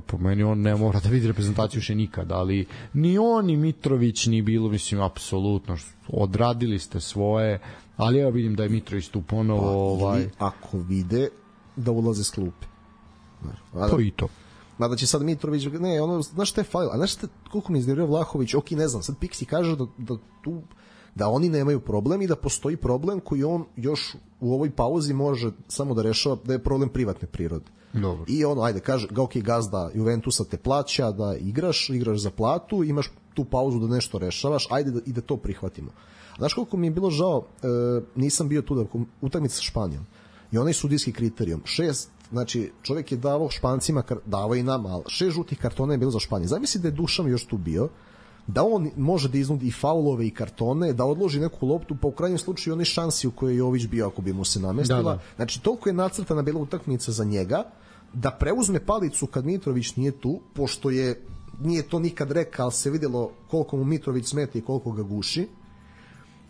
po meni on ne mora da vidi reprezentaciju še nikada, ali ni on, ni Mitrović, ni bilo, mislim, apsolutno. Odradili ste svoje, ali ja vidim da je Mitrović tu ponovo... Ako vide da ulaze s klupe. To i to. Mada će sad Mitrović, znaš šta je falilo, a znaš koliko mi iznervio Vlahović, ne znam, sad Pixi kaže da oni nemaju problem i da postoji problem koji on još u ovoj pauzi može samo da rešava, da je problem privatne prirode. Dobro. I ajde, kaže, gazda Juventusa te plaća da igraš za platu, imaš tu pauzu da nešto rešavaš, ajde i da to prihvatimo. A znaš koliko mi je bilo žao, nisam bio tu da utakmica sa Španijom i onaj sudijski kriterijum, 6, znači čovjek je davao Špancima, davao i nama, ali 6 žutih kartona je bilo za Španiju. Zamisli da je Dušan još tu bio, da on može da iznudi i faulove i kartone, da odloži neku loptu, pa u krajnjem slučaju onaj šansi u kojoj je Jović bio ako bi mu se namestila. Da. Znači toliko je nacrtana bila utakmica za njega, da preuzme palicu kad Mitrović nije tu, pošto nije to nikad rekao, ali se vidjelo koliko mu Mitrović smeta i koliko ga guši.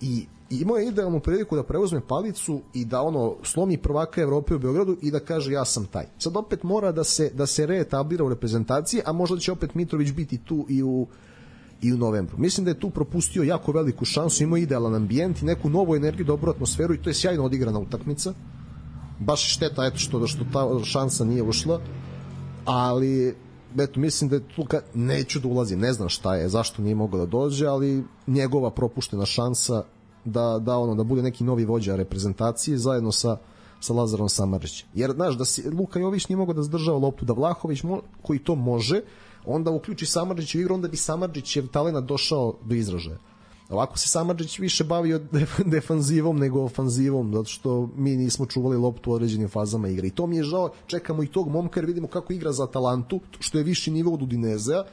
I imao je idealnu priliku da preuzme palicu i da slomi prvaka Evrope u Beogradu i da kaže ja sam taj. Sad opet mora da se reetablira u reprezentaciji, a možda će opet Mitrović biti tu i u novembru. Mislim da je tu propustio jako veliku šansu, imao idealan ambijent i neku novu energiju, dobru atmosferu i to je sjajno odigrana utakmica. Baš šteta što ta šansa nije ušla, ali mislim da je tu, neću da ulazim, ne znam šta je, zašto nije mogao da dođe, ali njegova propuštena šansa da bude neki novi vođa reprezentacije zajedno sa Lazarom Samardžićem. Jer znaš da Luka Jović nije mogao da zadržava loptu, da Vlahović koji to može, onda uključi Samardžić u igru, onda bi Samardžićev talent došao do izražaja. Ovako se Samardžić više bavio defanzivom nego ofanzivom, zato što mi nismo čuvali loptu u određenim fazama igre. I to mi je žao, čekamo i tog momka jer vidimo kako igra za Atalantu, što je viši nivo od Udinezea,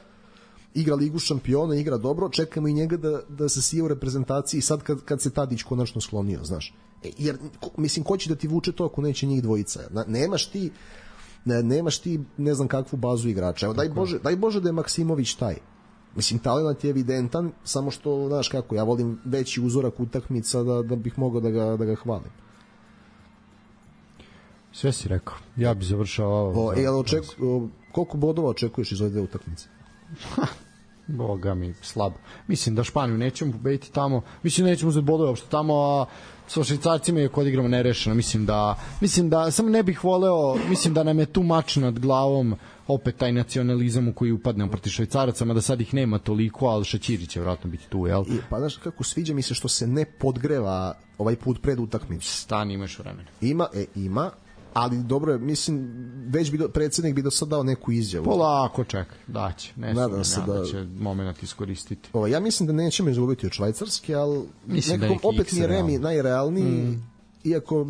igra Ligu šampiona, igra dobro, čekamo i njega da se sije u reprezentaciji sad kad se Tadić konačno sklonio, znaš. Jer, mislim, ko će da ti vuče to ako neće njih dvojica? Nemaš ti ne znam kakvu bazu igrača. Evo, daj Bože da je Maksimović taj. Mislim, talent je evidentan, samo što, znaš kako, ja volim veći uzorak utakmica da bih mogao da ga hvalim. Sve si rekao. Ja bih završao... Koliko bodova očekuješ iz ove dve utakmice? Boga mi, slabo. Mislim da Španiju nećemo pobediti tamo. Mislim da nećemo uzeti bodove uopšte tamo, a sa Švajcarcima je kod igramo nerešeno. Mislim da samo ne bih voleo, mislim da nam je tu mač nad glavom opet taj nacionalizam u koji upadnemo protiv Švajcaraca, da sad ih nema toliko, ali Šaćiri će vjerojatno biti tu, jel? Pa znaš kako, sviđa mi se što se ne podgreva ovaj put pred utakmicu. Stani, imaš vremena. Ima, ali dobro je, mislim, već predsjednik bi do sad dao neku izjavu. Polako, čekaj, daće. Nadam se da će moment iskoristiti. Ja mislim da nećemo izgubiti od Švajcarske, ali nekako opet mi je Remi najrealniji, iako,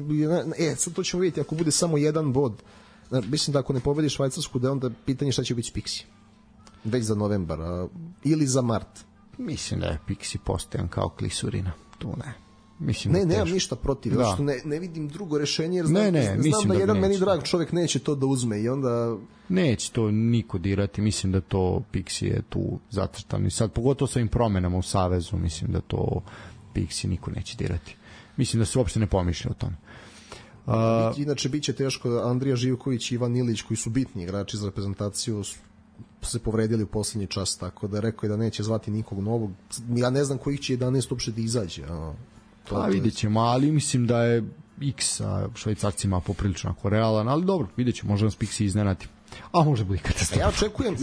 sad to ćemo vidjeti, ako bude samo jedan bod, mislim da ako ne pobedi Švajcarsku, da je onda pitanje šta će biti s Pixi. Već za novembar, ili za mart. Mislim da je Pixi postojan kao klisurina, tu ne. mislim ne, nemam ništa protiv, da. Što ne vidim drugo rešenje, jer znam da jedan meni drag čovjek neće to da uzme i onda... Neće to niko dirati, mislim da to Pixi je tu zacrtan i sad pogotovo sa ovim promenama u Savezu, mislim da to Pixi niko neće dirati. Mislim da se uopšte ne pomišlja o tome. Inače, bit će teško, Andrija Živković i Ivan Ilić, koji su bitni igrači za reprezentaciju, se povredili u poslednji čas, tako da rekao je da neće zvati nikog novog. Ja ne znam kojih će 11 uopšte da izađe. Vidjet ćemo, ali mislim da je X sa Švajcarcima poprilično realan, ali dobro, vidjet ćemo, možda nas Pixi iznenati. A može biti katastrofa. Ja očekujem,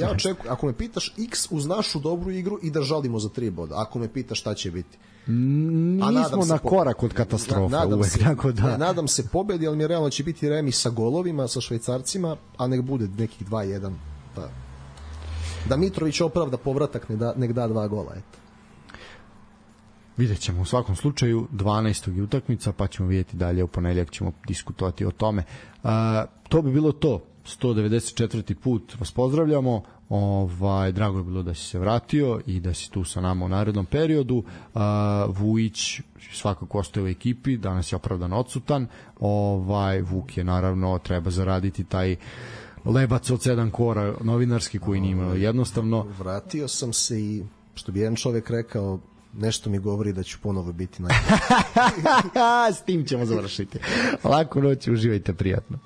ako me pitaš X uz našu dobru igru i da žalimo za 3 boda. Ako me pitaš šta će biti. Nismo na korak od katastrofa uvek, tako da. Nadam se pobedi, ali mi realno će biti remis sa golovima, sa Švajcarcima, a nek bude nekih 2-1. Da Mitrović opravda povratak, nek da 2 gola, eto. Vidjet ćemo u svakom slučaju, 12. je utakmica, pa ćemo vidjeti dalje, u ponedeljak ćemo diskutovati o tome. To bi bilo to. 194. put vas pozdravljamo. Drago je bilo da si se vratio i da si tu sa nama u narednom periodu. Vujić svakako ostaje u ekipi, danas je opravdano odsutan. Vuk je naravno, treba zaraditi taj lebac od 7 kora novinarski koji nije imao jednostavno. Vratio sam se i, što bi jedan čovek rekao, nešto mi govori da ću ponovo biti najbolji. S tim ćemo završiti. Laku noć, uživajte, prijatno.